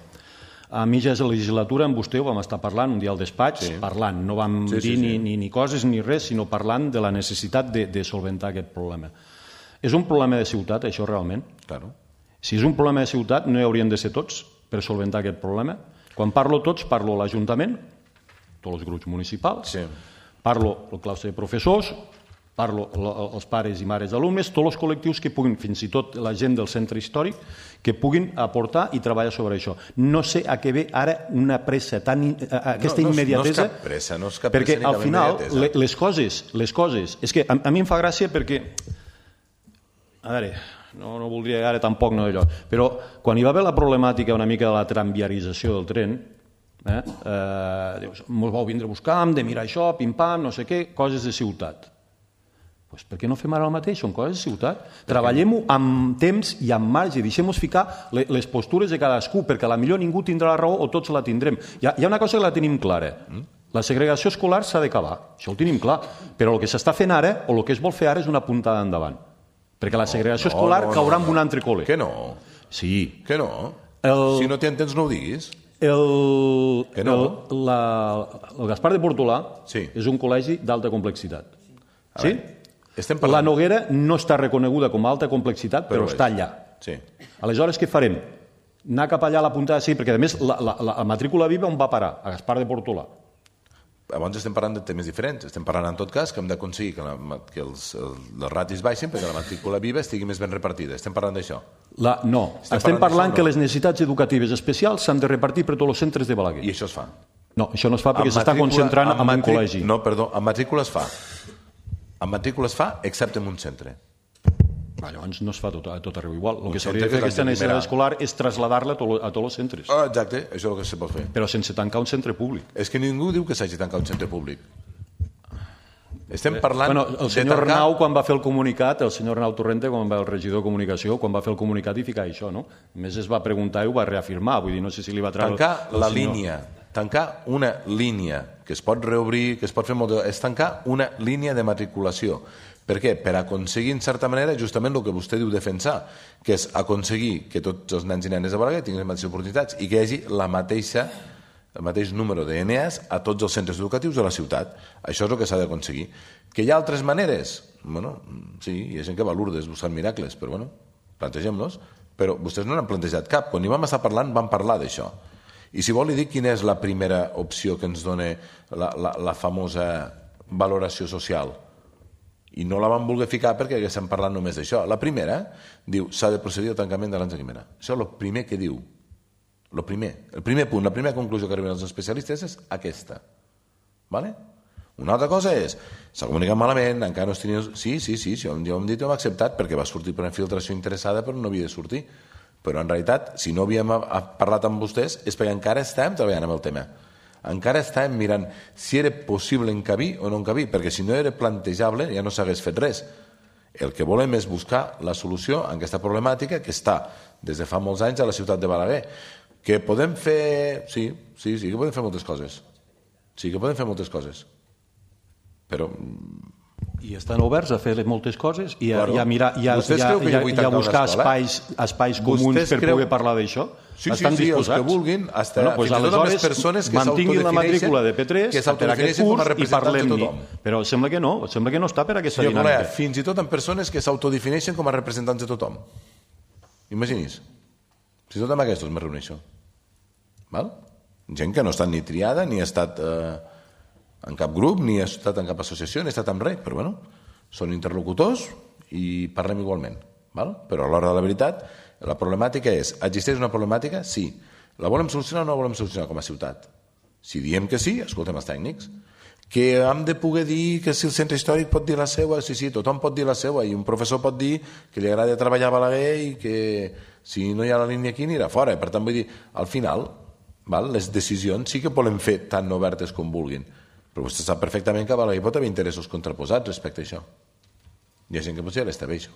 A mitja legislatura amb vostè ho vam estar parlant un dia al despatx, sí. parlant, no vam sí, dir sí, sí. Ni, ni, ni coses ni res, sinó parlant de la necessitat de, de solventar aquest problema. És un problema de ciutat, això, realment? Claro. Si és un problema de ciutat, no hi haurien de ser tots per solventar aquest problema. Quan parlo tots, parlo l'Ajuntament, tots els grups municipals, sí. Parlo el claustre de professors, parlo els pares i mares d'alumnes, tots els col·lectius que puguin, fins i tot la gent del centre històric, que puguin aportar i treballar sobre això. No sé a què ve ara una pressa, tan, aquesta no, no, immediatesa, no és cap pressa, no és cap perquè pressa al final les coses, les coses, és que a, a mi em fa gràcia perquè, a veure, no, no voldria ara tampoc no d'allò, però quan hi va haver la problemàtica una mica de la tramviarització del tren, eh, eh, dius, mos vau vindre a buscar, hem de mirar això, pim-pam, no sé què, coses de ciutat. Pues per què no fem ara el mateix? Són coses de ciutat. Treballem-ho amb temps i amb marge. Deixem-nos ficar les postures de cadascú, perquè a la millor ningú tindrà la raó o tots la tindrem. Hi ha, hi ha una cosa que la tenim clara. La segregació escolar s'ha d'acabar. Això ho tenim clar. Però el que s'està fent ara, o el que es vol fer ara, és una puntada endavant. Perquè la segregació no, escolar no, no, caurà en un altre col·le. Que no? Sí. Que no? El... Si no t'hi entens, no ho diguis. El, que no? el, la, el Gaspar de Portolà sí. és un col·legi d'alta complexitat. A sí? Parlant... La Noguera no està reconeguda com a alta complexitat, però, però està allà. Sí. Aleshores, què farem? Anar cap allà a la puntada, sí, perquè a més la, la, la matrícula viva on va parar? A Gaspar de Portolà. Abans estem parlant de temes diferents. Estem parlant, en tot cas, que hem d'aconseguir que, la, que els, els ratis baixin perquè la matrícula viva estigui més ben repartida. Estem parlant d'això? La, no. Estem, estem parlant, parlant que no. Les necessitats educatives especials s'han de repartir per tots els centres de Balaguer. I això es fa? No, això no es fa perquè s'està concentrant en un col·legi. No, perdó, en matrícula es fa. En matrícula es fa, excepte en un centre. Llavors no es fa tot, tot arreu igual. El que s'hauria de fer aquesta necessitat escolar és traslladar-la a tots els centres. Ah, exacte, això és el que se pot fer. Però sense tancar un centre públic. És que ningú diu que s'hagi tancat un centre públic. Estem parlant... Bueno, el senyor tancar... Arnau, quan va fer el comunicat, el senyor Arnau Torrente, quan va el regidor de comunicació, quan va fer el comunicat i ficar això, no? A més es va preguntar i ho va reafirmar, vull dir, no sé si li va treure... Tancar el, el la senyor... línia, tancar una línia que es pot reobrir, que es pot fer molt... és tancar una línia de matriculació. Per què? Per aconseguir, en certa manera, justament el que vostè diu defensar, que és aconseguir que tots els nens i nenes de Balaguer tinguin les mateixes oportunitats i que hi hagi la mateixa, el mateix número d'E N As a tots els centres educatius de la ciutat. Això és el que s'ha d'aconseguir. Que hi ha altres maneres? Bueno, sí, hi ha gent que va a Lourdes buscant miracles, però bueno, plantegem-los. Però vostès no n'han plantejat cap. Quan hi vam estar parlant, vam parlar d'això. I si vol li dic quina és la primera opció que ens dona la, la, la famosa valoració social. I no la vam voler ficar perquè haguéssim parlat només d'això. La primera diu s'ha de procedir al tancament de l'Ansa Guimera. Això és el primer que diu. El primer, el primer punt, la primera conclusió que arriben els especialistes és aquesta. Vale? Una altra cosa és, s'ha comunicat malament, encara no es tenia... Sí, sí, sí, ja ho hem dit i ho hem acceptat perquè va sortir per una filtració interessada però no havia de sortir. Però en realitat, si no havíem parlat amb vostès és perquè encara estàvem treballant amb el tema. Encara estàvem mirant si era possible encabir o no encabir, perquè si no era plantejable ja no s'hagués fet res. El que volem és buscar la solució a aquesta problemàtica que està des de fa molts anys a la ciutat de Balaguer. Que podem fer... Sí, sí, sí que podem fer moltes coses. Sí que podem fer moltes coses. Però... I estan oberts a fer moltes coses i a, claro. i a, mirar, i a, i a, i a, i a buscar espais, espais comuns per creu... poder parlar d'això. Sí, sí, sí, els que vulguin, hasta, bueno, pues fins i tot amb les persones que mantinguin la matrícula de P tres per aquest curs i parlem-hi. Però sembla que no, sembla que no està per aquesta Senyor dinàmica. Colea, fins i tot amb persones que s'autodefineixen com a representants de tothom. Imagini's. Fins i tot amb aquests me reuneixo. Val? Gent que no ha estat ni triada, ni ha estat eh, en cap grup, ni ha estat en cap associació, ni ha estat en res, però bueno, són interlocutors i parlem igualment. Val? Però a l'hora de la veritat, la problemàtica és, existeix una problemàtica? Sí. La volem solucionar o no la volem solucionar com a ciutat? Si diem que sí, escoltem els tècnics. Que hem de poder dir que si el centre històric pot dir la seva, sí, sí, tothom pot dir la seva, i un professor pot dir que li agrada treballar a Balaguer i que si no hi ha la línia aquí anirà fora. Per tant, vull dir, al final, val, les decisions sí que volem fer tan obertes com vulguin, però vostè sap perfectament que a Balaguer pot haver interessos contraposats respecte a això. Hi ha gent que potser l'està bé, això.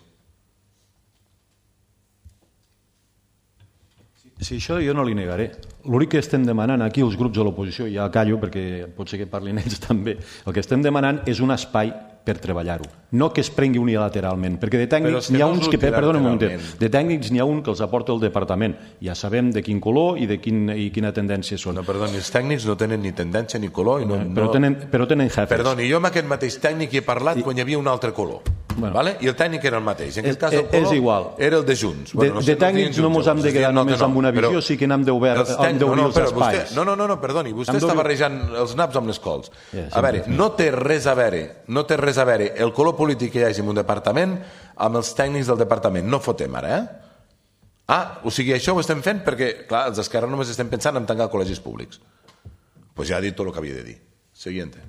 Sí, això jo no li negaré. L'únic que estem demanant aquí els grups de l'oposició, ja callo perquè pot ser que parlin ells també, el que estem demanant és un espai per treballar-ho, no que es prengui unilateralment, perquè de tècnics n'hi ha uns que, perdona un moment, de tècnics n'hi ha un que els aporta el departament, ja sabem de quin color i de quin, i quina tendència són. No, perdoni, els tècnics no tenen ni tendència ni color i no, però, tenen, però tenen jefes. Perdoni, jo amb aquest mateix tècnic hi he parlat I... quan hi havia un altre color. Bueno. Vale? I el tècnic era el mateix. En aquest cas el color és igual. Era el de Junts. De, bueno, no sé, de tècnics no ens hem de quedar només amb una visió, sí que n'hem d'obrir els espais. No, no, no, perdoni, vostè està barrejant els naps amb les cols. A veure, no té res a veure, no té res a veure el color polític que hi hagi en un departament amb els tècnics del departament. No fotem ara, eh? Ah, o sigui, això ho estem fent perquè, clar, els d'Esquerra només estem pensant en tancar col·legis públics. Doncs ja ha dit tot el que havia de dir. Siguiente.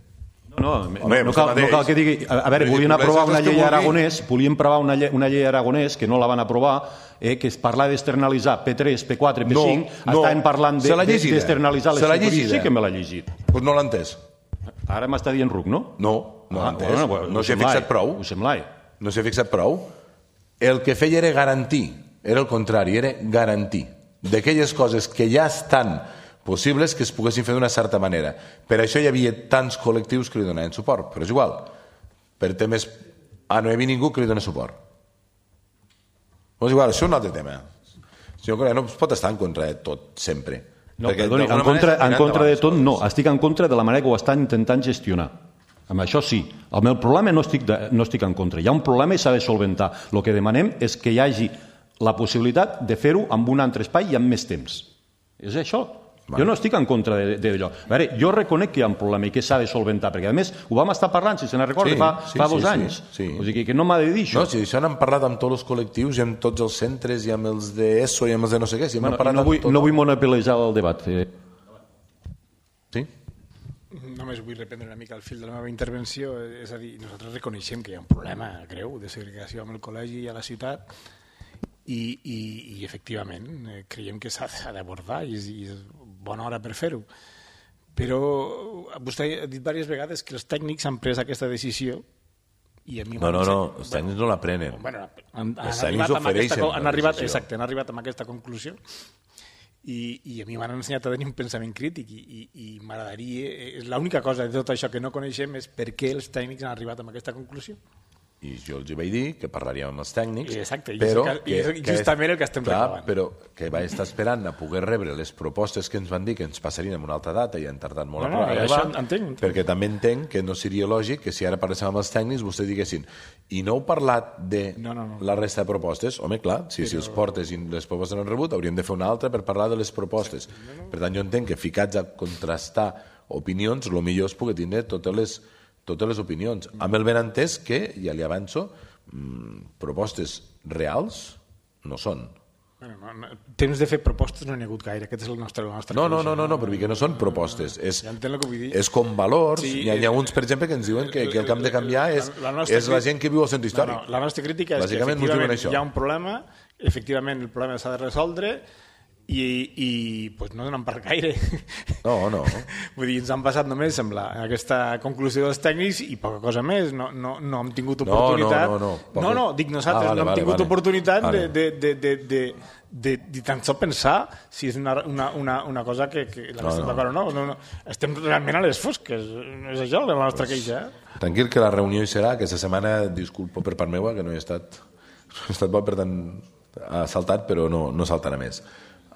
No, no, Home, no, cal, no cal que digui... A veure, volien aprovar una llei aragonès, volien aprovar una llei, una llei aragonès, que no la van aprovar, eh, que es parla d'externalitzar P tres, P quatre, P cinc, no, no. Estaven parlant d'externalitzar de, de, les superfícies. Sí que me l'ha llegit. Doncs no l'ha entès. Ara m'està dient ruc, no? No, no l'ha ah, entès. Bueno, no s'hi ha fixat prou. Ho semblai. No s'hi ha fixat prou. El que feia era garantir, era el contrari, era garantir d'aquelles coses que ja estan possibles que es poguessin fer d'una certa manera. Per això hi havia tants col·lectius que li donaven suport, però és igual. Per temes... Ah, no hi havia ningú que li doni suport. Però és igual, això és un altre tema. Senyor Corea, no es pot estar en contra de tot, sempre. No, perdoni, en contra, en contra de tot no. Estic en contra de la manera que ho estan intentant gestionar. Amb això sí. El meu problema no estic, de, no estic en contra. Hi ha un problema i s'ha de solventar. El que demanem és que hi hagi la possibilitat de fer-ho amb un altre espai i amb més temps. És això. Jo no estic en contra d'allò. A veure, jo reconec que hi ha un problema i que s'ha de solventar, perquè a més ho vam estar parlant, si se n'ha recorda, fa, sí, fa dos sí, anys. Sí, sí. O sigui que no m'ha de dir això. No, si això n'hem parlat amb tots els col·lectius i amb tots els centres i amb els d'ESO i amb els de no sé què. Si bueno, no, vull, no vull monopolitzar el debat. Eh. Sí? Només vull reprendre una mica el fil de la meva intervenció, és a dir, nosaltres reconeixem que hi ha un problema greu de segregació amb el col·legi i a la ciutat i, i, i efectivament creiem que s'ha d'abordar i, i és bona hora per fer-ho. Però vostè ha dit diverses vegades que els tècnics han pres aquesta decisió i a mi no, no, no, els tècnics no la prenen. Bueno, han, han, arribat amb aquesta, han, arribat, exacte, han arribat amb aquesta conclusió i, i a mi m'han ensenyat a tenir un pensament crític i, i, i m'agradaria, l'única cosa de tot això que no coneixem és per què els tècnics han arribat amb aquesta conclusió. I jo els vaig dir que parlaríem amb els tècnics, exacte, però i és justament el que estem reclamant. Però que vaig estar esperant a poder rebre les propostes que ens van dir que ens passarien en una altra data i han tardat molt no, a no, arribar, entenc. Perquè també entenc que no seria lògic que si ara parléssim amb els tècnics vostès diguessin i no heu parlat de no, no, no. la resta de propostes, home clar, si, però... si els portes i les propostes no han rebut hauríem de fer una altra per parlar de les propostes. No, no. Per tant jo entenc que ficats a contrastar opinions, el millor és poder tindre totes les totes les opinions, amb el benentès que, ja li avanço, mmm, propostes reals no són. Bueno, no, no, temps de fer propostes no n'hi ha hagut gaire, aquest és el nostre, la nostra no, no, no, no, no, perquè no són propostes, és, ja entenc el que vull dir. És com valors, sí, hi, ha, hi ha uns, per exemple, que ens diuen que, que el que hem de canviar és la, la, és la gent que viu al centre històric. No, no, la nostra crítica és que efectivament hi ha un problema, efectivament el problema s'ha de resoldre, i, i pues no donen per gaire. No, no. Vull dir, ens han passat només amb la, aquesta conclusió dels tècnics i poca cosa més, no, no, no hem tingut oportunitat no, no, no, no, no, no dic nosaltres, ah, vale, no hem vale, tingut vale. oportunitat vale. de, de, de, de, de, de tan sols pensar si és una, una, una, una cosa que, que la no, no. no, no, no. Estem realment a les fosques, és això la nostra pues, queixa. Eh? Tranquil, que la reunió hi serà, aquesta setmana, disculpo per part meva, que no he estat, no he estat bo, per tant, ha saltat, però no, no saltarà més.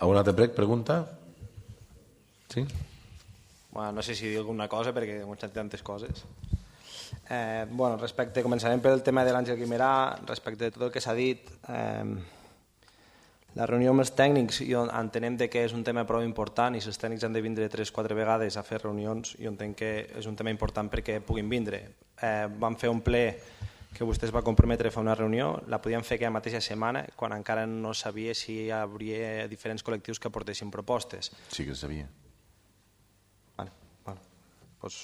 Alguna altra pregunta? Sí? Bueno, no sé si dir alguna cosa perquè hem sentit tantes coses. Eh, bueno, respecte, començarem pel tema de l'Àngel Guimerà, respecte de tot el que s'ha dit. Eh, la reunió amb els tècnics, jo entenem que és un tema prou important i si els tècnics han de vindre tres o quatre vegades a fer reunions, jo entenc que és un tema important perquè puguin vindre. Eh, vam fer un ple que vostè es va comprometre a fer una reunió, la podíem fer aquella mateixa setmana, quan encara no sabia si hi hauria diferents col·lectius que aportessin propostes. Sí que sabia. Vale, vale. Pues...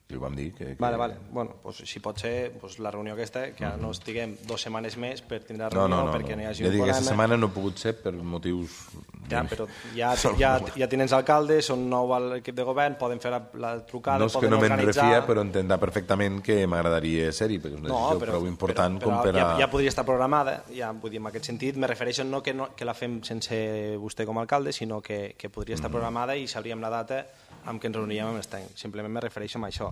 I ho vam dir que... que... Vale, vale. Bueno, pues, si pot ser pues, la reunió aquesta, que ara no estiguem dues setmanes més per tindre la reunió, no, no, no, perquè no. no hi hagi ja un dic, problema. aquesta setmana no ha pogut ser per motius... Ja, però ja, ja, ja tenen alcalde, són nou a l'equip de govern, poden fer la, la trucada, no és poden que no me'n organitzar... refia, però entendrà perfectament que m'agradaria ser-hi, perquè és una decisió no, però, prou important però, però com per a... Ja, ja podria estar programada, ja, vull dir, en aquest sentit, me refereixo no que, no que la fem sense vostè com a alcalde, sinó que, que podria estar programada i sabríem la data amb què ens reuníem amb els tècnics. Simplement me refereixo a això.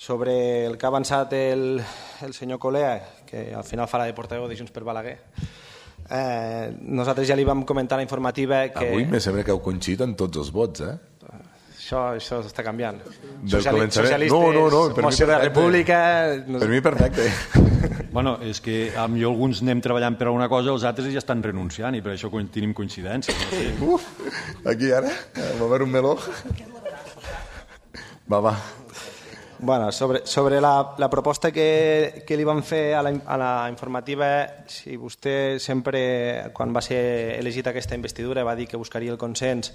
Sobre el que ha avançat el, el senyor Colea, que al final farà de portaveu de Junts per Balaguer, eh, nosaltres ja li vam comentar a la informativa que... Avui me sembla que heu coincidit en tots els vots, eh? Això, això està canviant. Sociali socialistes, no, no, no, per moció de la República... Per mi perfecte. Bueno, és que potser alguns anem treballant per a una cosa, els altres ja estan renunciant i per això tenim coincidències. No sé. Uf, aquí ara, va haver un meló. Va, va. Bueno, sobre, sobre la, la proposta que, que li van fer a la, a la informativa, si vostè sempre, quan va ser elegit aquesta investidura, va dir que buscaria el consens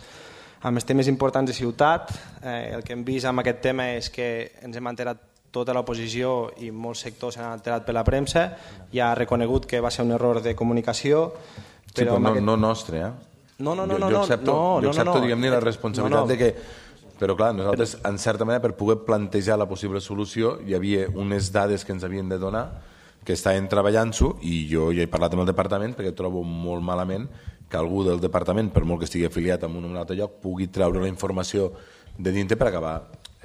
amb els temes importants de ciutat, eh, el que hem vist amb aquest tema és que ens hem enterat tota l'oposició i molts sectors s'han enterat per la premsa, ja ha reconegut que va ser un error de comunicació. Però sí, però no, aquest... no nostre, eh? No, no, no. Jo, jo accepto, no, no, jo accepto no, no. diguem-ne, la responsabilitat no, no. de que... Però clar, nosaltres, en certa manera, per poder plantejar la possible solució, hi havia unes dades que ens havien de donar, que estaven treballant-s'ho, i jo ja he parlat amb el departament perquè trobo molt malament que algú del departament, per molt que estigui afiliat en un o un altre lloc, pugui treure la informació de dintre per acabar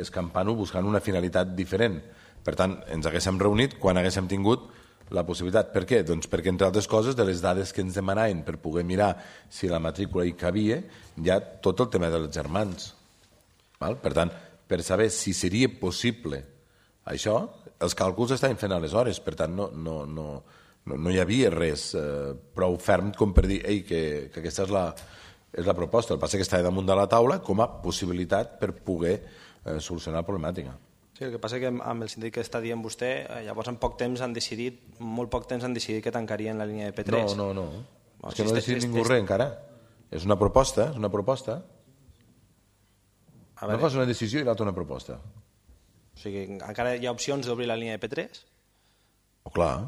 escampant-ho buscant una finalitat diferent. Per tant, ens haguéssim reunit quan haguéssim tingut la possibilitat. Per què? Doncs perquè, entre altres coses, de les dades que ens demanaven per poder mirar si la matrícula hi cabia, hi ha tot el tema dels germans. Val? Per tant, per saber si seria possible això, els càlculs estaven fent aleshores, per tant, no, no, no, no, no hi havia res eh, prou ferm com per dir Ei, que, que aquesta és la, és la proposta. El que passa és que estava damunt de la taula com a possibilitat per poder eh, solucionar la problemàtica. Sí, el que passa és que amb el síndic que està dient vostè, eh, llavors en poc temps han decidit, molt poc temps han decidit que tancarien la línia de P tres. No, no, no. no és que no ha decidit ningú res encara. És una proposta, és una proposta. Una cosa és una decisió i l'altra una proposta. O sigui, encara hi ha opcions d'obrir la línia de P tres? Oh, clar.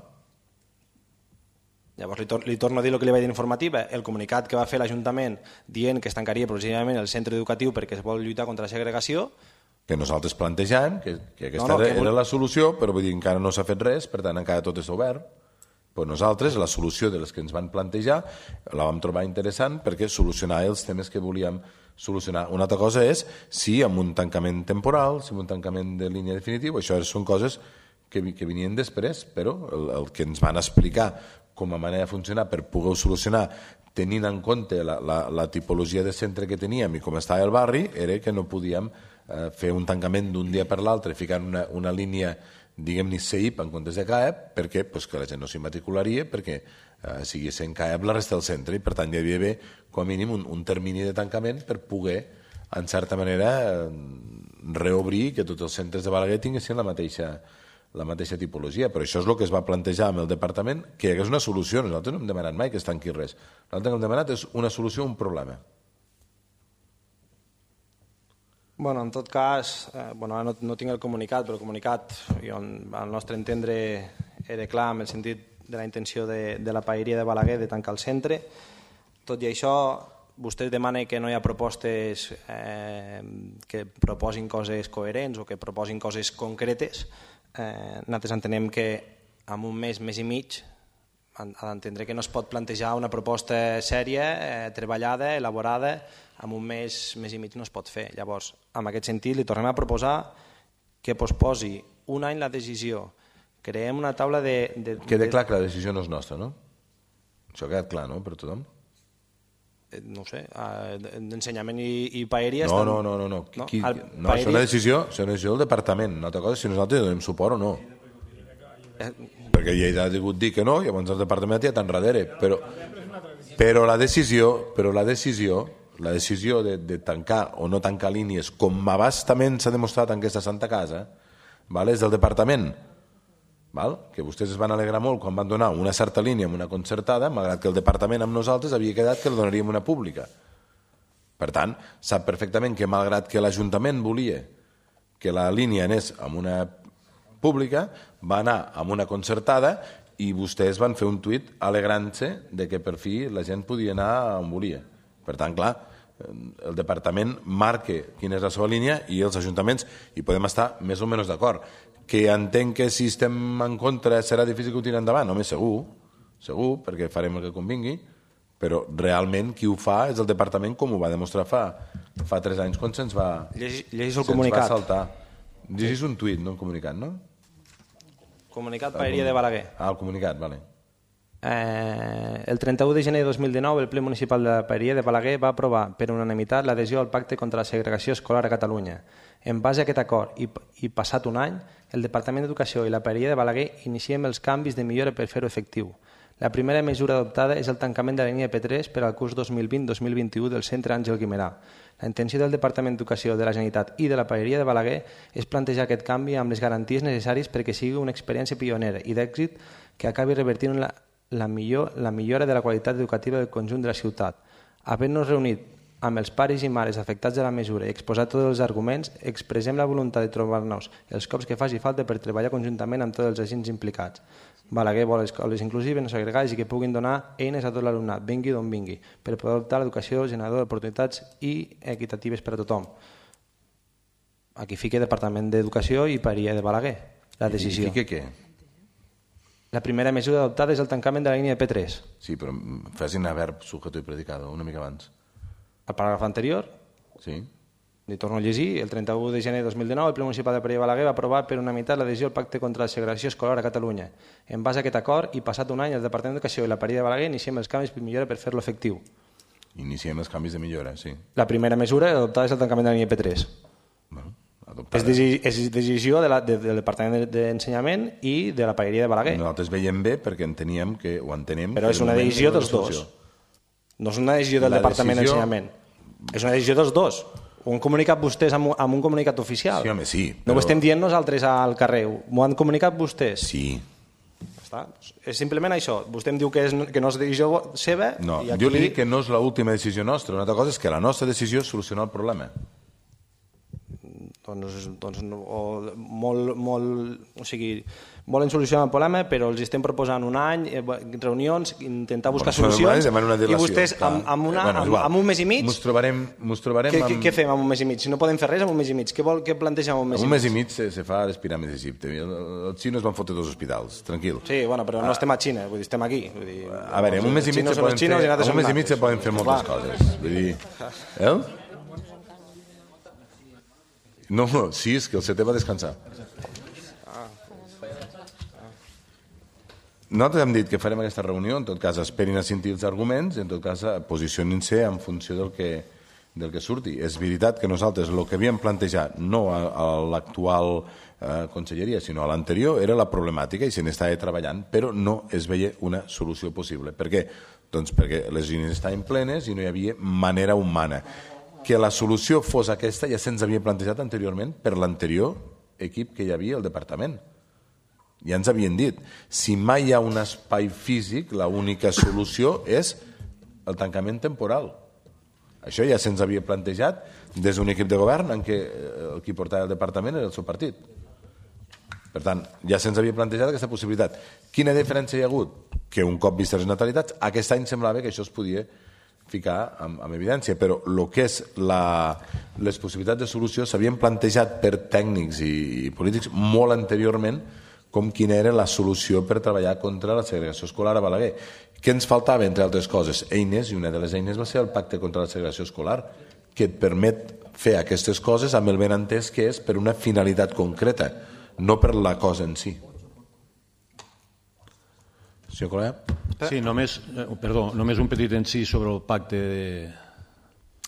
Llavors li, tor li torno a dir el que li vaig dir en informativa. El comunicat que va fer l'Ajuntament dient que es tancaria progressivament el centre educatiu perquè es vol lluitar contra la segregació. Que nosaltres plantejàvem que, que aquesta no, no, era, que... era la solució, però vull dir, encara no s'ha fet res, per tant encara tot és obert. Però nosaltres, la solució de les que ens van plantejar, la vam trobar interessant perquè solucionava els temes que volíem solucionar. Una altra cosa és si amb un tancament temporal, si amb un tancament de línia definitiu, això són coses que, que venien després, però el, el que ens van explicar com a manera de funcionar per poder solucionar tenint en compte la, la, la tipologia de centre que teníem i com estava el barri, era que no podíem eh, fer un tancament d'un dia per l'altre ficant una, una línia diguem-ne C I P en comptes de C A E P perquè pues, que la gent no s'hi matricularia perquè eh, sigui sent C A E P la resta del centre i per tant hi havia d'haver com a mínim un, un termini de tancament per poder en certa manera eh, reobrir que tots els centres de Balaguer tinguessin la mateixa, la mateixa tipologia, però això és el que es va plantejar amb el departament, que hi hagués una solució. Nosaltres no hem demanat mai que es tanqui res, nosaltres que hem demanat és una solució a un problema. Bueno, en tot cas, eh, bueno, no, no tinc el comunicat, però el comunicat, jo, al nostre entendre, era clar en el sentit de la intenció de, de la paeria de Balaguer de tancar el centre. Tot i això, vostès demanen que no hi ha propostes eh, que proposin coses coherents o que proposin coses concretes. Eh, nosaltres entenem que en un mes, mes i mig, ha d'entendre que no es pot plantejar una proposta sèria, eh, treballada, elaborada, en un mes, mes i mig no es pot fer. Llavors, en aquest sentit, li tornem a proposar que posposi un any la decisió. Creem una taula de... de Queda clar que la decisió no és nostra, no? Això ha quedat clar, no?, per tothom? No ho sé, d'ensenyament i, i paeria... No, estan... no, no, no, no. no? Qui, El no paeria... això és una decisió, això és una decisió del departament. Una altra cosa és si nosaltres donem suport o no. Eh... Perquè ja ha degut dir que no, i llavors el departament ja està enrere. Però, però la decisió, però la decisió, la decisió de, de tancar o no tancar línies, com abastament s'ha demostrat en aquesta Santa Casa, val? És del departament. Val? Que vostès es van alegrar molt quan van donar una certa línia amb una concertada, malgrat que el departament amb nosaltres havia quedat que la donaríem una pública. Per tant, sap perfectament que malgrat que l'Ajuntament volia que la línia anés amb una pública, va anar amb una concertada i vostès van fer un tuit alegrant-se de que per fi la gent podia anar on volia. Per tant, clar, el departament marca quina és la seva línia i els ajuntaments hi podem estar més o menys d'acord. Que entenc que si estem en contra serà difícil que ho tiri endavant, home, segur, segur, perquè farem el que convingui, però realment qui ho fa és el departament, com ho va demostrar fa, fa tres anys quan se'ns va, Llegeix el se'ns comunicat. va saltar. Llegís un tuit, no un comunicat, no? Comunicat Paeria de Balaguer. Ah, el comunicat, vale. Eh, el trenta-u de gener de dos mil dinou, el ple municipal de Paeria de Balaguer va aprovar per unanimitat l'adhesió al pacte contra la segregació escolar a Catalunya. En base a aquest acord i, i passat un any, el Departament d'Educació i la Paeria de Balaguer iniciem els canvis de millora per fer-ho efectiu. La primera mesura adoptada és el tancament de la línia P tres per al curs dos mil vint dos mil vint-i-u del centre Àngel Guimerà. La intenció del Departament d'Educació de la Generalitat i de la Paeria de Balaguer és plantejar aquest canvi amb les garanties necessàries perquè sigui una experiència pionera i d'èxit que acabi revertint la, la, millor, la millora de la qualitat educativa del conjunt de la ciutat. Havent-nos reunit amb els pares i mares afectats de la mesura i exposat tots els arguments, expressem la voluntat de trobar-nos els cops que faci falta per treballar conjuntament amb tots els agents implicats. Balaguer vol escoles inclusives, no segregades i que puguin donar eines a tot l'alumnat, vingui d'on vingui, per poder adoptar l'educació generadora d'oportunitats i equitatives per a tothom. Aquí fica Departament d'Educació i Paeria de Balaguer, la decisió. I fica què? La primera mesura adoptada és el tancament de la línia de P tres. Sí, però facin a verb, sujeto i predicado, una mica abans. El paràgraf anterior, sí. Li torno a llegir, el trenta-u de gener de dos mil dinou el ple municipal de Paeria de Balaguer va aprovar per unanimitat l'adhesió al pacte contra la segregació escolar a Catalunya. En base a aquest acord i passat un any el Departament d'Educació i la Paeria de Balaguer iniciem els canvis per millora per fer-lo efectiu. Iniciem els canvis de millora, sí. La primera mesura adoptada és el tancament de la línia P tres. Bueno, és, deci és decisió de la, de, del Departament d'Ensenyament i de la Paeria de Balaguer. Nosaltres veiem bé perquè enteníem que ho entenem. Però és una decisió dels dos. No és una decisió del Departament d'Ensenyament. És una decisió dels dos. Ho han comunicat vostès amb, amb un comunicat oficial. Sí, home, sí. Però... No ho estem dient nosaltres al carrer. M'ho han comunicat vostès. Sí. Està. És simplement això. Vostè em diu que, és, que no és decisió seva. No, i aquí... jo li dic que no és l'última decisió nostra. Una altra cosa és que la nostra decisió és solucionar el problema. Doncs, doncs o, molt, molt, o sigui, volen solucionar el problema, però els estem proposant un any, reunions, intentar buscar bueno, solucions, i vostès amb, amb, una, bueno, amb, amb un mes i mig... Mos trobarem, mos trobarem què, amb... què fem amb un mes i mig? Si no podem fer res amb un mes i mig, què, vol, què plantegem amb un mes i mig? Un mes i mig se, se fa a les piràmides d'Egipte. Els xinos van fotre dos hospitals, tranquil. Sí, bueno, però no estem a Xina, vull dir, estem aquí. Vull dir, a veure, en un mes i mig se poden fer, en un mes i mig se poden fer moltes coses. Vull dir... Eh? No, sí, és que el setè va descansar. Nosaltres hem dit que farem aquesta reunió, en tot cas esperin a sentir els arguments, en tot cas posicionin-se en funció del que, del que surti. És veritat que nosaltres el que havíem plantejat, no a, a l'actual eh, conselleria, sinó a l'anterior, era la problemàtica i se n'estava treballant, però no es veia una solució possible. Per què? Doncs perquè les línies estaven plenes i no hi havia manera humana. Que la solució fos aquesta ja se'ns havia plantejat anteriorment per l'anterior equip que hi havia al departament. Ja ens havien dit, si mai hi ha un espai físic, l'única solució és el tancament temporal. Això ja se'ns havia plantejat des d'un equip de govern en què el qui portava el departament era el seu partit. Per tant, ja se'ns havia plantejat aquesta possibilitat. Quina diferència hi ha hagut? Que un cop vistes les natalitats, aquest any semblava que això es podia ficar amb, amb evidència, però el que és la, les possibilitats de solució s'havien plantejat per tècnics i, i polítics molt anteriorment com quina era la solució per treballar contra la segregació escolar a Balaguer. Què ens faltava, entre altres coses? Eines, i una de les eines va ser el pacte contra la segregació escolar, que et permet fer aquestes coses amb el ben entès que és per una finalitat concreta, no per la cosa en si. Senyor Colea? Sí, només, eh, perdó, només un petit incís sobre el pacte de...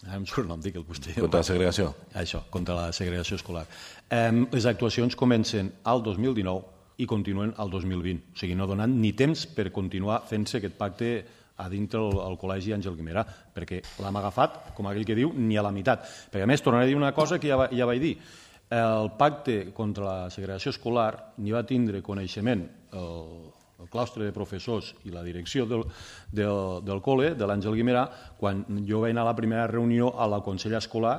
Ah, em surt el nom, dic el vostè. Contra la segregació? Això, contra la segregació escolar. Eh, les actuacions comencen al dos mil dinou i continuen al dos mil vint. O sigui, no donant ni temps per continuar fent-se aquest pacte a dintre el, el Col·legi Àngel Guimerà, perquè l'hem agafat, com aquell que diu, ni a la meitat. Perquè, a més, tornaré a dir una cosa que ja, ja vaig dir. El pacte contra la segregació escolar n'hi va tindre coneixement el el claustre de professors i la direcció del, del, del col·le, de l'Àngel Guimerà, quan jo vaig anar a la primera reunió a la Consell Escolar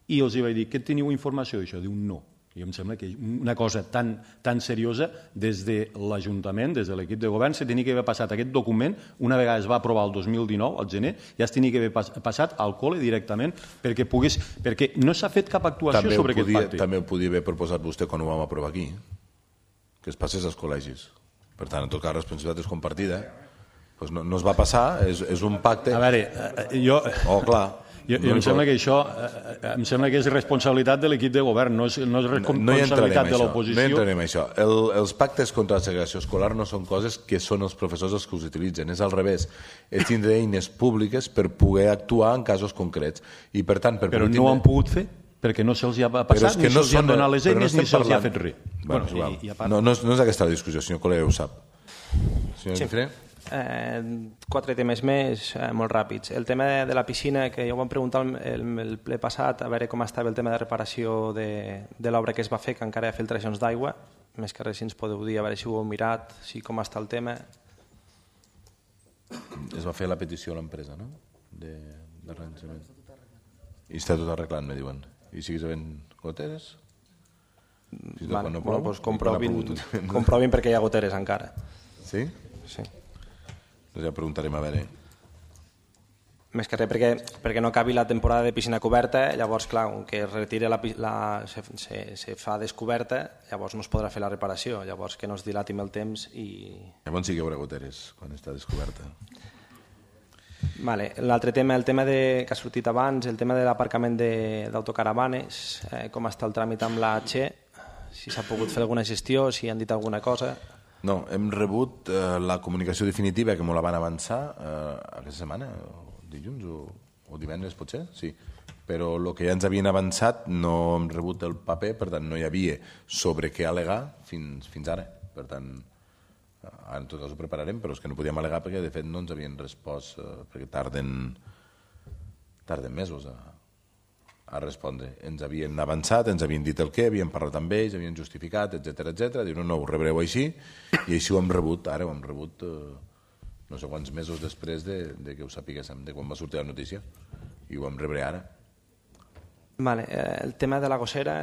i els hi vaig dir, què teniu informació d'això? Diu, no. I em sembla que una cosa tan, tan seriosa, des de l'Ajuntament, des de l'equip de govern, se tenia que haver passat aquest document, una vegada es va aprovar el dos mil dinou, al gener, ja es tenia que haver passat al col·le directament perquè pogués, perquè no s'ha fet cap actuació també sobre podia, aquest pacte. També ho podia haver proposat vostè quan ho vam aprovar aquí, que es passés als col·legis. Per tant, en tot cas, la responsabilitat és compartida. Pues no, no es va passar, és, és un pacte... A veure, jo... Oh, clar. I, i em sembla que això eh, em sembla que és responsabilitat de l'equip de govern, no és, no és responsabilitat no de l'oposició. No entrarem en això. El, els pactes contra la segregació escolar no són coses que són els professors els que us utilitzen, és al revés. És tindre eines públiques per poder actuar en casos concrets. I, per tant, per Però tindre... no han pogut fer, perquè no se'ls ha passat, ni no se'ls han donat les eines, no ni se'ls ha fet res. Bueno, bueno, i, i part... no, no, és, no és aquesta la discussió, senyor Col·lega ho sap. Senyor sí. Guifré? Eh, quatre temes més, eh, molt ràpids. El tema de, de la piscina, que ja ho vam preguntar el, el, el ple passat, a veure com estava el tema de reparació de, de l'obra que es va fer, que encara hi ha filtracions d'aigua. Més que res, si ens podeu dir, a veure si ho heu mirat, si com està el tema. Es va fer la petició a l'empresa, no? De, de arranjament. I està tot arreglant, me diuen. I siguis havent goteres? Si vale, no bueno, doncs comprovin, comprovin perquè hi ha goteres encara. Sí? Sí. Doncs ja preguntarem a veure. Més que res perquè, perquè no acabi la temporada de piscina coberta, llavors, clar, que es retira la, la, se, se, se fa descoberta, llavors no es podrà fer la reparació, llavors que no es dilatim el temps i... Llavors sí que hi haurà goteres quan està descoberta. Vale. L'altre tema, el tema de, que ha sortit abans, el tema de l'aparcament d'autocaravanes, eh, com està el tràmit amb la Che, si s'ha pogut fer alguna gestió, si han dit alguna cosa... No, hem rebut eh, la comunicació definitiva que m'ho la van avançar eh, aquesta setmana, o dilluns o, o divendres potser, sí. Però el que ja ens havien avançat no hem rebut el paper, per tant no hi havia sobre què al·legar fins, fins ara. Per tant, ara en tot cas ho prepararem, però és que no podíem al·legar perquè de fet no ens havien respost, eh, perquè tarden, tarden mesos a, a respondre. Ens havien avançat, ens havien dit el què, havíem parlat amb ells, havien justificat, etcètera, etcètera. Diuen, no, ho rebreu així, i així ho hem rebut, ara ho hem rebut eh, no sé quants mesos després de, de que ho sapiguéssim, de quan va sortir la notícia, i ho vam rebre ara. Vale, eh, el tema de la gossera,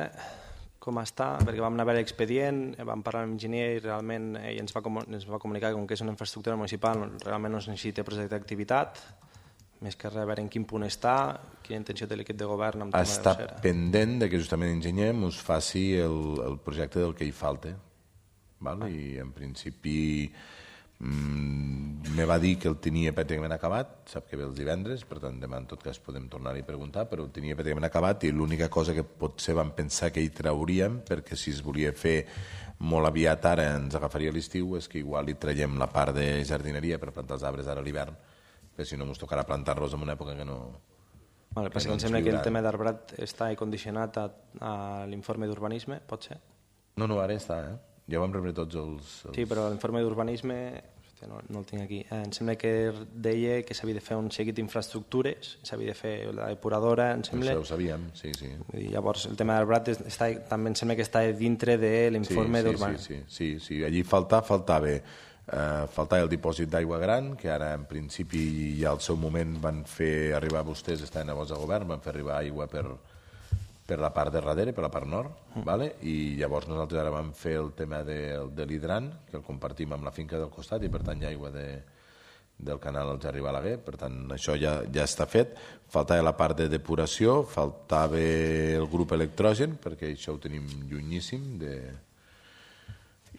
com està? Perquè vam anar a veure l'expedient, vam parlar amb l'enginyer i realment ell ens va, ens va comunicar que com que és una infraestructura municipal realment no es necessita projecte d'activitat, més que res, a veure en quin punt està, quina intenció té l'equip de govern amb tema està de gossera. Pendent de que justament l'enginyer us faci el, el projecte del que hi falta, val? I en principi mm, me va dir que el tenia pràcticament acabat, sap que ve els divendres, per tant demà en tot cas podem tornar-hi a preguntar, però el tenia pràcticament acabat i l'única cosa que potser vam pensar que hi trauríem, perquè si es volia fer molt aviat ara ens agafaria l'estiu, és que igual hi traiem la part de jardineria per plantar els arbres ara a l'hivern, perquè si no ens tocarà plantar-los en una època que no... Vale, que no em sembla que el tema d'arbrat està condicionat a, a l'informe d'urbanisme, pot ser? No, no, ara està, eh? Ja vam rebre tots els... els... Sí, però l'informe d'urbanisme, no, no el tinc aquí, eh, em sembla que deia que s'havia de fer un seguit d'infraestructures, s'havia de fer la depuradora, em sembla... Això ho sabíem, sí, sí. I llavors el tema d'arbrat està, també em sembla que està dintre de l'informe sí, sí, d'urbanisme. Sí, sí, sí, sí, allí falta, faltava... Uh, faltava el dipòsit d'aigua gran, que ara en principi ja al seu moment van fer arribar, vostès estaven llavors a govern, van fer arribar aigua per, per la part de darrere, per la part nord, mm. vale? I llavors nosaltres ara vam fer el tema de, de l'hidran, que el compartim amb la finca del costat i per tant hi ha aigua de, del canal al Gerri Balaguer, per tant això ja, ja està fet. Faltava la part de depuració, faltava el grup electrogen, perquè això ho tenim llunyíssim de...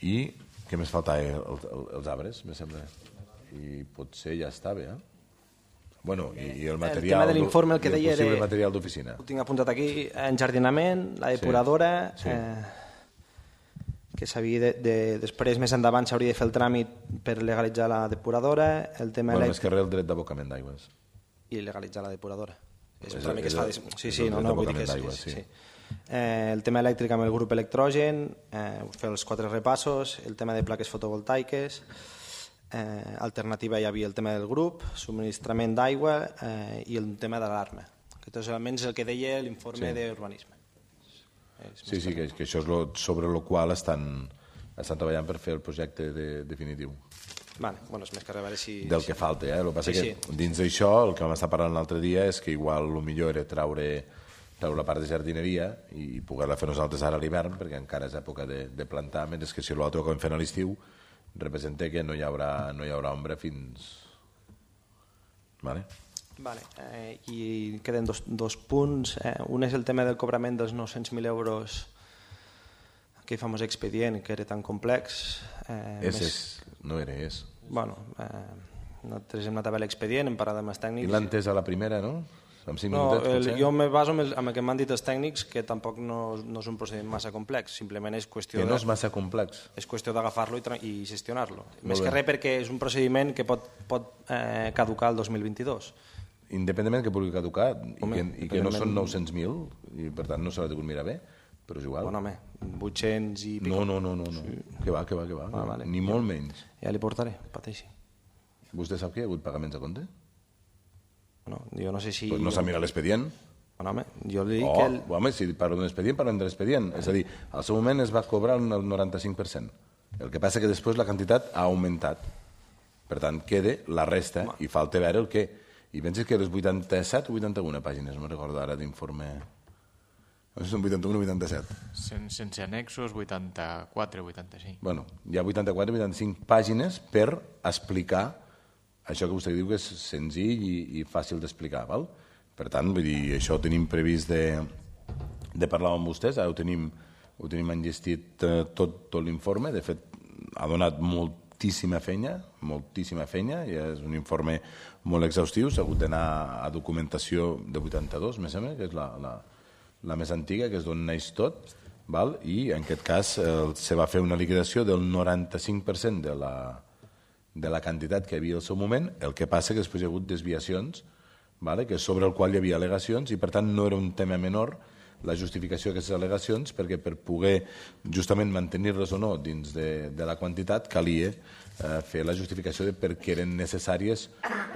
i què més faltava? El, el, els arbres, me sembla. I potser ja està bé, eh? Bueno, i, i el material... El tema de l'informe, el que deia... El possible material d'oficina. Ho tinc apuntat aquí, enjardinament, la depuradora... Sí, sí. Eh, que s'havia de, de... Després, més endavant, s'hauria de fer el tràmit per legalitzar la depuradora, el tema... Bueno, elèctric... més que res el dret d'abocament d'aigües. I legalitzar la depuradora. És, és un tràmit que es fa... De... Sí, sí, no, no, vull dir que és... Sí. sí. Eh, el tema elèctric amb el grup electrogen, eh, fer els quatre repassos, el tema de plaques fotovoltaiques, eh, alternativa hi havia el tema del grup, subministrament d'aigua eh, i el tema de l'alarma. Aquests elements és el que deia l'informe sí. d'urbanisme. Sí, sí, que, que això és lo, sobre el qual estan, estan treballant per fer el projecte de, definitiu. Vale, bueno, és més que a veure si... Del que falta, eh? El que passa sí, que sí. Dins d'això, el que vam estar parlant l'altre dia és que igual el millor era traure... treure la part de jardineria i poder-la fer nosaltres ara a l'hivern, perquè encara és època de, de plantar, mentre que si l'altre ho acabem fent a l'estiu, representa que no hi haurà, no hi haurà ombra fins... Vale? Vale. Eh, I queden dos, dos punts. Eh, un és el tema del cobrament dels nou-cents mil euros, aquell famós expedient que era tan complex. Eh, és, més... és, no era, és. Bueno, eh, nosaltres hem anat a veure l'expedient, hem parlat amb els tècnics... I l'han entès a la primera, no? Amb cinc No, minutets, el, potser? jo me baso en el, en el que m'han dit els tècnics, que tampoc no, no és un procediment massa complex, simplement és qüestió Que no de- és massa complex. és qüestió d'agafar-lo i, tra- i gestionar-lo. Més bé. que res perquè és un procediment que pot, pot eh, caducar el dos mil vint-i-dos. Independentment que pugui caducar i, Home, que, i que no són independentment- nou-cents mil, i per tant no s'ha degut mirar bé, però és igual. Bueno, home, vuit-cents i pico. No, no, no, no, no. Sí. Que va, que va, que va. Ah, vale. Ni molt menys. Ja li portaré, pateixi. Vostè sap que hi ha hagut pagaments a compte? No, jo no sé si... Pues no s'ha mirat l'expedient. Bueno, home, jo li dic Oh, que... El... home, si parlo d'un expedient, parlem de l'expedient. És a dir, al seu moment es va cobrar el noranta-cinc per cent. El que passa que després la quantitat ha augmentat. Per tant, queda la resta i falta veure el què. I penses que les vuitanta-set o vuitanta-una pàgines, no me'n recordo ara d'informe... No sé si són vuitanta-un o vuitanta-set. Sen, sense annexos, vuitanta-quatre o vuitanta-cinc. Bueno, hi ha vuitanta-quatre o vuitanta-cinc pàgines per explicar això que vostè diu que és senzill i, i fàcil d'explicar, val? Per tant, vull dir, això ho tenim previst de, de parlar amb vostès, ara ho tenim, ho tenim enllestit eh, tot, tot l'informe, de fet ha donat moltíssima feina, moltíssima feina, i és un informe molt exhaustiu, s'ha hagut d'anar a documentació de vuitanta-dos, me sembla, que és la, la, la més antiga, que és d'on neix tot, val? I en aquest cas eh, se va fer una liquidació del noranta-cinc per cent de la de la quantitat que hi havia al seu moment, el que passa que després hi ha hagut desviacions, vale? Que sobre el qual hi havia al·legacions, i per tant no era un tema menor la justificació d'aquestes al·legacions, perquè per poder justament mantenir-les o no dins de, de la quantitat calia eh, fer la justificació de per què eren necessàries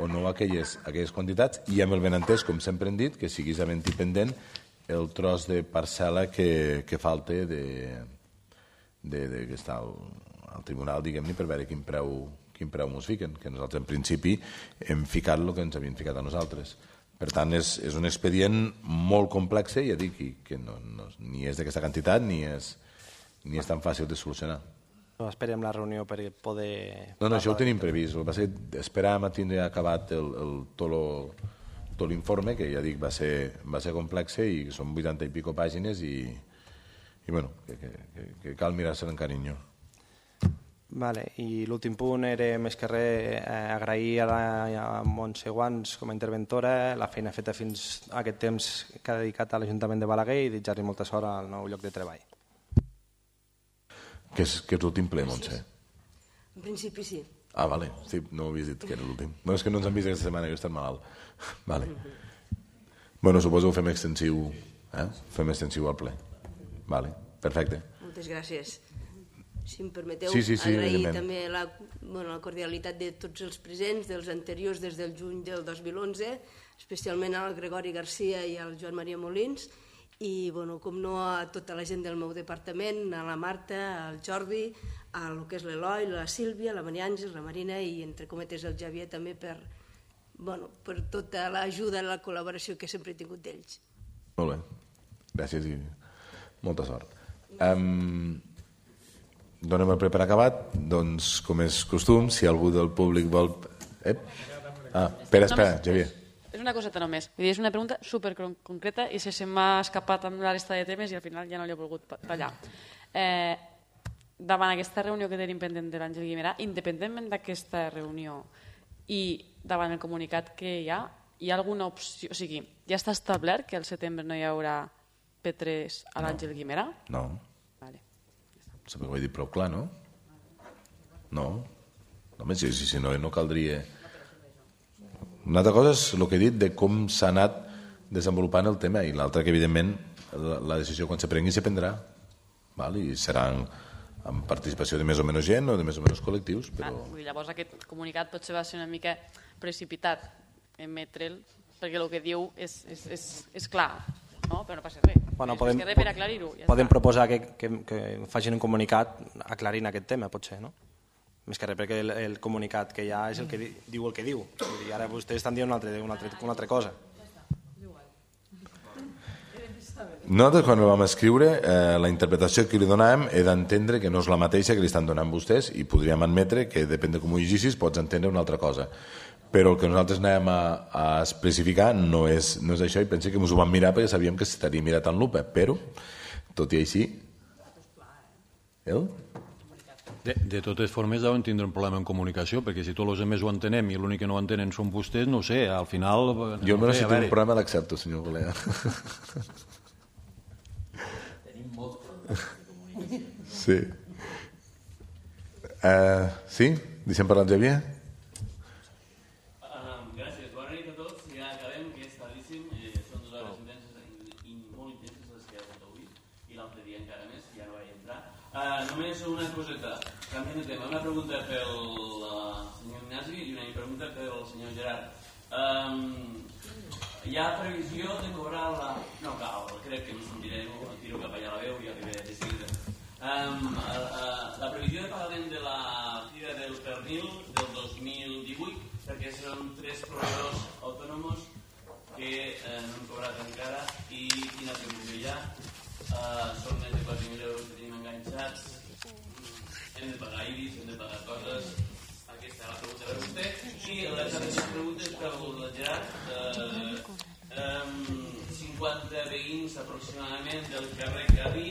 o no aquelles, aquelles quantitats, i amb el benentès, com sempre hem dit, que siguis havent i pendent el tros de parcel·la que, que falta de, de, de, que està al, al tribunal, diguem-ne, per veure quin preu quin preu ens fiquen, que nosaltres en principi hem ficat el que ens havien ficat a nosaltres. Per tant, és, és un expedient molt complex, ja dic, i que no, no, ni és d'aquesta quantitat ni és, ni és tan fàcil de solucionar. No, esperem la reunió per poder... No, no, això ho tenim previst. El que passa és que esperàvem a tindre acabat el, el, tot, lo, tot l'informe, que ja dic va ser, va ser complex i són vuitanta i pico pàgines i, i bueno, que, que, que, que cal mirar-se en carinyo. Vale, i l'últim punt era més que res eh, agrair a, la, a Montse Guans com a interventora la feina feta fins a aquest temps que ha dedicat a l'Ajuntament de Balaguer i desitjar-li molta sort al nou lloc de treball. Que és, que és l'últim ple, Montse? En principi sí. Ah, vale, sí, no ho havies dit que era l'últim. No, és que no ens han vist aquesta setmana, que he estat malalt. Vale. Bueno, suposo que ho fem extensiu, eh? Fem extensiu al ple. Vale, perfecte. Moltes gràcies. Si em permeteu, sí, sí, sí, agrair evidentment. també la, bueno, la cordialitat de tots els presents, dels anteriors des del juny del dos mil onze, especialment al Gregori Garcia i al Joan Maria Molins, i, bueno, com no, a tota la gent del meu departament, a la Marta, al Jordi, a lo que és l'Eloi, la Sílvia, la Maria Àngels, la Marina i, entre cometes, el Javier també per, bueno, per tota l'ajuda i la col·laboració que sempre he tingut d'ells. Molt bé, gràcies i molta sort. Um, donem el ple per acabat, doncs, com és costum, si algú del públic vol... Eh? Ah, espera, espera, Javier. És una coseta només. Vull dir, és una pregunta superconcreta i se, se m'ha escapat amb la resta de temes i al final ja no l'he volgut tallar. Eh, davant aquesta reunió que tenim pendent de l'Àngel Guimerà, independentment d'aquesta reunió i davant el comunicat que hi ha, hi ha alguna opció... O sigui, ja està establert que al setembre no hi haurà P tres a l'Àngel Guimerà? No. Vale. Sembla que ho he dit prou clar, no? No. Home, si, si, si no, no caldria... Una altra cosa és el que he dit de com s'ha anat desenvolupant el tema i l'altra que, evidentment, la, la decisió quan se prengui se prendrà. Val? I serà amb participació de més o menys gent o de més o menys col·lectius. Però... Ah, llavors aquest comunicat potser va ser una mica precipitat emetre'l perquè el que diu és, és, és, és clar, no? Però no passa res. Bueno, podem, res per aclarir-ho. Ja podem està. proposar que, que, que facin un comunicat aclarint aquest tema, potser, no? Més que res, perquè el, el comunicat que hi ha és el que di, diu el que diu. I ara vostès estan dient una altra, una altra, una altra cosa. Nosaltres, quan ho vam escriure, eh, la interpretació que li donàvem he d'entendre que no és la mateixa que li estan donant vostès i podríem admetre que, depèn de com ho llegissis, pots entendre una altra cosa. Però el que nosaltres anàvem a, a especificar no és, no és això i pensé que ens ho vam mirar perquè sabíem que s'estaria mirat en lupa, però, tot i així... El? De, de totes formes deuen tindre un problema en comunicació, perquè si tots els altres ho entenem i l'únic que no entenen són vostès, no sé, al final... Jo no almenys sé, si tinc un problema l'accepto, senyor Golea. Tenim molts problemes de comunicació. Sí. Uh, sí? Deixem parlar en Xavier? Uh, gràcies. Bona nit a tots. Ja acabem, que és tardíssim. Eh, són dues hores intenses i molt intenses les que hi ha hagut avui, i l'altre dia encara més, ja no vaig entrar. Uh, només una coseta, canviant de tema. Una pregunta pel uh, senyor Ignasi i una pregunta pel senyor Gerard. Um, hi ha previsió de cobrar la... No cal, crec que no sentiré, no? Tiro cap allà la veu i arribaré de seguida. Um, uh, uh, la previsió de pagament de la Fira del Pernil del dos mil divuit, perquè són tres proveïdors autònoms que eh, no han cobrat encara, i quina previsió hi ha. Uh, són més de quatre mil euros que tenim enganxats, hem de pagar I B I S, hem de pagar coses. Aquesta és la pregunta per vostè. I les altres preguntes per el Gerard. Uh, um, cinquanta veïns aproximadament del carrer Cadí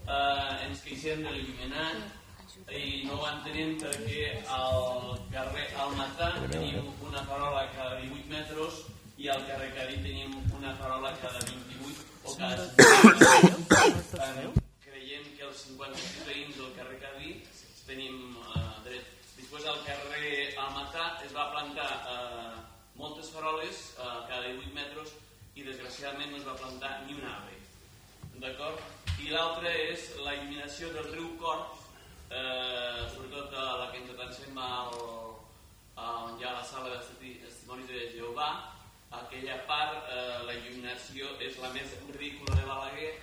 Uh, ens queixem de l'il·luminat i no ho entenem perquè al carrer Almatà tenim una farola cada divuit metres i al carrer Cadí tenim una farola cada vint-i-vuit o cada cinquanta. Creiem que els cinquanta-sis veïns del carrer Cadí tenim uh, dret. Després al carrer Almatà es va plantar uh, moltes faroles uh, cada divuit metres i desgraciadament no es va plantar ni un arbre. D'acord? I l'altre és la il·luminació del riu Corb, eh, sobretot a la que ens atansem al, on hi ha la sala de testimonis de Jehovà. Aquella part, eh, la il·luminació és la més ridícula de Balaguer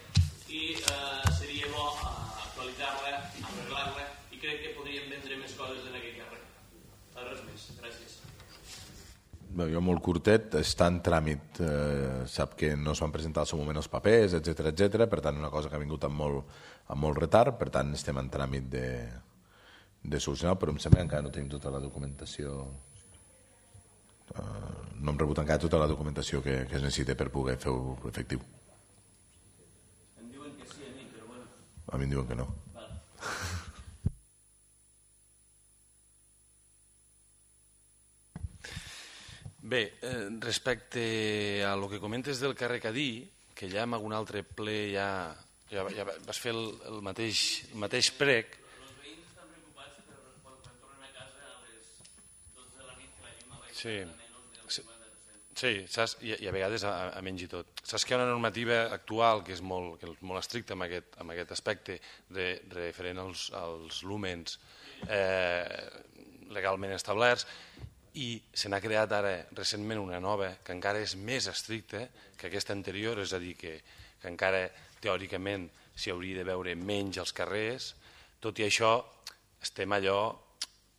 i eh, seria bo eh, actualitzar-la, arreglar-la, i crec que podríem vendre més coses en aquell carrer. Res més, gràcies. Bé, jo molt curtet, està en tràmit, eh, sap que no es van presentar al seu moment els papers, etcètera, etcètera, per tant una cosa que ha vingut amb molt, amb molt retard, per tant estem en tràmit de, de solucionar, però em sembla que encara no tenim tota la documentació, eh, no hem rebut encara tota la documentació que, que es necessita per poder fer-ho efectiu. Em diuen que sí a mi, però bueno. A mi em diuen que no. Vale. Bé, eh, respecte a lo que comentes del carrer Cadí, que ja en algun altre ple ja, ja, ja vas fer el, el, mateix, el mateix prec. Els veïns estan preocupats per quan, quan tornen a casa a les dotze de la nit que la llum va Sí, a menys del sí, cinquanta per cent. sí saps? I, i a vegades a, a menys i tot. Saps que hi ha una normativa actual que és molt, que és molt estricta en aquest, en aquest aspecte de, referent als, als lúmens eh, legalment establerts, i se n'ha creat ara recentment una nova que encara és més estricta que aquesta anterior, és a dir, que, que encara teòricament s'hi hauria de veure menys als carrers. Tot i això estem allò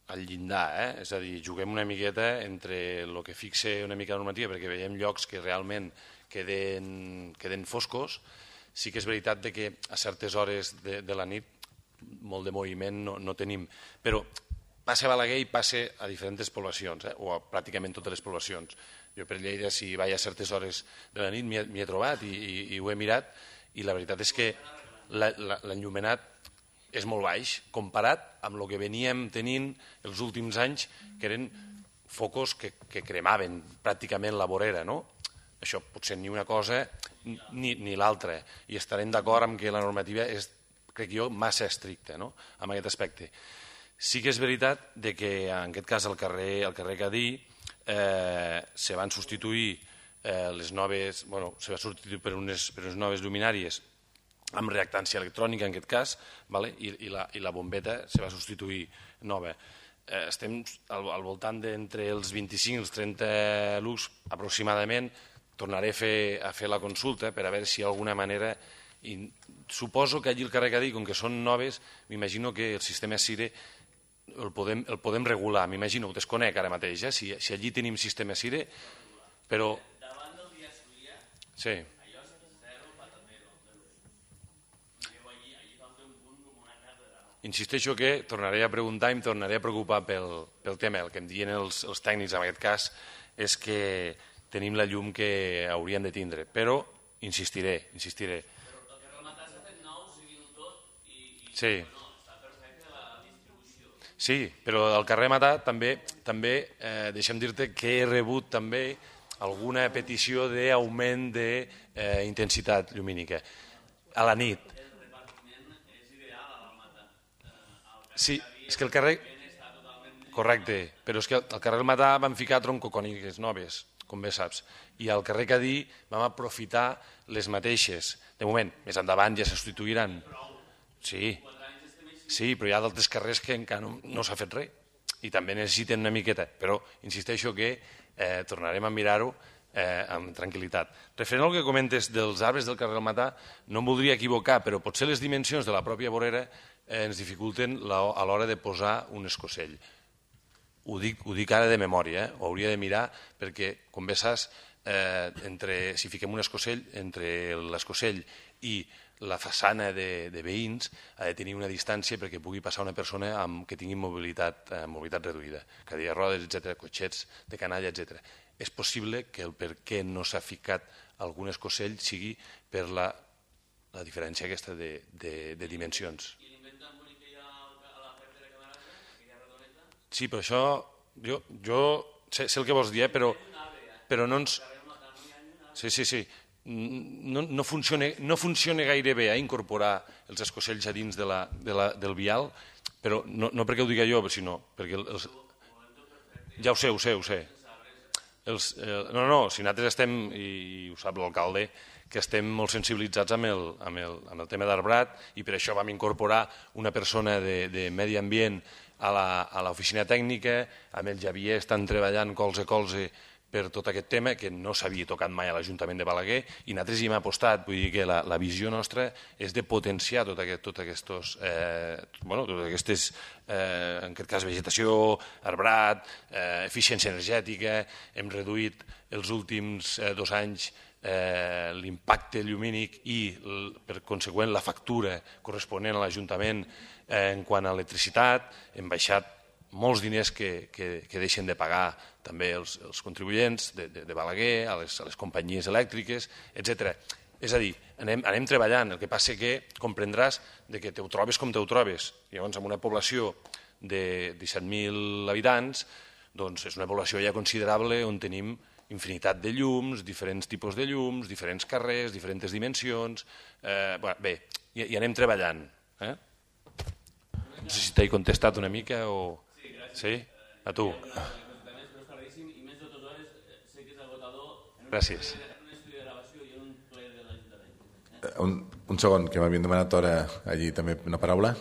al llindar, eh? És a dir, juguem una miqueta entre el que fixa una mica la normativa, perquè veiem llocs que realment queden, queden foscos. Sí que és veritat de que a certes hores de, de la nit molt de moviment no, no tenim, però passa a Balaguer i passa a diferents poblacions, eh? O a pràcticament totes les poblacions. Jo per Lleida, si vaig a certes hores de la nit, m'hi he, he trobat i, i, i ho he mirat, i la veritat és que l'enllumenat és molt baix, comparat amb el que veníem tenint els últims anys, que eren focus que, que cremaven pràcticament la vorera, no? Això potser ni una cosa ni, ni l'altra, i estarem d'acord amb que la normativa és, crec jo, massa estricta, no?, en aquest aspecte. Sí que és veritat de que en aquest cas al carrer, al carrer Cadí eh, se van substituir eh, les noves, bueno, se va substituir per unes, per unes noves lluminàries amb reactància electrònica en aquest cas, vale? I, i, la, i la bombeta se va substituir nova. Eh, estem al, al voltant d'entre els vint-i-cinc i els trenta lux aproximadament. Tornaré a fer, a fer la consulta per a veure si d'alguna manera... I suposo que allí al carrer Cadí, com que són noves, m'imagino que el sistema SIRE el podem, el podem regular, m'imagino, ho desconec ara mateix, eh? si, si allí tenim sistema SIRE, però... Davant del dia Solia, sí. allò és zero patatero. Allí, allí falta un punt com una catedral. Insisteixo que tornaré a preguntar i em tornaré a preocupar pel, pel tema. El que em diuen els, els tècnics en aquest cas és que tenim la llum que hauríem de tindre, però insistiré, insistiré. Però el que rematar s'ha fet nou, civil tot, i, i sí. no, està perfecte la distribució Sí, però al carrer Matà també, també eh, deixa'm dir-te que he rebut també alguna petició d'augment d'intensitat llumínica. A la nit. Sí, és que el carrer... Correcte, però és que al carrer del Matà vam ficar troncocòniques noves, com bé saps, i al carrer Cadí vam aprofitar les mateixes. De moment, més endavant ja se substituiran. Sí, sí, però hi ha d'altres carrers que encara no, no s'ha fet res i també necessiten una miqueta, però insisteixo que eh, tornarem a mirar-ho eh, amb tranquil·litat. Referent al que comentes dels arbres del carrer del Matà, no em voldria equivocar, però potser les dimensions de la pròpia vorera eh, ens dificulten la, a l'hora de posar un escocell. Ho dic, ho dic ara de memòria, eh? Ho hauria de mirar perquè, com bé saps, eh, entre, si fiquem un escocell, entre l'escocell i la façana de, de veïns ha de tenir una distància perquè pugui passar una persona amb, que tingui mobilitat, eh, mobilitat reduïda, cadira de rodes, etcètera, cotxets de canalla, etcètera. És possible que el per què no s'ha ficat algun escocell sigui per la, la diferència aquesta de, de, de dimensions. Sí, però això, jo, jo sé, sé el que vols dir, eh, però, però no ens... Sí, sí, sí. No, no, funciona, no funciona gaire bé eh, incorporar els escocells a dins de la, de la, del vial, però no, no perquè ho diga jo, sinó perquè... Els... Ja ho sé, ho sé, ho sé. Els, eh, no, no, si nosaltres estem, i ho sap l'alcalde, que estem molt sensibilitzats amb el, amb el, amb el tema d'arbrat i per això vam incorporar una persona de, de medi ambient a l'oficina tècnica, amb el Javier estan treballant colze a colze per tot aquest tema, que no s'havia tocat mai a l'Ajuntament de Balaguer, i nosaltres hi hem apostat, vull dir que la, la visió nostra és de potenciar tot aquest, tot aquests, eh, bueno, totes aquestes, eh, en aquest cas, vegetació, arbrat, eh, eficiència energètica, hem reduït els últims eh, dos anys eh, l'impacte llumínic i, per conseqüent, la factura corresponent a l'Ajuntament eh, en quant a electricitat, hem baixat molts diners que, que, que deixen de pagar també els, els contribuents de, de, de Balaguer, a les, a les companyies elèctriques, etcètera. És a dir, anem, anem treballant, el que passa que comprendràs de que te ho trobes com te ho trobes. Llavors, amb una població de disset mil habitants, doncs és una població ja considerable on tenim infinitat de llums, diferents tipus de llums, diferents carrers, diferents dimensions... Eh, bé, i, i anem treballant. Eh? No sé si t'he contestat una mica o... Sí? A tu. Gràcies. Un, un segon, que m'havien demanat ara allí també una paraula.